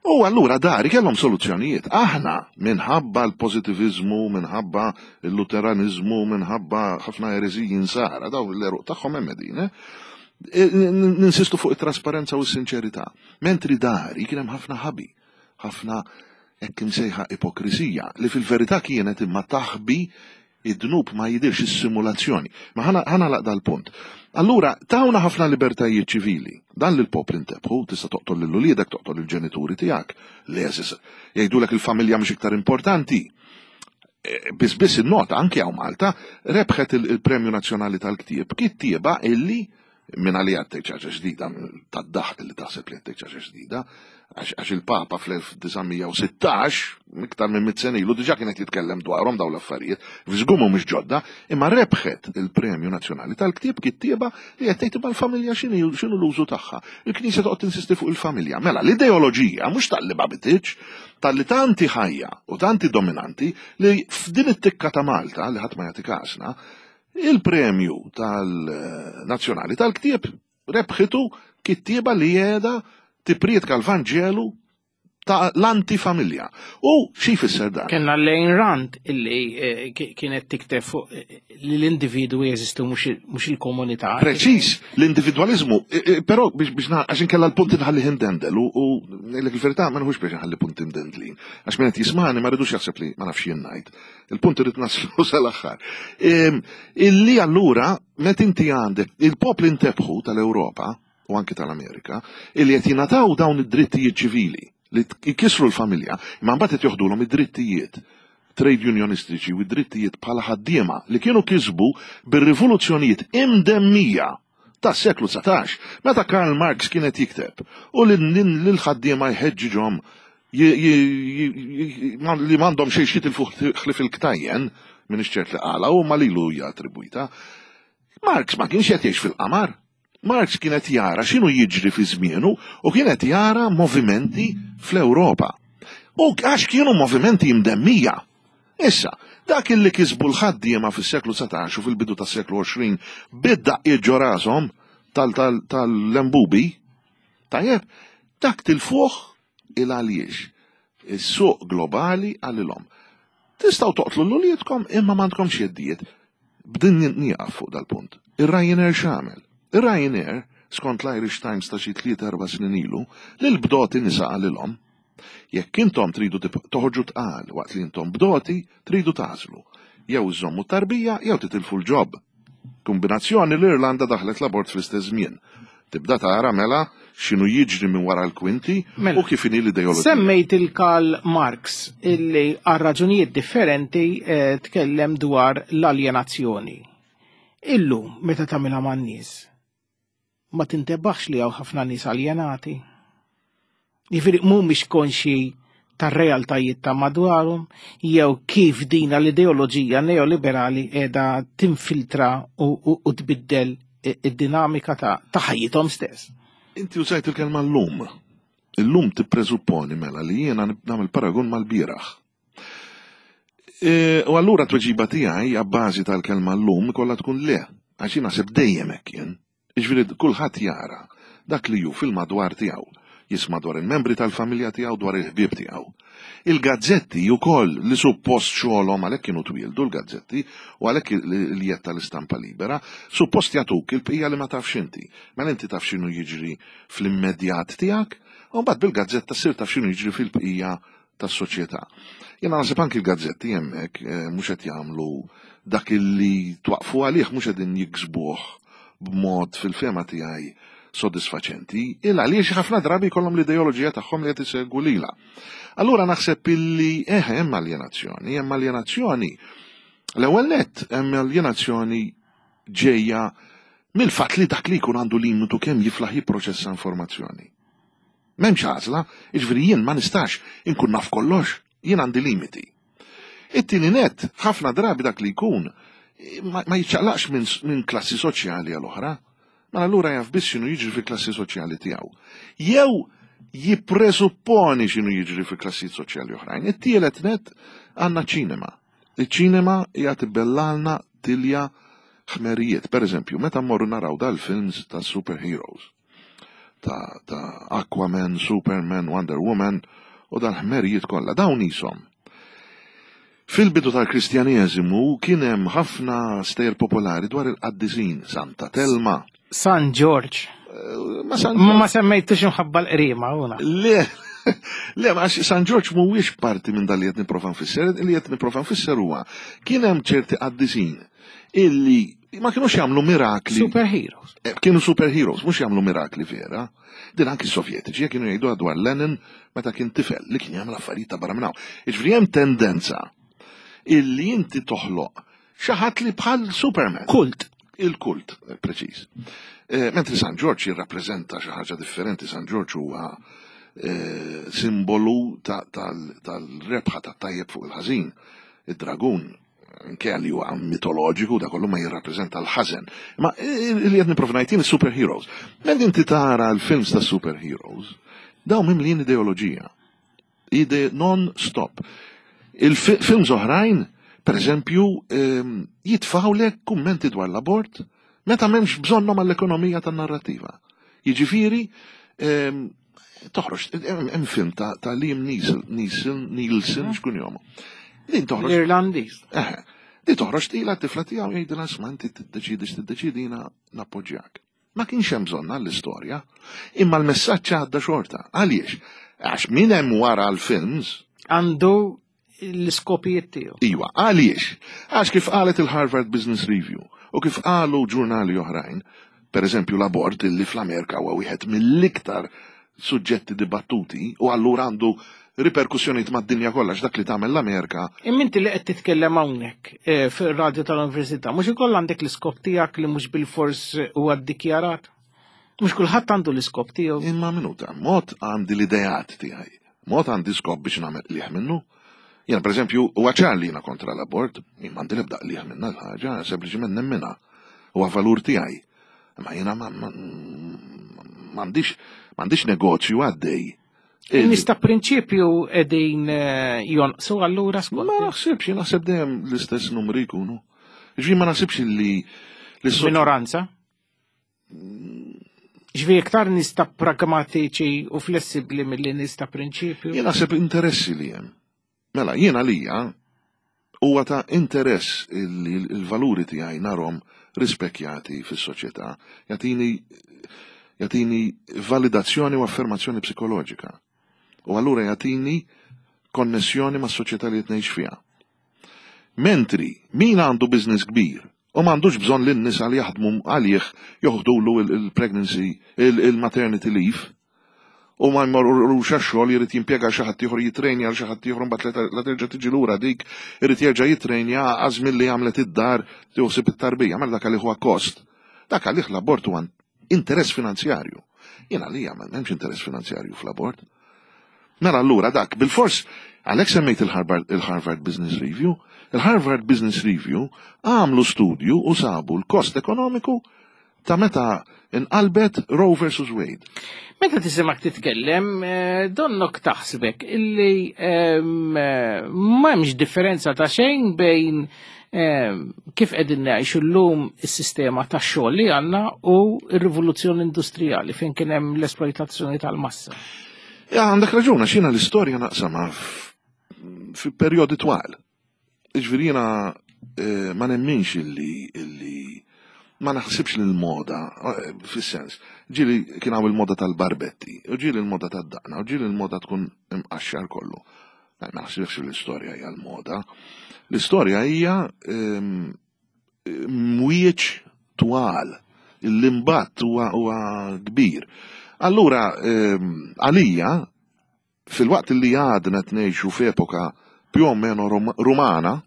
U allura dari kellhom soluzzjonijiet. Aħna minħabba l-pożittiviżmu, minħabba l-Luteranizmu, minħabba ħafna ereżiji nsara, daw l-eruq tagħhom hemm qegħdin, eh? Ninsistu fuq it-trasparenza u s-sinċerità. Mentri dari kien hemm ħafna ħabi, ħafna hekk imsejħa ipokrisija, li fil-verità kienet imma taħbi id-dnub ma jidirx is-simulazzjoni. Ma ħana ħana laqda l-punt. Allura, tawna ħafna libertajiet ċivili. Dan li l-popli ntebħu, tista' toqtol lil uliedek, toqtol il-ġenituri tiegħek. Leżis, jgħidulek il-familja mhix iktar importanti. Biss biss in-nota anke hawn Malta rebħet il-Premju Nazzjonali tal-Ktieb kittieba illi minn għalija tgħid ħaġa ġdida, tad-daħq li taħseb li tgħid ħaġa ġdida, għax il-Papa fl-elf disa' mija u sittax, iktar minn mitt sena ilu, diġà kienet jitkellem dwarhom dawn l-affarijiet, f'żgur mhumiex ġodda, imma rebħet il-Premju Nazzjonali tal-Ktieb kittieba li qed tgħid imma l-familja x'inhi, x'inhu l-użu tagħha. Il-Knisja toqgħod tinsisti fuq il-familja. Mela l-ideoloġija mhux tal-li ma bititx, tal-li tanti ħajja u tanti dominanti li f'din it-tikka ta' Malta li ħadd ma jagħti kasna, il-premju tal-Nazzjonali tal-Ktieb rebħitu kittieba li qiegħda tipprietka l-Vanġelu ta' l-antifamilja. U xi jfisser dan? Kellna Ayn Rand illi kienet tikteb fuq li l-individwu jeżistu mhux il-komunità. Preċiż, l-individwaliżmu, però biex biex għax inkella l-punt inħalli imdendel u ngħidlek il-verità ma nħux biex inħalli punt imdendlin. Għax min qed jismani ma rridux jaħseb li ma nafx jien ngħid. Il-punt irid naslu sal-aħħar. Illi allura meta inti għandek il-popli ntebħu tal-Ewropa u anke tal-Amerika illi qed jingħataw dawn id-drittijiet ċivili li jkissru l-familja, imma mbagħad qed joħdulhom id-drittijiet trade unionistiċi u id-drittijiet bħala ħaddiema li kienu kisbu bir-rivoluzzjonijiet imdemmija tas-seklu dsatax, meta Karl Marx kienet jikteb u lil ħaddiema jħeġġiġhom li m'għandhom xejn xitilfu ħlief il-ktajjen, minn ċert li qala u ma lilu hija attribwita. Marx ma kienx qed jgħix fil-qamar. Marx kienet jara x'inhu jiġri fi żmienu u kienet jara movimenti fl-Ewropa. U għax kienu movimenti imdemmija. Issa, dak illi kisbu l-ħaddiema fis-seklu dsatax u fil-bidu tas-seklu għoxrin bid-daqqiet ġo rashom tal-lembubi, tajjeb, dak tilfuh il għaliex. Is-suq globali għalilhom. Tistgħu toqtlu l-uliedkom imma m'għandkomx jeddijiet. B'din nieqaf fuq dal-punt. Ir-Ryanair x'għamel? Ir-Ryanair, skont l-Irish Times ta' xi tliet erba' snin ilu, lil bdoti nisa qalilhom, jekk intom tridu toħorġu tqal waqt li intom bdoti, tridu tażlu. Jew iżommu tarbija jew titilfu l-ġob. Kombinazzjoni l-Irlanda daħlet l-abort fl-istess żmien. Tibda tara mela x'inhu jiġri minn wara l-kwinti Mela. u kif inhi l-ideoloġija. Semmejt il-Karl Marx illi għal raġunijiet differenti eh, tkellem dwar l-aljenazzjoni. Illum meta tagħmilha man-nies, ma tintebaħx li hawn ħafna nies aljenati. Jiġifieri mhumiex konxi tar-realtajiet ta' madwarhom jew kif dina l-ideoloġija neoliberali qiegħda tinfiltra u, u, u tbiddel id-dinamika ta' ta' ħajjithom stess. Inti użajt il-kelma l-lum. Illum tippreżupponi mela li jiena nagħmel paragun mal-bieraħ. E, u allura tweġiba tiegħi abbażi tal-kelma llum kollha tkun le, għax jien naħseb dejjem hekk jien. Jiġifieri kulħadd jara dak li hu fil-madwar tiegħu, jisma' dwar il-membri tal-familja tiegħu, dwar il-ħbieb tiegħu. Il-gazzetti ukoll li suppost xogħolhom, għalhekk kienu twieldu l-gazzetti u għalhekk il-jett tal-istampa libera, suppost jagħtuk il-bqija li ma tafx inti. Mela inti taf x'inhu jiġri fl-immedjat tiegħek, u mbagħad bil-gazzetta ssir taf x'inhu jiġri fil-bqija tas-soċjetà. Jiena naħseb anki l-gazzetti hemmhekk eh, mhux qed jagħmlu dak illi twaqfu għalih, mhux qegħdin jiksbuh b'mod fil-fehma tiegħi sodisfaċenti, il għaliex ħafna drabi jkollhom l-ideoloġija tagħhom li qed isegwu lilha. Allura naħseb illi eh hemm aljenazzjoni, hemm aljenazzjoni. L-ewwel nett hemm aljenazzjoni ġejja mill-fatt li dak li jkun għandu limitu kemm jiflaħ jipproċessa informazzjoni. M'hemmx għażla, jiġifieri jien ma nistax inkun naf kollox, jien għandi limiti. It-tieni net, ħafna drabi dak li jkun ma, ma jiċċaqlaqx minn min klassi soċjali għal oħra. Ma allura jaf biss x'inhu jiġri fil-klassi soċjali tiegħu. Jew jippresupponi x'inhu jiġri fil-klassi soċjali oħrajn. It-tielet net għandna ċinema. Iċ-ċinema hija tibellalna tilja ħmerijiet. Per eżempju, meta mmorru naraw dal-films ta' superheroes, ta', ta Aquaman, Superman, Wonder Woman u dal-ħmerijiet kollha, dawn ishom. Fil-bidu tal-Kristjaneżimu kien hemm ħafna stejjer popolari dwar il-qaddisin, Santa Telma. San George. Eh, Ma San Ma ma semmejtux imħabba l-qrima, una. Le, le, ma għax San Ġorġ mhuwiex parti minn dal li qed nipprova nfisser, li qed nipprova nfisser huwa kien hemm ċerti qaddisin illi ma kienux jagħmlu mirakli. Superheroes. Eh, Kienu superheroes, mhux jagħmlu mirakli vera. Din anki s-Sovjetiċi kienu jgħidu dwar Lenin meta kien tifel li kien jagħmel affarijiet ta' barra minn hawn. Jiġifieri hemm tendenza illi inti toħloq xi ħadd li bħal Superman. Kult. Il-kult, eh, preċiż. Eh, Mentri San Ġorġ jirrappreżenta xi ħaġa differenti, San Ġorġ huwa eh, simbolu ta- tal- tal-rebħa tat-tajjeb fuq il-ħażin. Id-dragun, anke li huwa mitoloġiku, da kollu ma jirrappreżenta l-ħażen. Ma li qed nipprova ngħid jien, superheroes. Meta inti tara l-films ta' superheroes, dawn mimlijin ideoloġija. Ide non-stop. Il-films oħrajn, per eżempju, ehm, jitfawlek kummenti dwar l-abort meta m'hemmx bżonnhom għall-ekonomija tan-narrativa. Jiġifieri, ehm, toħroġ, hemm hemm film ta' ta' Liam Neeson, Neeson, Nielsen, xkun jomu. Din toħroġ. L-Irlandiż. Eh, di toħroġ tila t-tifla tiegħu jgħidilha, "Isma', inti tiddeċidi x'tiddeċidi, jiena nappoġġjak." Ma kienx hemm bżonn għall-istorja, imma l-messaġġ għadda xorta. Għaliex? Għax min hemm wara l-films Għandu l-iskopijiet tiegħu. Iwa, għaliex? Għax kif qalet il-Harvard Business Review u kif qalu ġurnali oħrajn, per eżempju l-abort illi fl-Amerika huwa wieħed mill-iktar suġġetti dibattuti u allura għandu riperkussjonijiet mad-dinja kollha, dak li tagħmel l-Amerika. Imma inti li qed titkellem hawnhekk eh, fir-radju tal-Università, mhux ikoll għandek l-iskop tiegħek li mhux bil-fors huwa ddikjarat? Mhux kulħadd għandu l-iskop tiegħu. Imma minuta, mod għandi l-ideat tiegħi, mod għandi skop biex nagħmel qligħ minnu. Jiena per eżempju, huwa ċar li jiena kontra l-abort, jien m'għandi l-ebda qligħ minna l-ħaġa, sempliċement nemminha. Huwa valur tiegħi. Ma jiena ma- ma- m'għandix m'għandix negozju għaddej. In-nies ta' prinċipju qegħdin eh, jonqsu allura skont? Ma naħsibx, jien naħseb dejjem l-istess numri jkunu. Ġifieri ma naħsibx li li Minoranza? Ġifieri iktar nies ta' pragmatiċi u flessibbli milli nies ta' prinċipju? Jien naħseb interessi li hemm. Mela, jien għalija huwa ta' interess li l-valuri tiegħi narhom rispekjati fis-soċjetà. Jagħtini jagħtini validazzjoni u affermazzjoni psikoloġika. U allura jagħtini konnessjoni mas-soċjetà li qed ngħix fiha. Mentri min għandu business kbir U m'għandux bżonn lin-nisa li jaħdmu għalih joħdulu il-pregnancy, il-maternity leave. U ma jmorrux għax-xogħol, jrid jimpjega xi ħadd ieħor, jitrejnja għal xi ħadd ieħor, mbagħad la terġa' tiġi lura dik irid jerġa' jitrejnja għaż milli għamlet id-dar tieħu it-tarbija, mela dak għalih huwa kost. Dak għalih l-abort huwa interess finanzjarju. Jiena għalija m'hemmx interess finanzjarju fl-abort. Mela allura dak bil-fors għalhekk semmejt il-Harvard Business Review. Il-Harvard Business Review għamlu studju u sabu l-kost ekonomiku ta' meta inqalbet Roe versus Wade. Meta tisimak titkellem, donnok taħsbek illi m'hemmx differenza ta' xejn bejn kif qegħdin ngħixu llum is-sistema tax-xogħol li għandna u r-rivoluzzjoni industrijali fejn kien hemm l-esploitazzjoni tal-massa. Ja, għandek raġun, għax jiena l-istorja naqsamha fi perjodi twal. Jiġifieri jiena ma nemminx illi illi ma naħsibx li l-moda, fis-sens, ġieli kien hawn il-moda tal-barbetti, u ġieli l-moda tad-daqna, u ġieli l-moda tkun imqaxxar kollu. Ma naħsibx li l-istorja hija l-moda. L-istorja hija mwieġ twal, l-imbatt huwa kbir. Allura, għalija, fil-waqt li għadna ngħixu f'epoka più o meno rumana,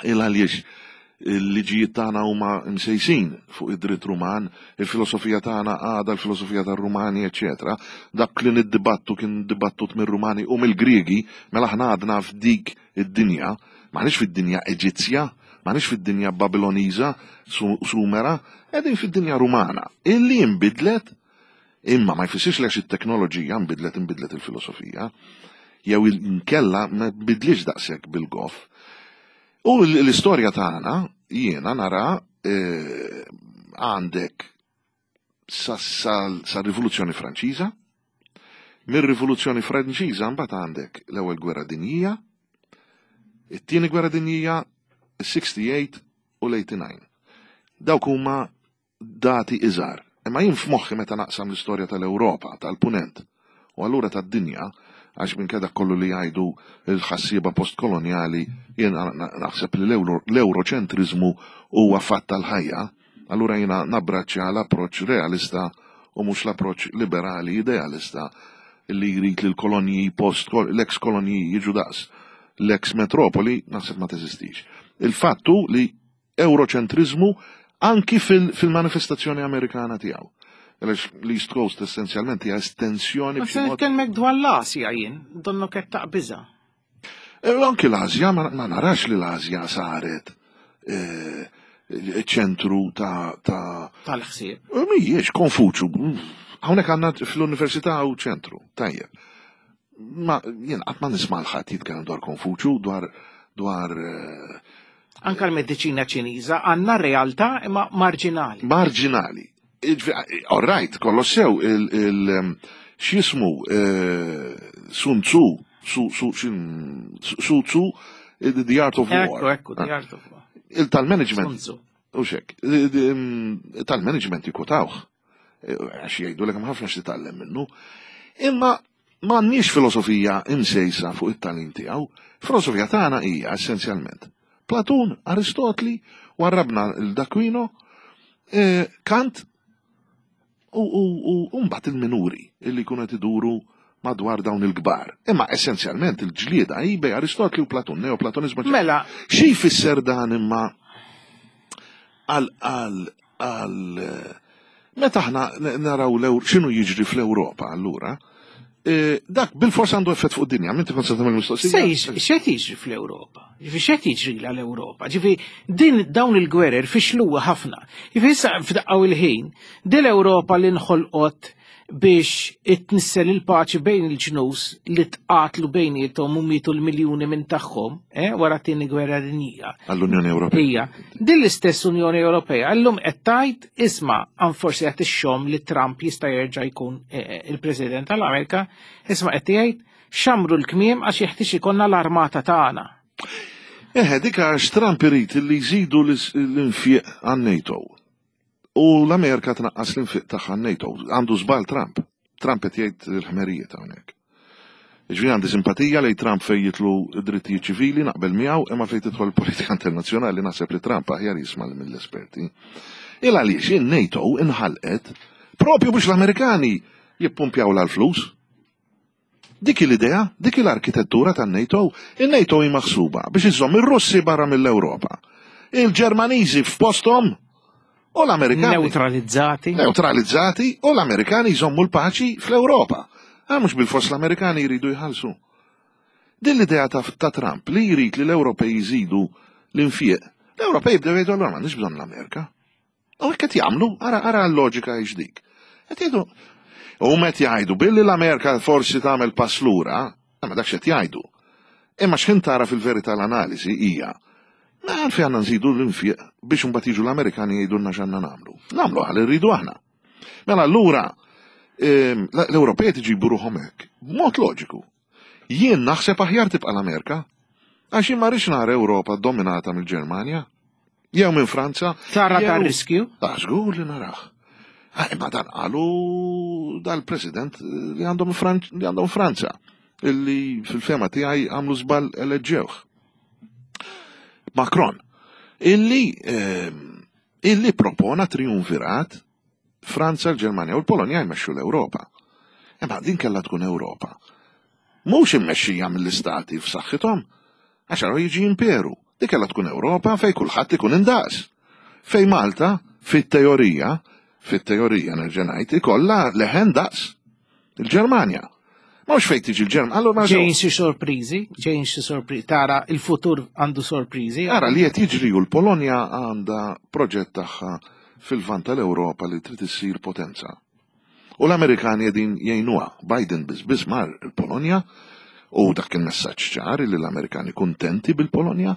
il għaliex il-liġijiet tagħna huma msejsin fuq id-dritt Ruman, il-filosofija tagħna għadha l-filosofija tar-Rumani, eċetera. Dak li niddibattu kien dibattut mir-Rumani u mill-Griegi, mela aħna għadna f'dik id-dinja, m'aħniex fid-dinja Eġizzja, m'aħniex fid-dinja Babiloniża, Sumera, qegħdin fid-dinja Rumana. Illi nbidlet, imma ma jfissirx li għax it-teknoloġija nbidlet inbidlet il-filosofija, jew inkella ma nbidlix daqshekk bil-goff. U l-istorja tagħna jiena nara għandek sa-Rivoluzzjoni Franċiża, mir-Rivoluzzjoni Franċiża mbagħad għandek l-ewwel Gwerra Dinjija, it-tieni Gwerra Dinjija, is-sixty-eight u l-eighty-nine. Dawk huma dati iżgħar. Imma jien f'moħħi meta naqsam l-istorja tal-Ewropa, tal-Punent, u allura tad-dinja, għax minn dak kollu li jgħidu l-ħassieba postkoloniali, jien naħseb li l-euroċentrizmu huwa fatt tal-ħajja, allura jiena nabbraċċja l-approċċ realista u mhux l-approċċ liberali idealista li jrid li l-kolonji post, l-ex kolonji jiġu daqs l-ex metropoli, naħseb ma teżistix. Il-fattu li euroċentrizmu anki fil-manifestazzjoni Amerikana tiegħu. Għaliex l-East Coast essenzjalment hija estensjoni. Ma se nitkellmek dwar l-Asja jien, donnok qed taqbiża. Anki l-Asja, ma narax li l-Asja saret ċentru ta' tal-ħsieb. Mhijiex Konfuċju. Hawnhekk għandna fl-università u ċentru, tajjeb. Ma jien qatt ma nisma' l-ħadd jitkellem dwar Konfuċju, dwar dwar anka l-mediċina Ċiniża għandna realtà imma marġinali. Marġinali. All right, kollox sew, x'jismu Sun Tzu, Su Tzu, The Art of War. Ekku, ekku, The Art of War. Il-tal-management. U xek, tal-management jikutawh. Għax jgħidu l ħafna x'titgħallem minnu. Imma m'għandniex filosofija imsejsa fuq it-tagħlim tiegħu. Filosofija tagħna hija essenzjalment Platun, Aristotli, warrabna l-D'aquino, Kant u mbagħad il-minuri illi jkunu qed iduru madwar dawn il-kbar. Imma essenzjalment il-ġlieda hi bej Aristotli u Platun, neoplatonizmu. Mela, xi jfisser dan imma għal għal għal meta aħna naraw x'inhu jiġri fl-Ewropa allura, dak bil-fors għandu effett fuq id-dinja, minti kont se tagħmel mistoqsija. X'qed jiġri fl-Ewropa? Ġifi x'qed jiġri l-Ewropa? Ġifi din dawn il-gwerer fixluha ħafna. Ġifi issa f'daqqa il-ħin, din l-Ewropa li nħolqot biex itnissel il-paċi bejn il-ġnus li tqatlu bejniethom u mietu l-miljuni minn tagħhom, eh, wara t-tieni gwerra dinjija. Għall-Unjoni Ewropea. Ija, din l-istess Unjoni Ewropea llum qed tgħid isma' għan forsi qed ixxomm li Trump jista' jerġa' jkun il-President tal-Amerika, isma' qed jgħid xamru l-kmiem għax jeħtieġ ikollna l-armata tagħna. Eħe, dik għax Trump irid li jżidu l-infiq għan-NATO. U l-Amerika tnaqqas l-infiq tagħha NATO. Għandu żball Trump. Trump qed jgħid l-ħmerijiet hawnhekk. Ġifieri għandi simpatija lejn Trump fejn jidħlu drittijiet ċivili, naqbel miegħu, imma fejn tidħol politika internazzjonali naħseb li Trump aħjar jisma' mill-esperti. Il għaliex in-NATO inħalqet propju biex l-Amerikani jippumpjaw l-flus. Dik l-idea, dik l-arkitettura tan-NATO, il-NATO hi maħsuba biex iżomm ir-Russi barra mill-Ewropa. Il-Ġermaniżi f'posthom u l-Amerikani. Neutralizzati. Neutralizzati u l-Amerikani jżommu l-paċi fl-Ewropa. Għax mhux bil-fors l-Amerikani jridu jħallsu. Din l-idea ta', ta Trump li jrid li l-Ewropej jżidu l-infieq. L-Ewropej bdew jgħidu, "Allura m'għandniex bżonn l-Amerika." U hekk qed jagħmlu, ara ara l-loġika hix dik. Qed jgħidu u qed jgħidu billi l-Amerika forsi tagħmel pass lura, ma dak x'qed jgħidu. Imma x'ħin tara fil-verità l-analiżi hija ma għalfejn għandna nżidu l-infieq biex imbagħad jiġu l-Amerikani jgħidulna x'għandna nagħmlu. Nagħmlu għal irridu aħna. Mela allura ehm, l-Ewropej tiġibu ruħhom hekk, b'mod loġiku. Jien naħseb aħjar tibqa' l-Amerika, għax jien ma rridx nara Ewropa dominata mill-Ġermanja, jew minn Franza. Tara ta' riskju? Ah, żgur li narah. Ah, imma dan qalu dal-president li għandhom li għandhom Franza, illi fil-fehma tiegħi għamlu żball eleġġewh. Macron, illi ehm, illi propona triumvirat Franza, l-Ġermanja u l-Polonja jmexxu l-Ewropa. Imma din kellha tkun Ewropa. Mhux immexxija mill-istati f'saħħithom, għax għaru jiġi imperu. Dik kellha tkun Ewropa fej kulħadd ikun indaqs. Fej Malta, fit-teorija, fit-teorija nerġa' ngħid, ikollha leħen daqs il-Ġermanja. Mhux fejn tiġi l-Ġermanja. Allura Ġejjin xi sorpriżi, ġejjin xi sorpriżi, tara il-futur għandu sorpriżi. Ara li qed jiġri u l-Polonja għandha proġett tagħha fil-vant tal-Ewropa li trid issir potenza. U l-Amerikani qegħdin jgħinuha. Biden biss biss mar il-Polonja u dak kien messaġġ ċar li l-Amerikani kuntenti bil-Polonja.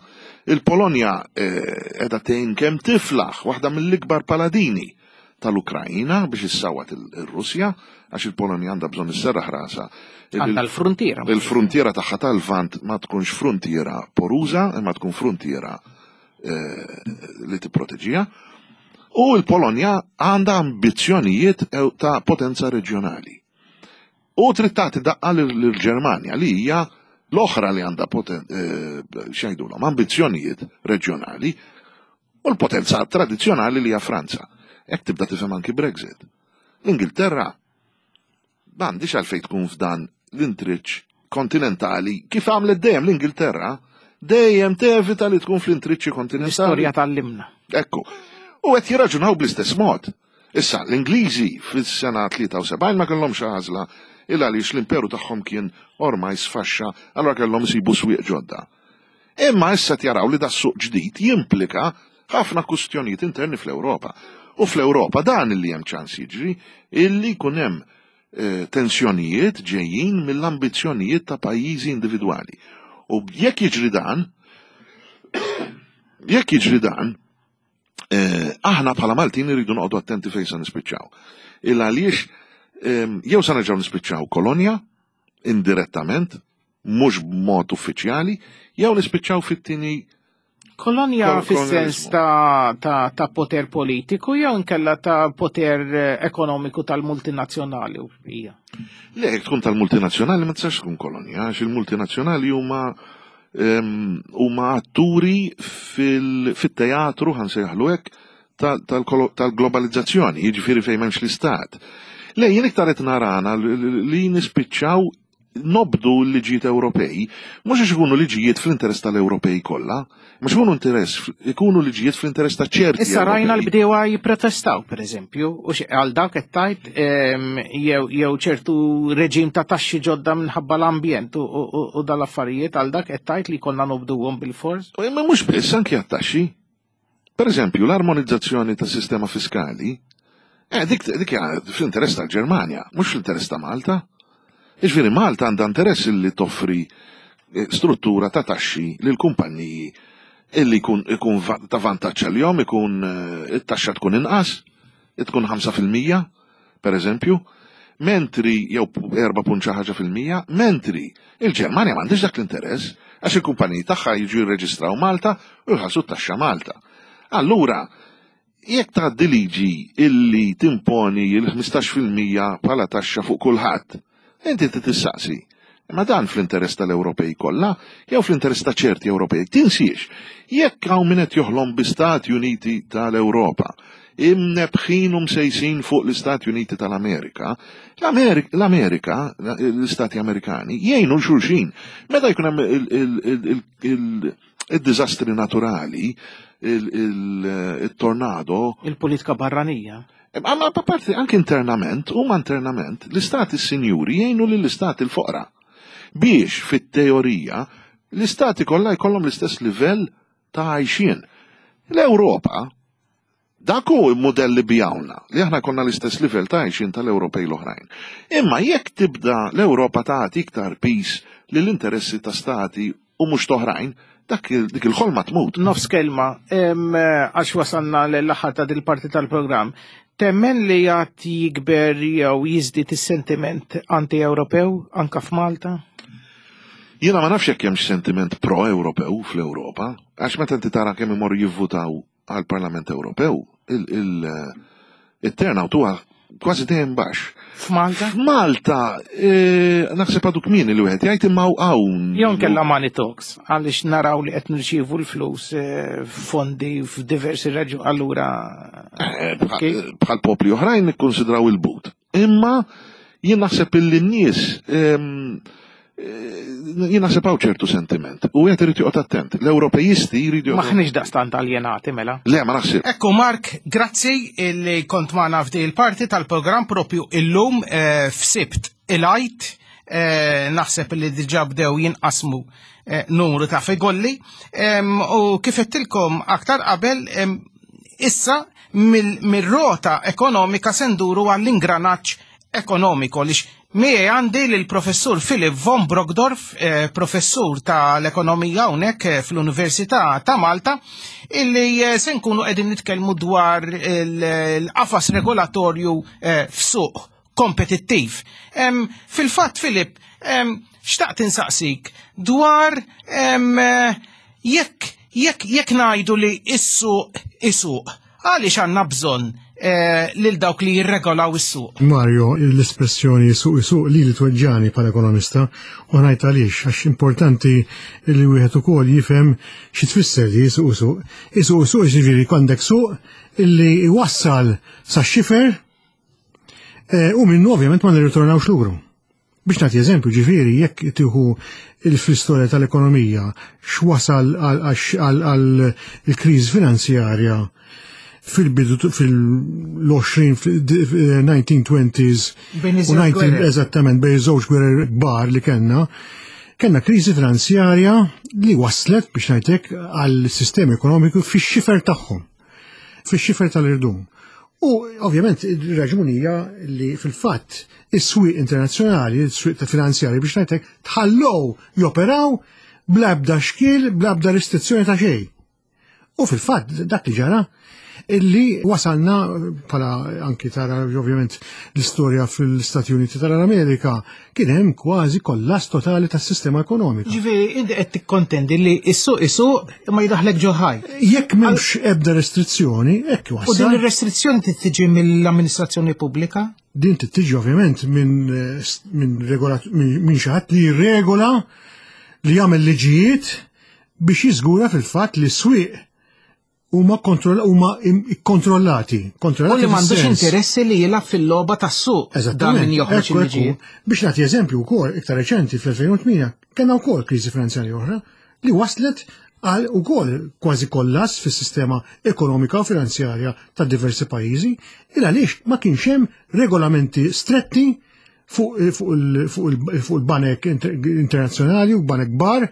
Il-Polonja qiegħda tgħin kemm tiflaħ, waħda mill-ikbar paladini tal-Ukrajina biex issawat il-Russja, għax il-Polonja għandha bżonn isserraħ rasha. Għandha l-frontiera. Il-frontiera tagħha tal-Vant ma tkunx frontiera poruża, imma tkun frontiera li tipproteġiha. U l-Polonja għandha ambizzjonijiet ta' potenza reġjonali. U trid tagħti daqqa lill-Ġermanja li hija l-oħra li għandha x'jgħidulhom ambizzjonijiet reġjonali u l-potenza tradizzjonali li hija Franza. Hekk tibda tifhem anki Brexit. L-Ingilterra m'għandix għalfejn tkun f'dan l-intriċ kontinentali kif għamlet dejjem l-Ingilterra, dejjem tevita li tkun fl-intriċċi kontinentali. L-istorja tal-limna. Ekku. U qed jirraġunaw bl-istess mod. Issa, l-Ingliżi fis-sena tlieta u sebgħin ma kellhomx għażla illa għaliex l-imperu tagħhom kien ormai sfaxxa, allura kellhom isibu swieq ġodda. Imma issa jaraw li da suq ġdid jimplika ħafna kustjonijiet interni fl-Ewropa. U fl-Ewropa dan illi hemm ċans jiġri illi jkun hemm eh, tensjonijiet ġejjin mill-ambizzjonijiet ta' pajjiżi individwali. U jekk jiġri dan, jekk jiġri dan, eh, aħna bħala Maltin irridu noqogħdu attenti fejn se nispiċċaw. Il għaliex ehm, jew se nerġgħu nispiċċaw kolonja indirettament, mhux b'mod uffiċjali, jew nispiċċaw fit-tieni Kolonja Kol- fis-sens kolonializmu. ta', ta, ta' poter politiku jew inkella ta' poter eh, ekonomiku tal-multinazzjonali u hija. Le, jekk tkun tal-multinazzjonali ma tistax tkun kolonja, għax il-multinazzjonali huma ehm, huma atturi fil- fit-teatru ħa nsejjaħlu hekk tal- tal-kolo- tal-globalizzazzjoni, jiġifieri fejn m'hemmx l-istat. Le, jien iktar qed narana li li nispiċċaw nobdu l-liġijiet Ewropej, mhux għax ikunu liġijiet fl-interess tal-Ewropej kollha, mhux ikunu interess, ikunu liġijiet fl-interess ta' ċerti. Issa rajna Ewropej. l-bdewa jipprotestaw, per eżempju, u xi- għal dak qed tajt em, jew jew ċertu reġim ta' taxxi ġodda minħabba l-ambjent u, u, u- u dal-affarijiet għal dak qed tajt li konna nobduhom bil-fors. U Imma mhux biss anki għat-taxxi. Per eżempju, l-armonizzazzjoni tas sistema fiskali, eh, dik, dik hija fl-interess tal-Ġermanja, mhux fl-interess ta' Malta. Jiġifieri Malta għandha interess li toffri eh, struttura ta' taxxi lil kumpanniji illi jkun ikun va- ta' vantaġġ għalihom, ikun eh, it-taxxa tkun inqas, tkun ħamsa fil-mija, per eżempju, mentri jew erba' punt xi ħaġa fil-mija, mentri il-Ġermanja m'għandix dak l-interess għax il-kumpaniji tagħha jiġu jirreġistraw Malta u jħallsu t-taxxa Malta. Allura, jekk tgħaddi liġi illi timponi il-ħmistax fil-mija bħala taxxa fuq kulħadd, inti trid tissaqsi. Imma dan fl-interess tal-Ewropej kollha jew fl-interess ta' ċerti Ewropej. Tinsiex, jekk hawn min qed joħlom bi Stati Uniti tal-Ewropa, imnebħin u msejsin fuq l-Istati Uniti tal-Amerika, l-Amerika, l-Istati Amerikani, jgħinu 'l xulxin. Meta jkun hemm il-diżastri naturali, il-tornado. Il-politika barranija. Ma parti anke internament, huma internament, l-istati sinjuri jgħinu lill-istati l-foqra. Biex fit-teorija l-istati kollha jkollhom l-istess livell ta' għajxien. L-Ewropa, dak hu l-mudell li bijawna, li aħna konna l-istess livell ta' għajxien tal-Ewropej l-oħrajn. Imma jekk tibda l-Ewropa tagħti iktar pis lill-interessi ta' stati u mhux toħrajn, dak dik il-ħolma tmut. Nofs kelma, għax wasalna l-aħħar ta' dil-parti tal-programm. Temmen li għad jikber jew jiżdied is-sentiment anti-Ewropew anka f'Malta? Jiena ma nafx jekk hemmx sentiment pro-Ewropew fl-Ewropa, għax meta inti tara kemm imorru jivvutaw għall-Parlament Ewropew, il-turnout huwa kważi dejjem baxx. F'Malta? F'Malta, naħseb għadu kmieni li wieħed jgħid imma hawn. Jew nkella money talks, għaliex naraw li qed nirċievu l-flus fondi f'diversi raġuni allura. Bħal popli oħrajn nikkonsidraw il-but. Imma jien naħseb illi n-nies jien naħseb hawn ċertu sentiment. U qed irid joqgħod attent. L-Ewropejisti jridu Maħniex daqstant aljenati mela. Le, ma naħseb. Ekku Mark, grazzi illi kont magħna f'di il-parti tal-programm propju illum f'Sibt il-Għid. Naħseb li diġà bdew jinqasmu numru ta' figolli. U kif għedtilkom aktar qabel issa mill-rota ekonomika se nduru għall-ingranaġġ ekonomiku lix miegħi għandi lill-professur Philip von Brockdorff, eh, professur tal-ekonomija hawnhekk eh, fl-Università ta' Malta, illi eh, se nkunu qegħdin nitkellmu dwar il-qafas regolatorju eh, f'suq kompetittiv. Em, Fil-fatt, Philip, em, xtaqt insaqsik dwar em, jekk jekk jekk ngħidu li is-suq isuq, għaliex għandna bżonn eh, lil dawk li jirregolaw is-suq? Mario, l-espressjoni suq isuq li li tweġġani bħala ekonomista u ngħid għaliex, għax importanti li wieħed ukoll jifhem xi tfisser li suq isuq. Isuq isuq ġifieri għandek suq illi jwassal sa xifer eh, u minnu ovvjament ma nirritornawx lura. Biex nagħti eżempju, ġifieri jekk tieħu fl-istorja tal-ekonomija x'wasal għal il-kriżi finanzjarja fil-bidu fil-għoxrin, fil-nineteen twenties Bejn u iż-żewġ nineteen gwerer. Eżattament, bejn żewġ gwerer kbar li kellna, kellna kriżi finanzjarja li waslet, biex ngħidlek, għal sistemi ekonomiku fix-xifer tagħhom, fix-xifer tal-irdum. U ovvjament ir-raġuni hija li fil-fatt is-swieq internazzjonali, is-swieq ta' finanzjarji, biex ngħidlek, tħallow joperaw bla ebda xkiel, bla ebda restrizzjoni ta' xejn. U fil-fatt dak li ġara illi wasalna bħala anki tara ovvjament l-istorja fil-Stati Uniti tal-Amerika, kien hemm kważi kollass totali tas-sistema ekonomika. Ġifieri inti qed tikkontendi li is-suq isuq imma jidaħlek ġo ħajt. Jekk m'hemmx ebda restrizzjoni, hekk U din wassal. ir-restrizzjoni trid tiġi mill-amministrazzjoni pubblika? Din tiġi ovvjament minn eh, minn regolat minn min xi ħadd li jirregola, li jagħmel liġijiet biex jiżgura fil-fatt li s-swieq huma kontroll huma im- kontrollati. U Kontrollati li m'għandux fis-sens. interessi li jilgħab fil-logħba tas-suq. Dan Eżattament. min joħroġ Ekku, ekku. il-liġijiet. Biex nagħti eżempju wkoll iktar reċenti, fl-elfejn u tmienja kellna wkoll kriżi finanzjarja oħra li waslet għal ukoll kważi kollass fis-sistema ekonomika u finanzjarja ta' diversi pajjiżi, il għaliex ma kienx hemm regolamenti stretti fuq fuq il- fuq il- fuq il-banek inter- internazzjonali u banek kbar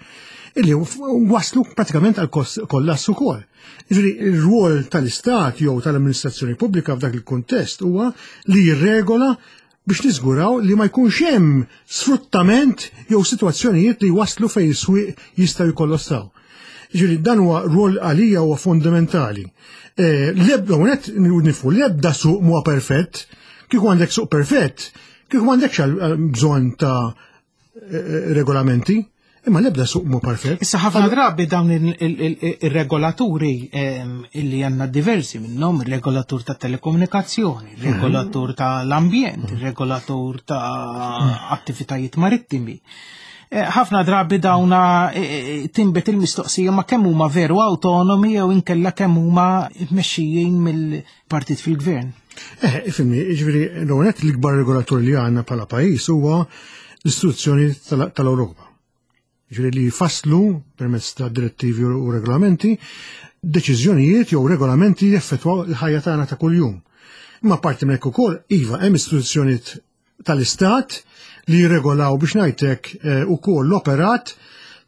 illi waslu pratikament għal kos- kollass ukoll. Jiġifieri ir-rwol tal-Istat jew tal-amministrazzjoni pubblika f'dak il-kuntest huwa li jirregola biex niżguraw li ma jkunx hemm sfruttament jew sitwazzjonijiet li waslu fejn is-swieq jistgħu jkollossaw. Ġifieri dan huwa rwol għalija huwa fundamentali. Eh, L-ebda unet nifu l-ebda suq huwa perfett, kieku għandek suq perfett, kieku m'għandekx għal- bżonn ta' eh, regolamenti, imma l-ebda suq mhu perfett. Issa ħafna drabi dawn il- il- il- ir-regolaturi ehm, illi għandna diversi minnhom, il-regolatur ta' telekomunikazzjoni, il-regolatur tal-ambjent, il-regolatur ta' attivitajiet marittimi. Ħafna drabi dawna tinbet il-mistoqsija ma kemm huma veru autonomi jew inkella kemm huma mmexxijin mill-partit fil-gvern. Eh, ifhimni, jiġifieri l-ewwel l-ikbar regolatur li għandna bħala pajjiż huwa l-istituzzjoni tal-Ewropa. Jiġifieri li jfasslu permezz ta' direttivi u regolamenti deċiżjonijiet jew regolamenti jeffettwaw il-ħajja tagħna ta' kuljum. Imma parti minn hekk ukoll, iva, hemm istituzzjonijiet tal-Istat li jirregolaw biex ngħidlek ukoll l-operat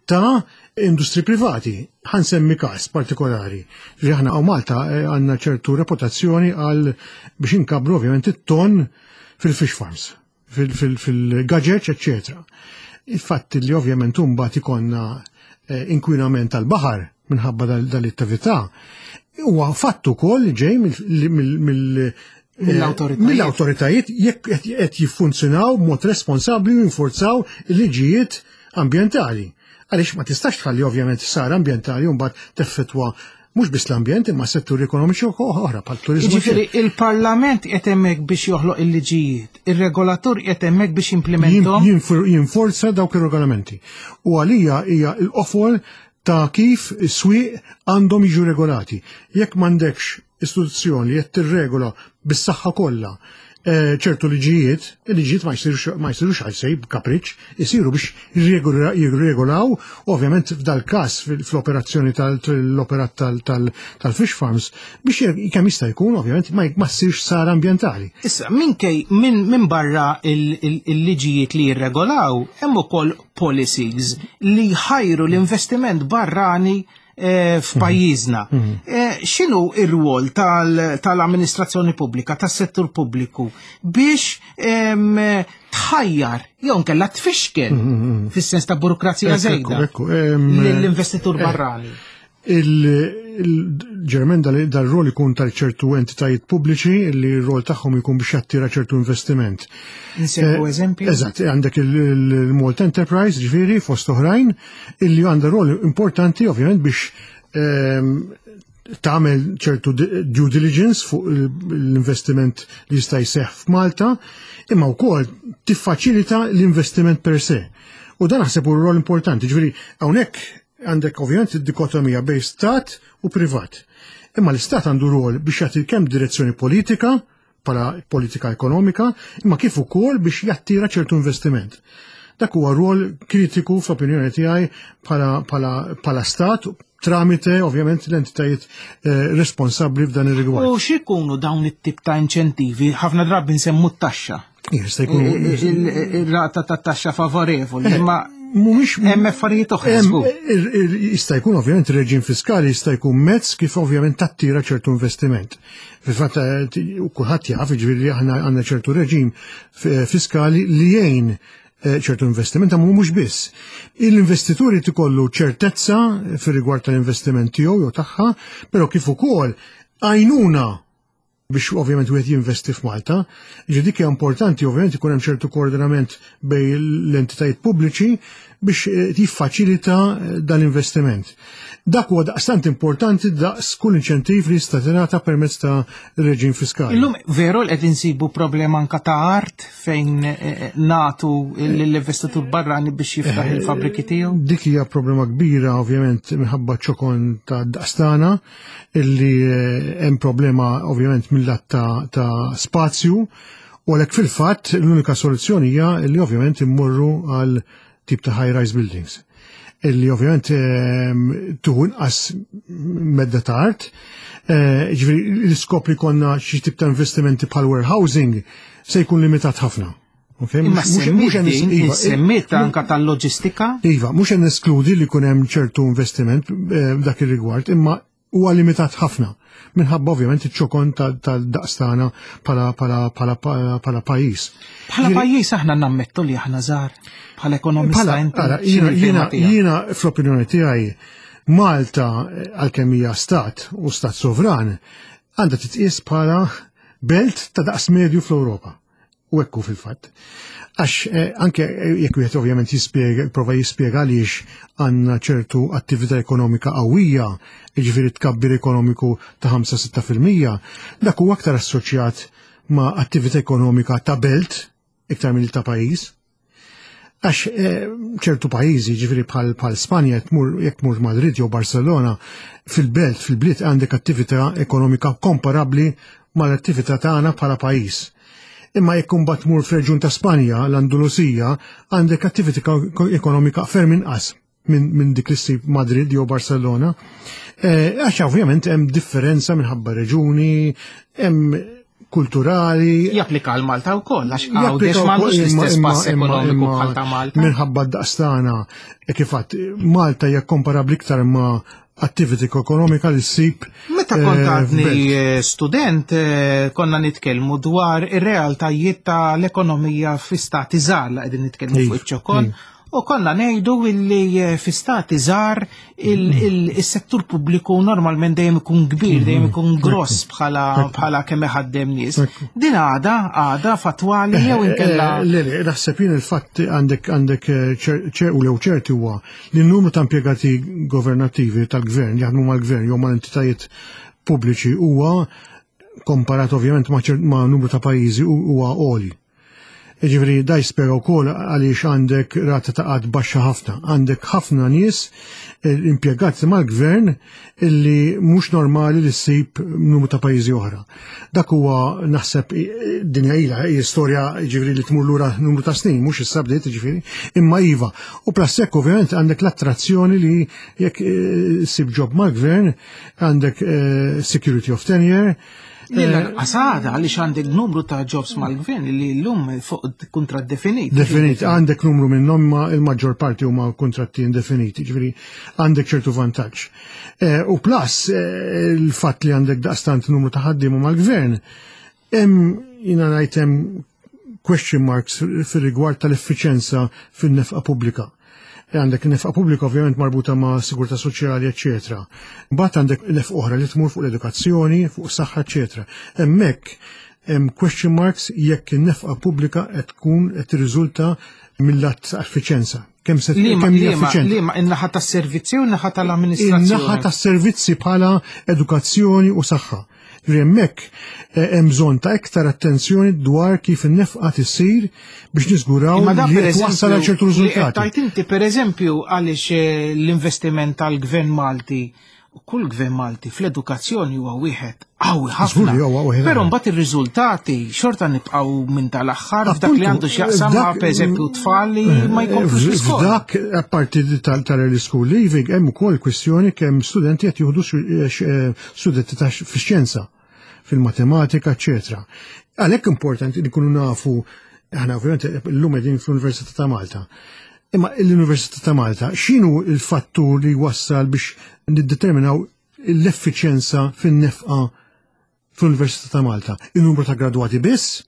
ta' industri privati. Ħa nsemmi każ partikolari. Li aħna hawn Malta għandna ċertu reputazzjoni għal biex inkabbru ovvjament it-ton fil-fish farms, fil-gaġeġ, eccetera. Il-fatt li ovvjament mbagħad ikollna inkwinament tal-baħar minħabba dal-attività huwa fatt ukoll li ġej mill-awtoritajiet jekk qed jiffunzjonaw b'mod responsabbli u jinforzaw il-liġijiet ambjentali. Għaliex ma tistax tħalli ovvjament ħsara ambjentali u mbagħad teffettwa mhux biss l-ambjent imma setturi ekonomiċi oħra bħal turiżmu. Jiġifieri il-Parlament qed hemmhekk biex joħloq il-liġijiet, ir-regolatur qed hemmhekk biex jimplementahom. Jinforza dawk ir-regolamenti. U għalija hija l-qofol ta' kif is-swieq għandhom jiġu regolati. Jekk m'għandekx istituzzjoni li qed tirregola bis-saħħa kollha ċertu liġijiet, il-liġijiet ma jsirux għal sej b'kapriċ, isiru biex jirregolaw, ovvjament f'dal-każ fl-operazzjoni tal-operat tal-fish farms, biex kemm jista' jkun ovvjament ma ssirx ħsara ambjentali. Issa, minkej minn barra il-liġijiet li jirregolaw, hemm ukoll policies li jħajru l-investiment barrani f'pajjiżna. X'inhu r-rwol tal-amministrazzjoni pubblika, tas-settur pubbliku biex tħajjar jew nkella tfixkel fis-sens ta' burokrazija żejda lill-investitur barrani? Il-ġermen dal-rol ikun tal-ċertu entitajiet pubbliċi li r-rol tagħhom ikun biex jattira ċertu investiment. Insemmu eżempju? Eżatt, għandek il-Malta Enterprise, ġifieri, fost oħrajn, illi għandha rol importanti ovvjament biex tagħmel ċertu due diligence fuq l-investiment li jista' jseħħ f'Malta, imma wkoll tiffaċilita l-investiment per se. U dan naħseb hu rol importanti, ġifieri hawnhekk għandek ovvjament id-dikotomija bejn stat u privat. Imma l-istat għandu rol biex jagħti kemm direzzjoni politika, bħala politika ekonomika, imma kif ukoll biex jattira ċertu investiment. Dak huwa rol kritiku fl-opinjoni tiegħi bħala stat tramite ovvjament l-entitajiet responsabbli f'dan ir-rigward. U x'ikunu dawn it-tip ta' inċentivi? Ħafna drabi nsemmu t-taxxa. Jista' jkun ir-rata ta' taxxa favorevoli, imma mhumiex hemm affarijiet oħra. Jista' jkun ovvjament ir-reġim fiskali jista' jkun mezz kif ovvjament tattira ċertu investiment. Fil-fatt kulħadd jaf, jiġifieri aħna għandna ċertu reġim fiskali li jgħin ċertu investiment, ma mhux biss. L-investituri tikollu ċertezza fir-rigward tal-investiment tiegħu jew tagħha, però kif ukoll għajnuna biex ovvjament wieħed jinvesti f'Malta. Ġi dik hija importanti ovvjament ikun hemm ċertu koordinament bejn l-entitajiet pubbliċi biex jiffaċilita dan l-investiment. Dak huwa daqstant importanti daqs kull inċentiv li jista' tingħata permezz ta' reġim fiskali. Illum veru li qed insibu problema anke ta' art fejn nagħtu lill-investitur barrani biex jiftaħ il-fabbriki tiegħu? Dik hija problema kbira ovvjament minħabba ċokon ta' daqstana illi hemm problema ovvjament mill-lat ta' spazju u għalhekk fil-fatt l-unika soluzzjoni hija li ovvjament immorru għal tip ta' high-rise buildings illi ovvjament tuħu inqas medda ta' art. Ġifieri l-iskop li konna xi tip ta' investimenti bħal warehousing se jkun limitat ħafna. Imma semmiet anka tal-loġistika? Iva, mhux qed neskludi li jkun hemm ċertu investiment f'dak ir-rigward, imma huwa limitat ħafna minħabba ovvjament iċ-ċokon tal-daqs tagħna bħala pajjiż. Bħala pajjiż aħna nammettu li aħna żgħar bħala ekonomista inti. Jiena fl-opinjoni tiegħi Malta għalkemm hija stat u stat sovran għandha titqies bħala belt ta' daqs medju fl-Ewropa. U ekku fil-fatt. Għax anke jekk wieħed ovvjament jispjega, prova jispjega għaliex għandna ċertu attività ekonomika qawwija, jiġifieri tkabbir ekonomiku ta' ħamsa sitta fil-mija, dak huwa aktar assoċjat ma' attività ekonomika ta' belt iktar mill ta' pajjiż. Għax eh, ċertu pajjiżi, ġifieri bħal bħal Spanja, jekk tmur Madrid jew Barcelona, fil-belt, fil-bliet għandek attività ekonomika komparabbli mal-attività tagħna bħala pajjiż. Imma jekk imbagħad tmur f'reġjun ta' Spanja, l-Andalusija, għandek attività ekonomika ferm inqas minn min dik li ssib Madrid jew Barcelona. Eh, għax ovvjament hemm differenza minħabba reġuni, hemm kulturali. Japplika għal Malta wkoll għax Għawdex m'għandux l-istess pass ekonomiku bħal ta' Malta. Minħabba d-daqstana, e kif għedt, Malta hija komparabbli iktar ma' activity ekonomika li ssib. Meta kont eh, għadni eh, student, eh, konna nitkellmu dwar ir-realtajiet tal-ekonomija fi stati żgħar la qegħdin nitkellmu fuq iċ-ċokon. U konna ngħidu illi fi stati żgħar il-settur pubbliku normalment dejjem ikun kbir, dejjem ikun gross bħala bħala kemm iħaddem nies. Din għada għada fatwali jew inkella. Le, le, naħseb jien il-fatt għandek għandek ċer u lew ċerti huwa li n-numru ta' impjegati governattivi tal-gvern jaħdmu mal-gvern jew mal-entitajiet pubbliċi huwa komparat ovvjament ma' numru ta' pajjiżi huwa għoli. Ġifieri da jispjega wkoll għaliex għandek rata ta' qgħad baxxa ħafna. Għandek ħafna nies eh, impjegati mal-gvern illi mhux normali li ssib numru ta' pajjiżi oħra. Dak huwa naħseb din ilha hija storja ġifieri li tmur lura numru ta' snin, mhux issa bdiet ġifieri, imma iva. U plus hekk ovvjament għandek l-attrazzjoni li jekk eh, ssib job mal-gvern, għandek eh, security of tenure. Għasada, għaliex għandek numru ta' jobs mal-gvern li l-lum fuq kontrat definit. Definit, għandek numru minnhom ma il-maġġor parti huma kontratti indefiniti, ġifieri għandek ċertu vantaġġ. Eh, u plus eh, il-fatt li għandek daqstant numru ta' ħaddiema mal-gvern, hemm jiena ngħid hemm question marks fir-rigward tal-effiċenza fin-nefqa pubblika. Għandek nefqa pubblika ovvjament marbuta ma' sigurtà soċjali, eccetera. Mbagħad għandek nefqa oħra li tmur fuq l-edukazzjoni, fuq saħħa, eccetera. Hemmhekk hemm question marks jekk in-nefqa pubblika qed tkun qed tirriżulta mill-lat effiċenza. Kemm se kemm hija effiċjenti. Liema in-naħa tas-servizzi u n-naħa tal-amministrazzjoni? In-naħa tas-servizzi bħala edukazzjoni u saħħa. Hemmhekk eh, hemm bżonn ta' iktar attenzjoni dwar kif in-nefqa tisir biex niżguraw li twassal għal ċertu riżultati. Tajt inti pereżempju għaliex eh, l-investiment tal-Gvern Malti u kull gvern Malti fl-edukazzjoni huwa wieħed qawwi ħafna. Però mbagħad ir-riżultati xorta nibqgħu minn tal-aħħar f'dak li għandu x'jaqsam ma' pereżempju tfal li ma jkomplux l-iskola. F'dak apparti tal-early school leaving hemm ukoll kwistjoni kemm studenti qed jieħdu eh, studenti ta' fix-xjenza, fil-matematika, eccetera. Għalhekk importanti li nkunu nafu, aħna ovvjament illum qegħdin fl-Università ta' Malta. Imma l-Università ta' Malta, x'inhu il-fattur li wassal biex niddeterminaw l-effiċjenza fin-nefqa fl-Università ta' Malta? Il-numru ta' gradwati biss?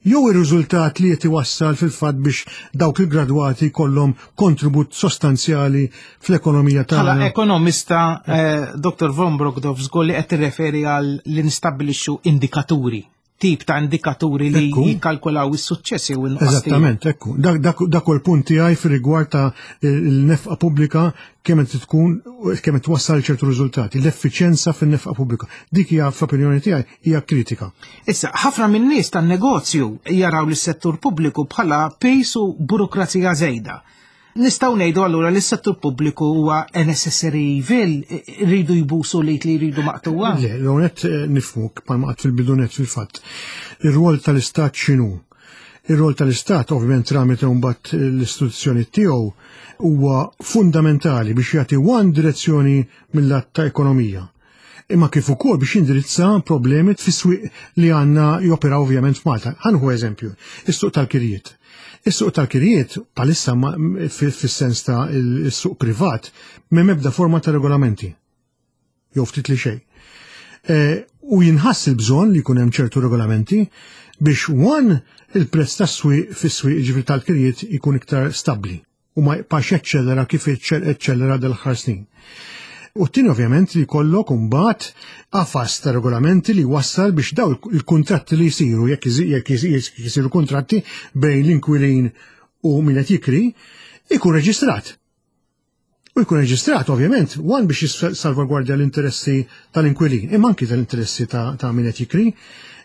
Jew ir-riżultat li qed iwassal fil-fatt biex dawk il-gradwati kollhom kontribut sostanzjali fl-ekonomija Bħala tagħna? ekonomista, eh, Dottor Von Brockdorff żgur li qed tirreferi għal li nistabbilixxu indikaturi, tip ta' indikaturi li Ekku. jikkalkulaw is-suċċess jew in-nuqqas tiegħu. Eżattament, ekku. Dak, dak, dak u l-punt tiegħi fir-rigward ta' il-nefqa pubblika kemm qed tkun kemm qed twassal ċertu riżultati, l-effiċjenza fin-nefqa pubblika. Dik hija fl-opinjoni tiegħi hija kritika. Issa, ħafna minn nies tan-negozju jaraw lis settur pubbliku bħala pejs u burokrazija żejda. Nistgħu ngħidu allura li s-settur pubbliku huwa a necessary evil, rridu jbusu li li jridu maqtuwa? Le, l-għonet nifhmu bħalma għedt fil-bidunet fil-fatt. Ir-rwol tal-Istat x'inhu? Ir-rwol tal-Istat ovvjament tramite mbagħad l-istituzzjoni tiegħu huwa fundamentali biex jagħti one direzzjoni mill-lat ta' ekonomija. Imma kif ukoll biex jindirizza problemi fis-swieq li għandna joperaw ovvjament f'Malta. Ħa nieħu eżempju, is-suq tal-kirjiet. Is-suq tal-kirjiet bħalissa fis-sens ta' is-suq privat m'hemm ebda forma ta' regolamenti. Jew ftit li xejn. E, u jinħass il-bżonn li jkun hemm ċertu regolamenti biex one il-prezz tas-swieq fis-swieq ġifieri tal-kirjiet ikun iktar stabbli u ma jibqax jeċċellera kif eċċellera dal-aħħar snin. U t-tieni ovvjament li jkollok imbagħad qafas ta' regolamenti li wassal biex daw il-kontratti li jsiru, jekk jekk jisiru kontratti bejn l-inkwilin u min qed jikri, ikun reġistrat. U jkun reġistrat ovvjament, one biex jissalvagwardja l-interessi tal-inkwilin, imma anki tal-interessi ta', ta' min qed jikri,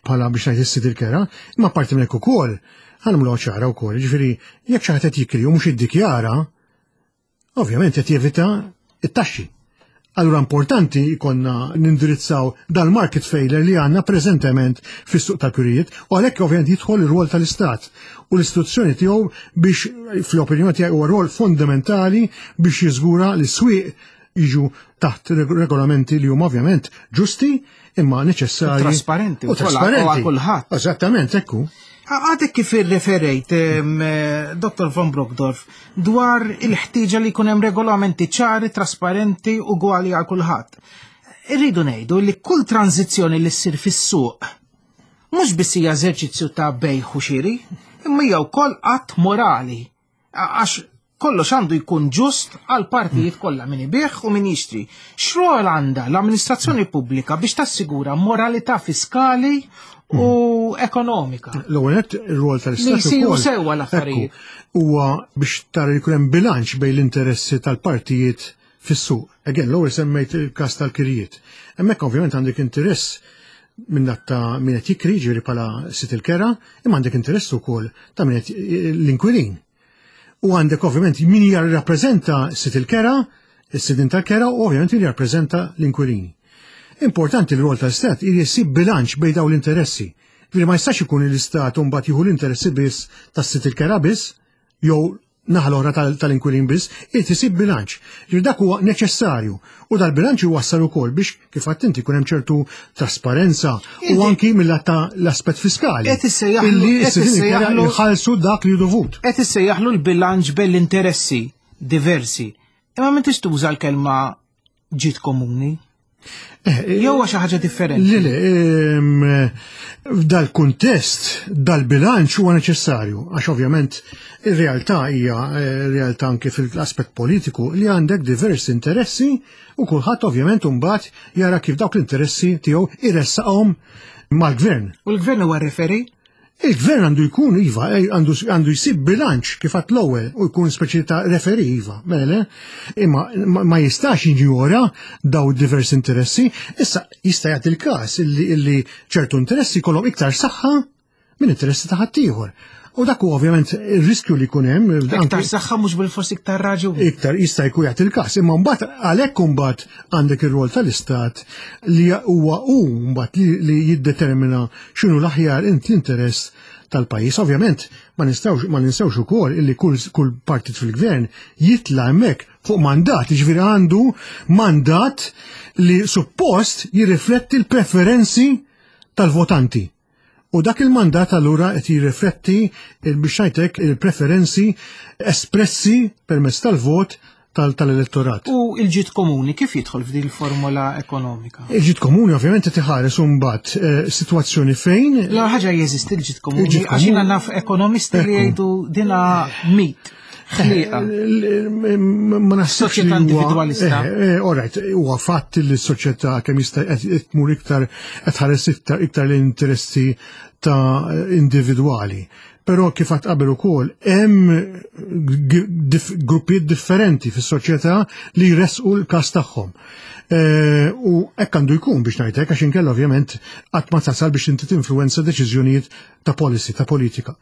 bħala biex ngħid is-sid il-kera, imma parti minn hekk ukoll Ħa nagħmluha ċara wkoll, jiġifieri jekk xi ħadd qed jikri u mhux jiddikjara, ovvjament qed jevita it-taxxi. Allura importanti jkollna nindirizzaw dal-market failure li għandna preżentement fis-suq tal-kirjiet u għalhekk ovvjament jidħol ir-rwol tal-Istat u l-istituzzjoni tiegħu biex, fl-opinjoni tiegħi, huwa rwol fondamentali biex jiżgura li s-swieq jiġu taħt regolamenti li huma ovvjament ġusti imma neċessarji. Trasparenti. U trasparenti. Kulħadd. Eżattament, ekku. Għadek kif irreferejt, Dottor Von Brockdorff, dwar il-ħtieġa li jkun hemm regolamenti ċari, trasparenti u gwali għal kulħadd. Irridu ngħidu li kull tranzizzjoni li ssir fis-suq mhux biss hija eżerċizzju ta' bejgħ u xiri, imma hija wkoll att morali. Għax kollox għandu jkun ġust għal partijiet kollha, min ibigħ u min jixtri. X'rol għandha l-amministrazzjoni pubblika biex tassigura moralità fiskali u ekonomika? L-ewwel nett, ir-rol tal-Istat Li jsiru sewwa l-affarijiet. Huwa biex tara li jkun hemm bilanċ bejn l-interessi tal-partijiet fis-suq. Again, l-ewwel semmejt il-każ tal-kirjiet. Hemmhekk ovvjament għandek interess minn ta' min qed jikri, ġifieri bħala sid il-kera, imma għandek interess ukoll ta' min qed l-inkwilin. U għandek ovvjament min jirrappreżenta sid il-kera, is-sidin tal-kera, u ovvjament min jirrappreżenta l-inkwilini. Importanti l-rol tal-Istat jsib bilanċ bejn dawn l-interessi. Ġifieri ma jistax ikun l-Istat u mbagħad jieħu l-interessi biss tas-sid il-kera biss, jew naħa l-oħra tal-inkwilin biss, irid isib bilanċ. Ġifieri dak huwa neċessarju. U dal-bilanċ iwassal ukoll biex kif għedt inti jkun hemm ċertu trasparenza u anki mill-lat ta' l-aspett fiskali. Qed issejjaħlu Illi qed s-sidin il-kera issejjaħlu jħallsu dak li dovut. Qed issejjaħlu l-bilanċ bejn l-interessi diversi. Imma m'intix tuża l-kelma ġid komuni. Eh, Jew xi ħaġa differenti. Le, le, ehm, f'dal-kuntest, dal-bilanċ huwa neċessarju, għax ovvjament ir-realtà hija eh, realtà anke fil-aspett politiku li għandek diversi interessi u kulħadd ovvjament imbagħad jara kif dawk l-interessi tiegħu iressaqhom mal-gvern. U l-gvern huwa referee? Il-gvern għandu jkun, iva, eh, għandu, għandu jsib bilanċ kif għedt l-ewwel u jkun speċi ta' referee, iva, mela le, imma ma, ma jistax jinjora daw diversi interessi. Issa jista' jagħti il-każ illi, illi ċertu interessi jkollhom iktar saħħa minn interessi ta' ħaddieħor. U dak huwa ovvjament ir-riskju li jkun hemm. Iktar saħħa mhux bil-fors iktar raġun. Iktar jista' jkun jagħti il-każ, imma mbagħad għalhekk imbagħad għandek ir-rol tal-Istat li huwa hu mbagħad li, li jiddetermina x'inhu l-aħjar int l-interess tal-pajjiż. Ovvjament ma nistgħux ma ninsewx ukoll illi kull, kull partit fil-gvern jitla' hemmhekk fuq mandat, jiġifieri għandu mandat li suppost jirrifletti l-preferenzi tal-votanti. U dak il-mandat allura qed jirrifletti biex ngħidlek il-preferenzi espressi permezz tal-vot tal-elettorat. U il-ġid komuni kif jidħol f'din il-formula ekonomika? Il-ġid komuni ovvjament qed iħares imbagħad eh, sitwazzjoni fejn La ħaġa jeżisti l-ġid komuni, Il-ġid għax jiena komuni- naf ekonomisti li Ekku. jgħidu dina mit. Ħliqa. Ma naħsibx Soċjetà li huwa- individwalista. Eh, eh, all right, huwa fatt li s-soċjetà kemm jista' qed tmur iktar qed tħares iktar iktar l-interessi ta' individwali. Però kif għedt qabel ukoll hemm g- dif- gruppijiet differenti fis-soċjetà li jressqu l-każ tagħhom. Eh, U hekk għandu jkun biex ngħidlek, għax inkella ovvjament qatt ma tasal biex inti tinfluwenza deċiżjonijiet ta' policy, ta' politika.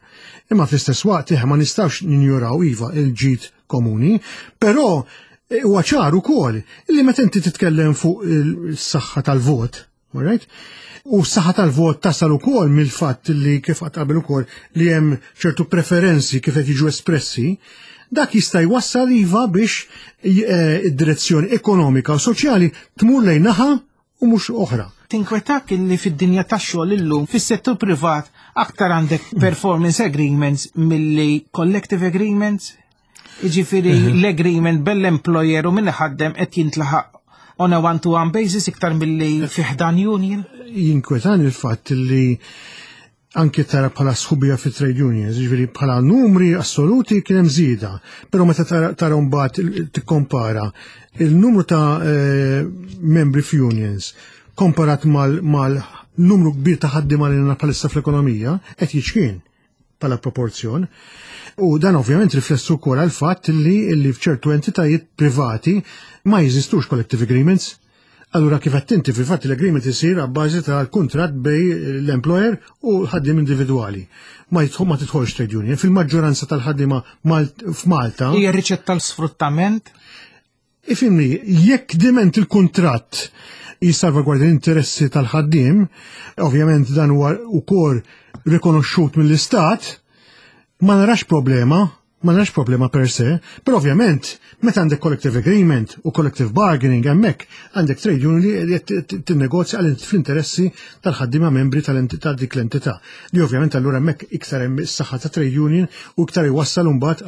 Imma fl-istess waqt eh, ma nistgħux ninjuraw, iva, il-ġid komuni, però eh, huwa ċar ukoll li meta inti titkellem fuq il-saħħa tal-vot, all right? U s-saħħa tal-vot tasal ukoll mill-fatt li kif għedt qabel ukoll li hemm ċertu preferenzi kif qed jiġu espressi, dak jista' jwassal, iva, biex eh, id-direzzjoni ekonomika u soċjali tmur lejn naħa u mhux oħra. Tinkwetak illi fid-dinja tax-xogħol illum fis-settur privat aktar għandek performance agreements milli collective agreements? Jiġifieri l-agreement bejn l-employer u min iħaddem qed jintlaħaq on a one-to-one basis iktar milli fi ħdan union? Jinkwetan il-fatt li anke tara bħala sħubija fi trade unions, ġifieri bħala numri assoluti kien hemm żieda, però meta tara, tara mbagħad il- tikkompara il-numru ta' eh, membri f'unions komparat mal, mal numru kbir ta' ħaddiema li għandna bħalissa fl-ekonomija qed jiċkien bħala proporzjon. U dan ovvjament riflessu wkoll għal fatt li li f'ċertu entitajiet privati ma jeżistux collective agreements. Allura kif qed inti fil-fatt l-agreement isir abbażi tal-kuntratt bejn l-employer u l-ħaddiem individwali. Ma jidħol ma tidħolx trade union. Fil-maġġoranza tal-ħaddiema f'Malta. Hija riċetta tal-sfruttament? Ifhimni, jekk diment il-kuntratt jissalvagwardja l-interessi tal-ħaddiem, ovvjament dan huwa wkoll rikonoxxut mill-Istat, ma narax problema, ma narax problema per se, però ovvjament meta għandek collective agreement u collective bargaining hemmhekk għandek trade union li qed tinnegozja għal fl-interessi tal-ħaddiema membri tal-entità dik l-entità. Li ovvjament allura hemmhekk iktar hemm is-saħħa ta' trade union u iktar iwassal imbagħad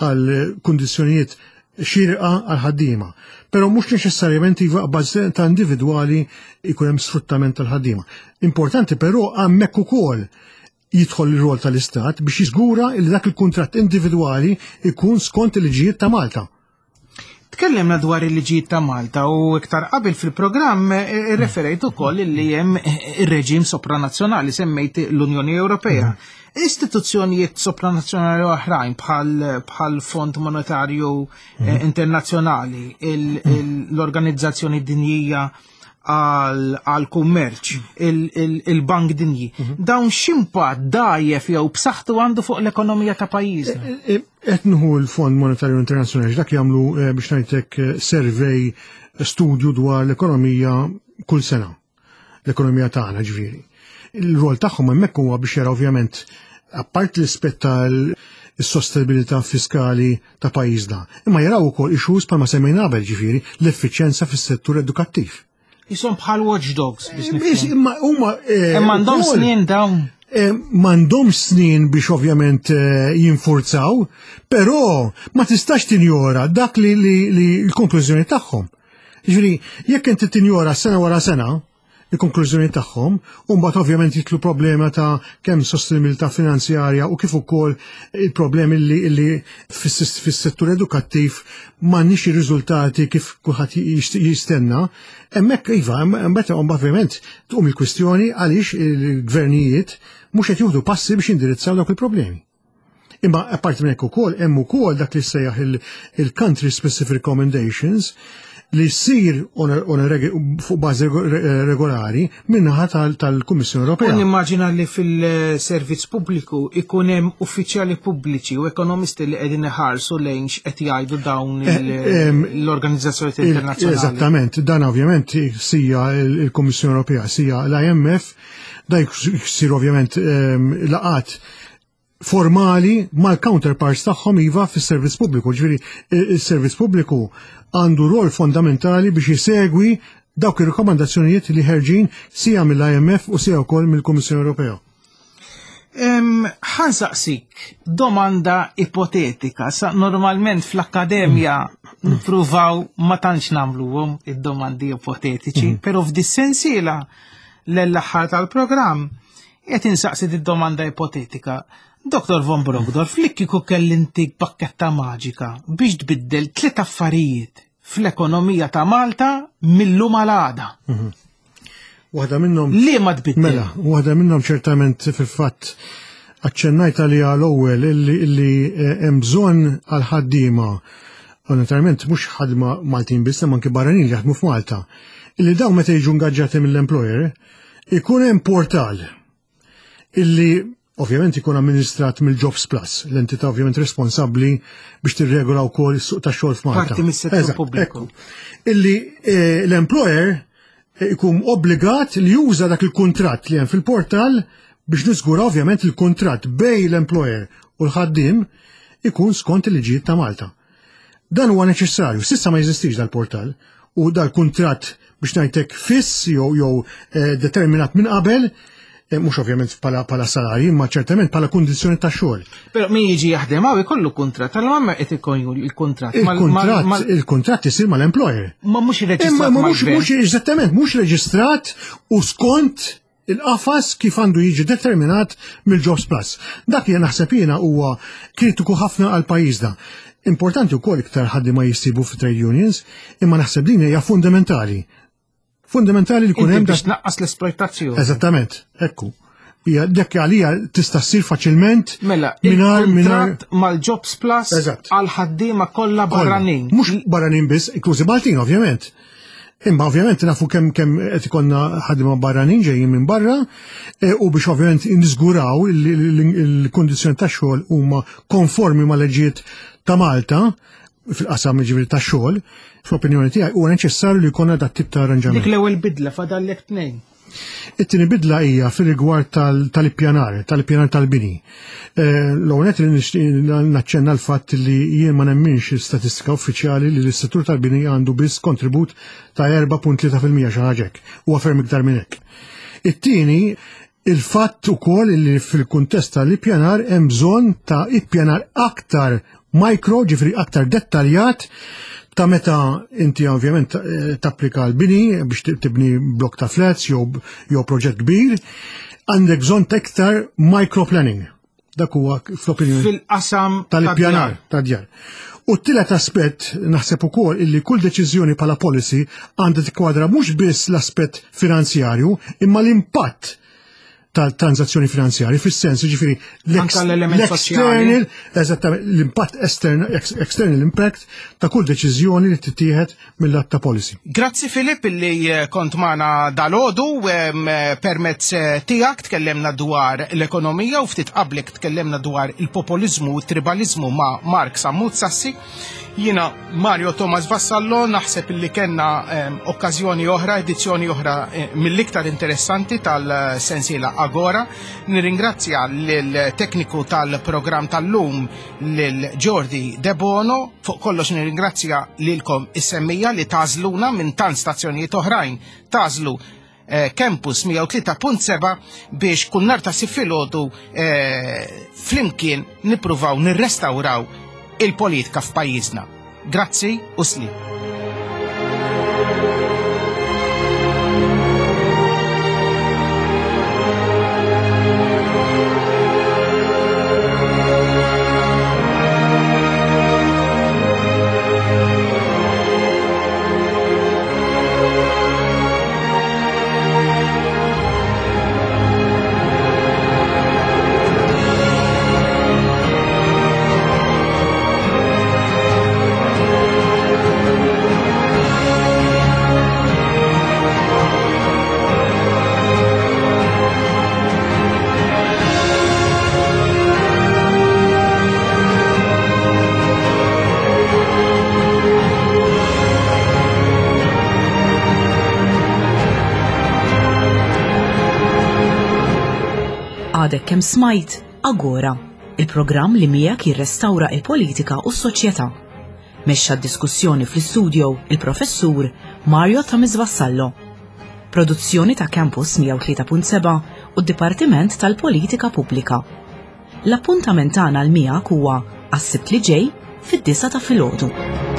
għal kundizzjonijiet xirqa għal ħaddiema. Però mhux neċessarjament iva bażi ta' individwali jkun hemm sfruttament tal-ħaddiema. Importanti però hemmhekk ukoll jidħol il-rol tal-Istat biex jiżgura li dak il-kuntratt individwali ikun skont il-liġijiet ta' Malta. Tkellimna dwar il-liġijiet ta' Malta u iktar qabel fil-programm eh, referejt ukoll li hemm ir-reġim sopranazzjonali semmejt l-Unjoni Ewropea. Istituzzjonijiet sopranazzjonali oħrajn bħal bħal Fond Monetarju eh, Internazzjonali, l-Organizzazzjoni Dinjija għal kummerċ, il-Bank Dinji. Dawn x'impatt dgħajjef jew b'saħħtu għandu fuq l-ekonomija ta' pajjiżna? Qed nieħu l-Fond Monetarju Internazzjonali dak jagħmlu biex ngħidlek survey studju dwar l-ekonomija kull sena. L-ekonomija tagħna ġifieri. Il-rol tagħhom hemmhekk huwa biex jara ovvjament apart l-ispett tal-sostenibilità fiskali ta' pajjiżna, imma jaraw ukoll issues bħalma semmejna qabel ġifieri l-effiċjenza fis-settur edukattiv. Jisom bħal watchdogs biex nifhem. Imma huma Imma għandhom snin dawn. M'għandhom snin biex ovvjament jinfurzaw, però ma tistax tinjora dak li l-konklużjoni tagħhom. Ġifieri, jekk inti tinjora sena wara sena il-konklużjoni tagħhom, u mbagħad ovvjament jitlu problema ta' kemm sostenibilità finanzjarja u kif ukoll il-problemi li, li fis-settur edukattiv m'għandniex ir-riżultati kif kulħadd jistenna. Hemmhekk iva, mbagħad ovvjament tqum il-kwistjoni għaliex il-gvernijiet mhux qed jieħdu passi biex jindirizzaw dawk il-problemi. Imma apparti minn hekk ukoll hemm ukoll dak li sejjaħ il-country specific recommendations li ssir fuq bażi regolari minnaħa tal-Kummissjoni Ewropea. U nimmaġina li fil-servizz pubbliku ikun hemm uffiċjali pubbliċi u ekonomisti li qegħdin iħarsu lejn x'qed jgħidu dawn l-organizzazzjoni internazzjonali. Eżattament, dan ovvjament sija il-Kummissjoni Ewropea, sija l-I M F, da jsir ovvjament laqat formali mal-counterparts tagħhom iva fis-servizz pubbliku. Ġifieri il-servizz pubbliku għandu rol fondamentali biex jisegwi dawk ir-rekomandazzjonijiet li ħerġin sija mill-I M F u sija wkoll mill-Kummissjoni Ewropea. Ħa nsaqsik domanda ipotetika. Sa normalment fl-akkademja nippruvaw ma tantx nagħmluhom id-domandi ipotetiċi, mm. però f'dis-sensiela l-aħħar tal-programm qed insaqsi id-domanda ipotetika. Doktor Von Brockdorff, li kieku kelli ntik bakketta maġika biex tbiddel tliet affarijiet fl-ekonomija ta' Malta mil-lum għal għada. Mhm. Waħda minnhom. Li ma tbiddel? Mela, waħda minnhom ċertament fil-fatt aċċennajt għalija l-ewwel illi illi eh, hemm bżonn għal ħaddiema u naturalment mhux ħadma Maltin biss imma anke barranin li jaħdmu f'Malta. Illi dawn meta jiġu ngaġġati mill-employer ikun hemm portal illi ovvjament ikun amministrat mill-Jobs Plus, l-entità ovvjament responsabbli biex tirregola wkoll is-suq tax-xogħol f'Malta. Parti mis-settur pubbliku. Illi eh, l-employer ikun obbligat li juża dak il-kuntratt li hemm fil-portal biex niżgura ovvjament il-kuntratt bejn l-employer u l-ħaddiem ikun skont il-liġijiet ta' Malta. Dan huwa neċessarju, s'issa ma jeżistix dal-portal u dal-kuntratt biex ngħidlek fiss jew jew eh, determinat minn qabel, eh, mhux ovvjament bħala bħala salarji, imma ċertament bħala kundizzjoni ta' xogħol. Però min jiġi jaħdem hawn ikollu kuntratt, allura ma qed ikun il-kuntratt. Il-kuntratt il-kuntratt isir mal-employer. Ma mhux irreġistrat. Imma mhux mhux eżattament mhux reġistrat u skont il-qafas kif għandu jiġi determinat mill-Jobs Plus. Dak li naħseb jiena huwa kritiku ħafna għal pajjiżna. Importanti wkoll iktar ħaddiema jissibu fi trade unions, imma naħseb din hija fundamentali. Fundamentali li kun hemm biex tnaqqas l-esploitazzjoni. Eżattament, ekku. Hija dak għalija tista' ssir faċilment Mela, mingħajr il-kuntratt mal-Jobs Plus Eżatt. għal ħaddiema kollha barranin. Mhux barranin biss, inklużi Maltin ovvjament. Imma ovvjament nafu kemm kemm qed ikollna ħaddiema barranin ġejjin minn barra e, u biex ovvjament niżguraw il-kundizzjoni tax-xogħol huma konformi mal-leġijiet ta' Malta fil-qasam ġifieri tax-xogħol, fl-opinjoni tiegħi huwa neċessarju li jkollna dat tip ta' arranġament. Dik l-ewwel bidla fadallek tnejn. It-tieni bidla hija fir-rigward tal-ippjanar, tal-ippjanar tal-bini. L-ewwel nett li nixtieq naċċenna l-fatt li jien ma nemminx statistika uffiċjali li l-settur tal-bini għandu biss kontribut ta' erba' punt tlieta fil-mija xi ħaġa hekk, huwa ferm iktar minn hekk. It-tieni, il-fatt ukoll li fil-kuntest tal-ippjanar hemm bżonn ta' ippjanar aktar micro, ġifieri aktar dettaljat, ta' meta inti ovvjament tapplika l-bini biex tibni blok ta' flats jew jew proġett kbir, għandek bżonn ta' iktar microplanning. Dak huwa fl-opinjoni fil-qasam tal-ippjanar tad-djar. U t-tielet aspett naħseb ukoll illi kull deċiżjoni bħala policy għandha tikkwadra mhux biss l-aspett finanzjarju imma l-impatt tal-transazzjoni finanzjarji, fis-sens ġifieri l-external, eżattament, l-impatt estern, external impact ta' kull deċiżjoni li tittieħed mill-att ta' policy. Grazzi Filip illi kont magħna dalgħodu, permezz tiegħek tkellemna dwar l-ekonomija u ftit qablek tkellemna dwar il-populiżmu u t-tribaliżmu ma' Mark Sammut Sassi. Jiena Mario Thomas Vassallo, naħseb illi kellna okkażjoni oħra, edizzjoni oħra mill-iktar interessanti tal-sensiela Agora. Nirringrazzja lill-tekniku tal-programm tal-lum, lil Jordi Debono. Fuq kollox nirringrazzja lilkom is-semmija li tażluna minn tant stazzjonijiet oħrajn, tażlu Campus mija u tlieta punt seba' biex kull nhar ta' Sibt filgħodu flimkien nippruvaw nirrestawraw il-politika f'pajjiżna. Grazzi u sli. Għadek kemm smajt Agora, il-programm li miegħek jirrestawra il-politika u s-soċjetà. Mexxa d-diskussjoni fl-istudio il-professur Mario Thomas Vassallo. Produzzjoni ta' Campus mija u tlieta punt seba' u d-Dipartiment tal-Politika Pubblika. L-appuntament tagħna l miegħek huwa għas-Sibt li ġej fid-disgħa ta' filgħodu.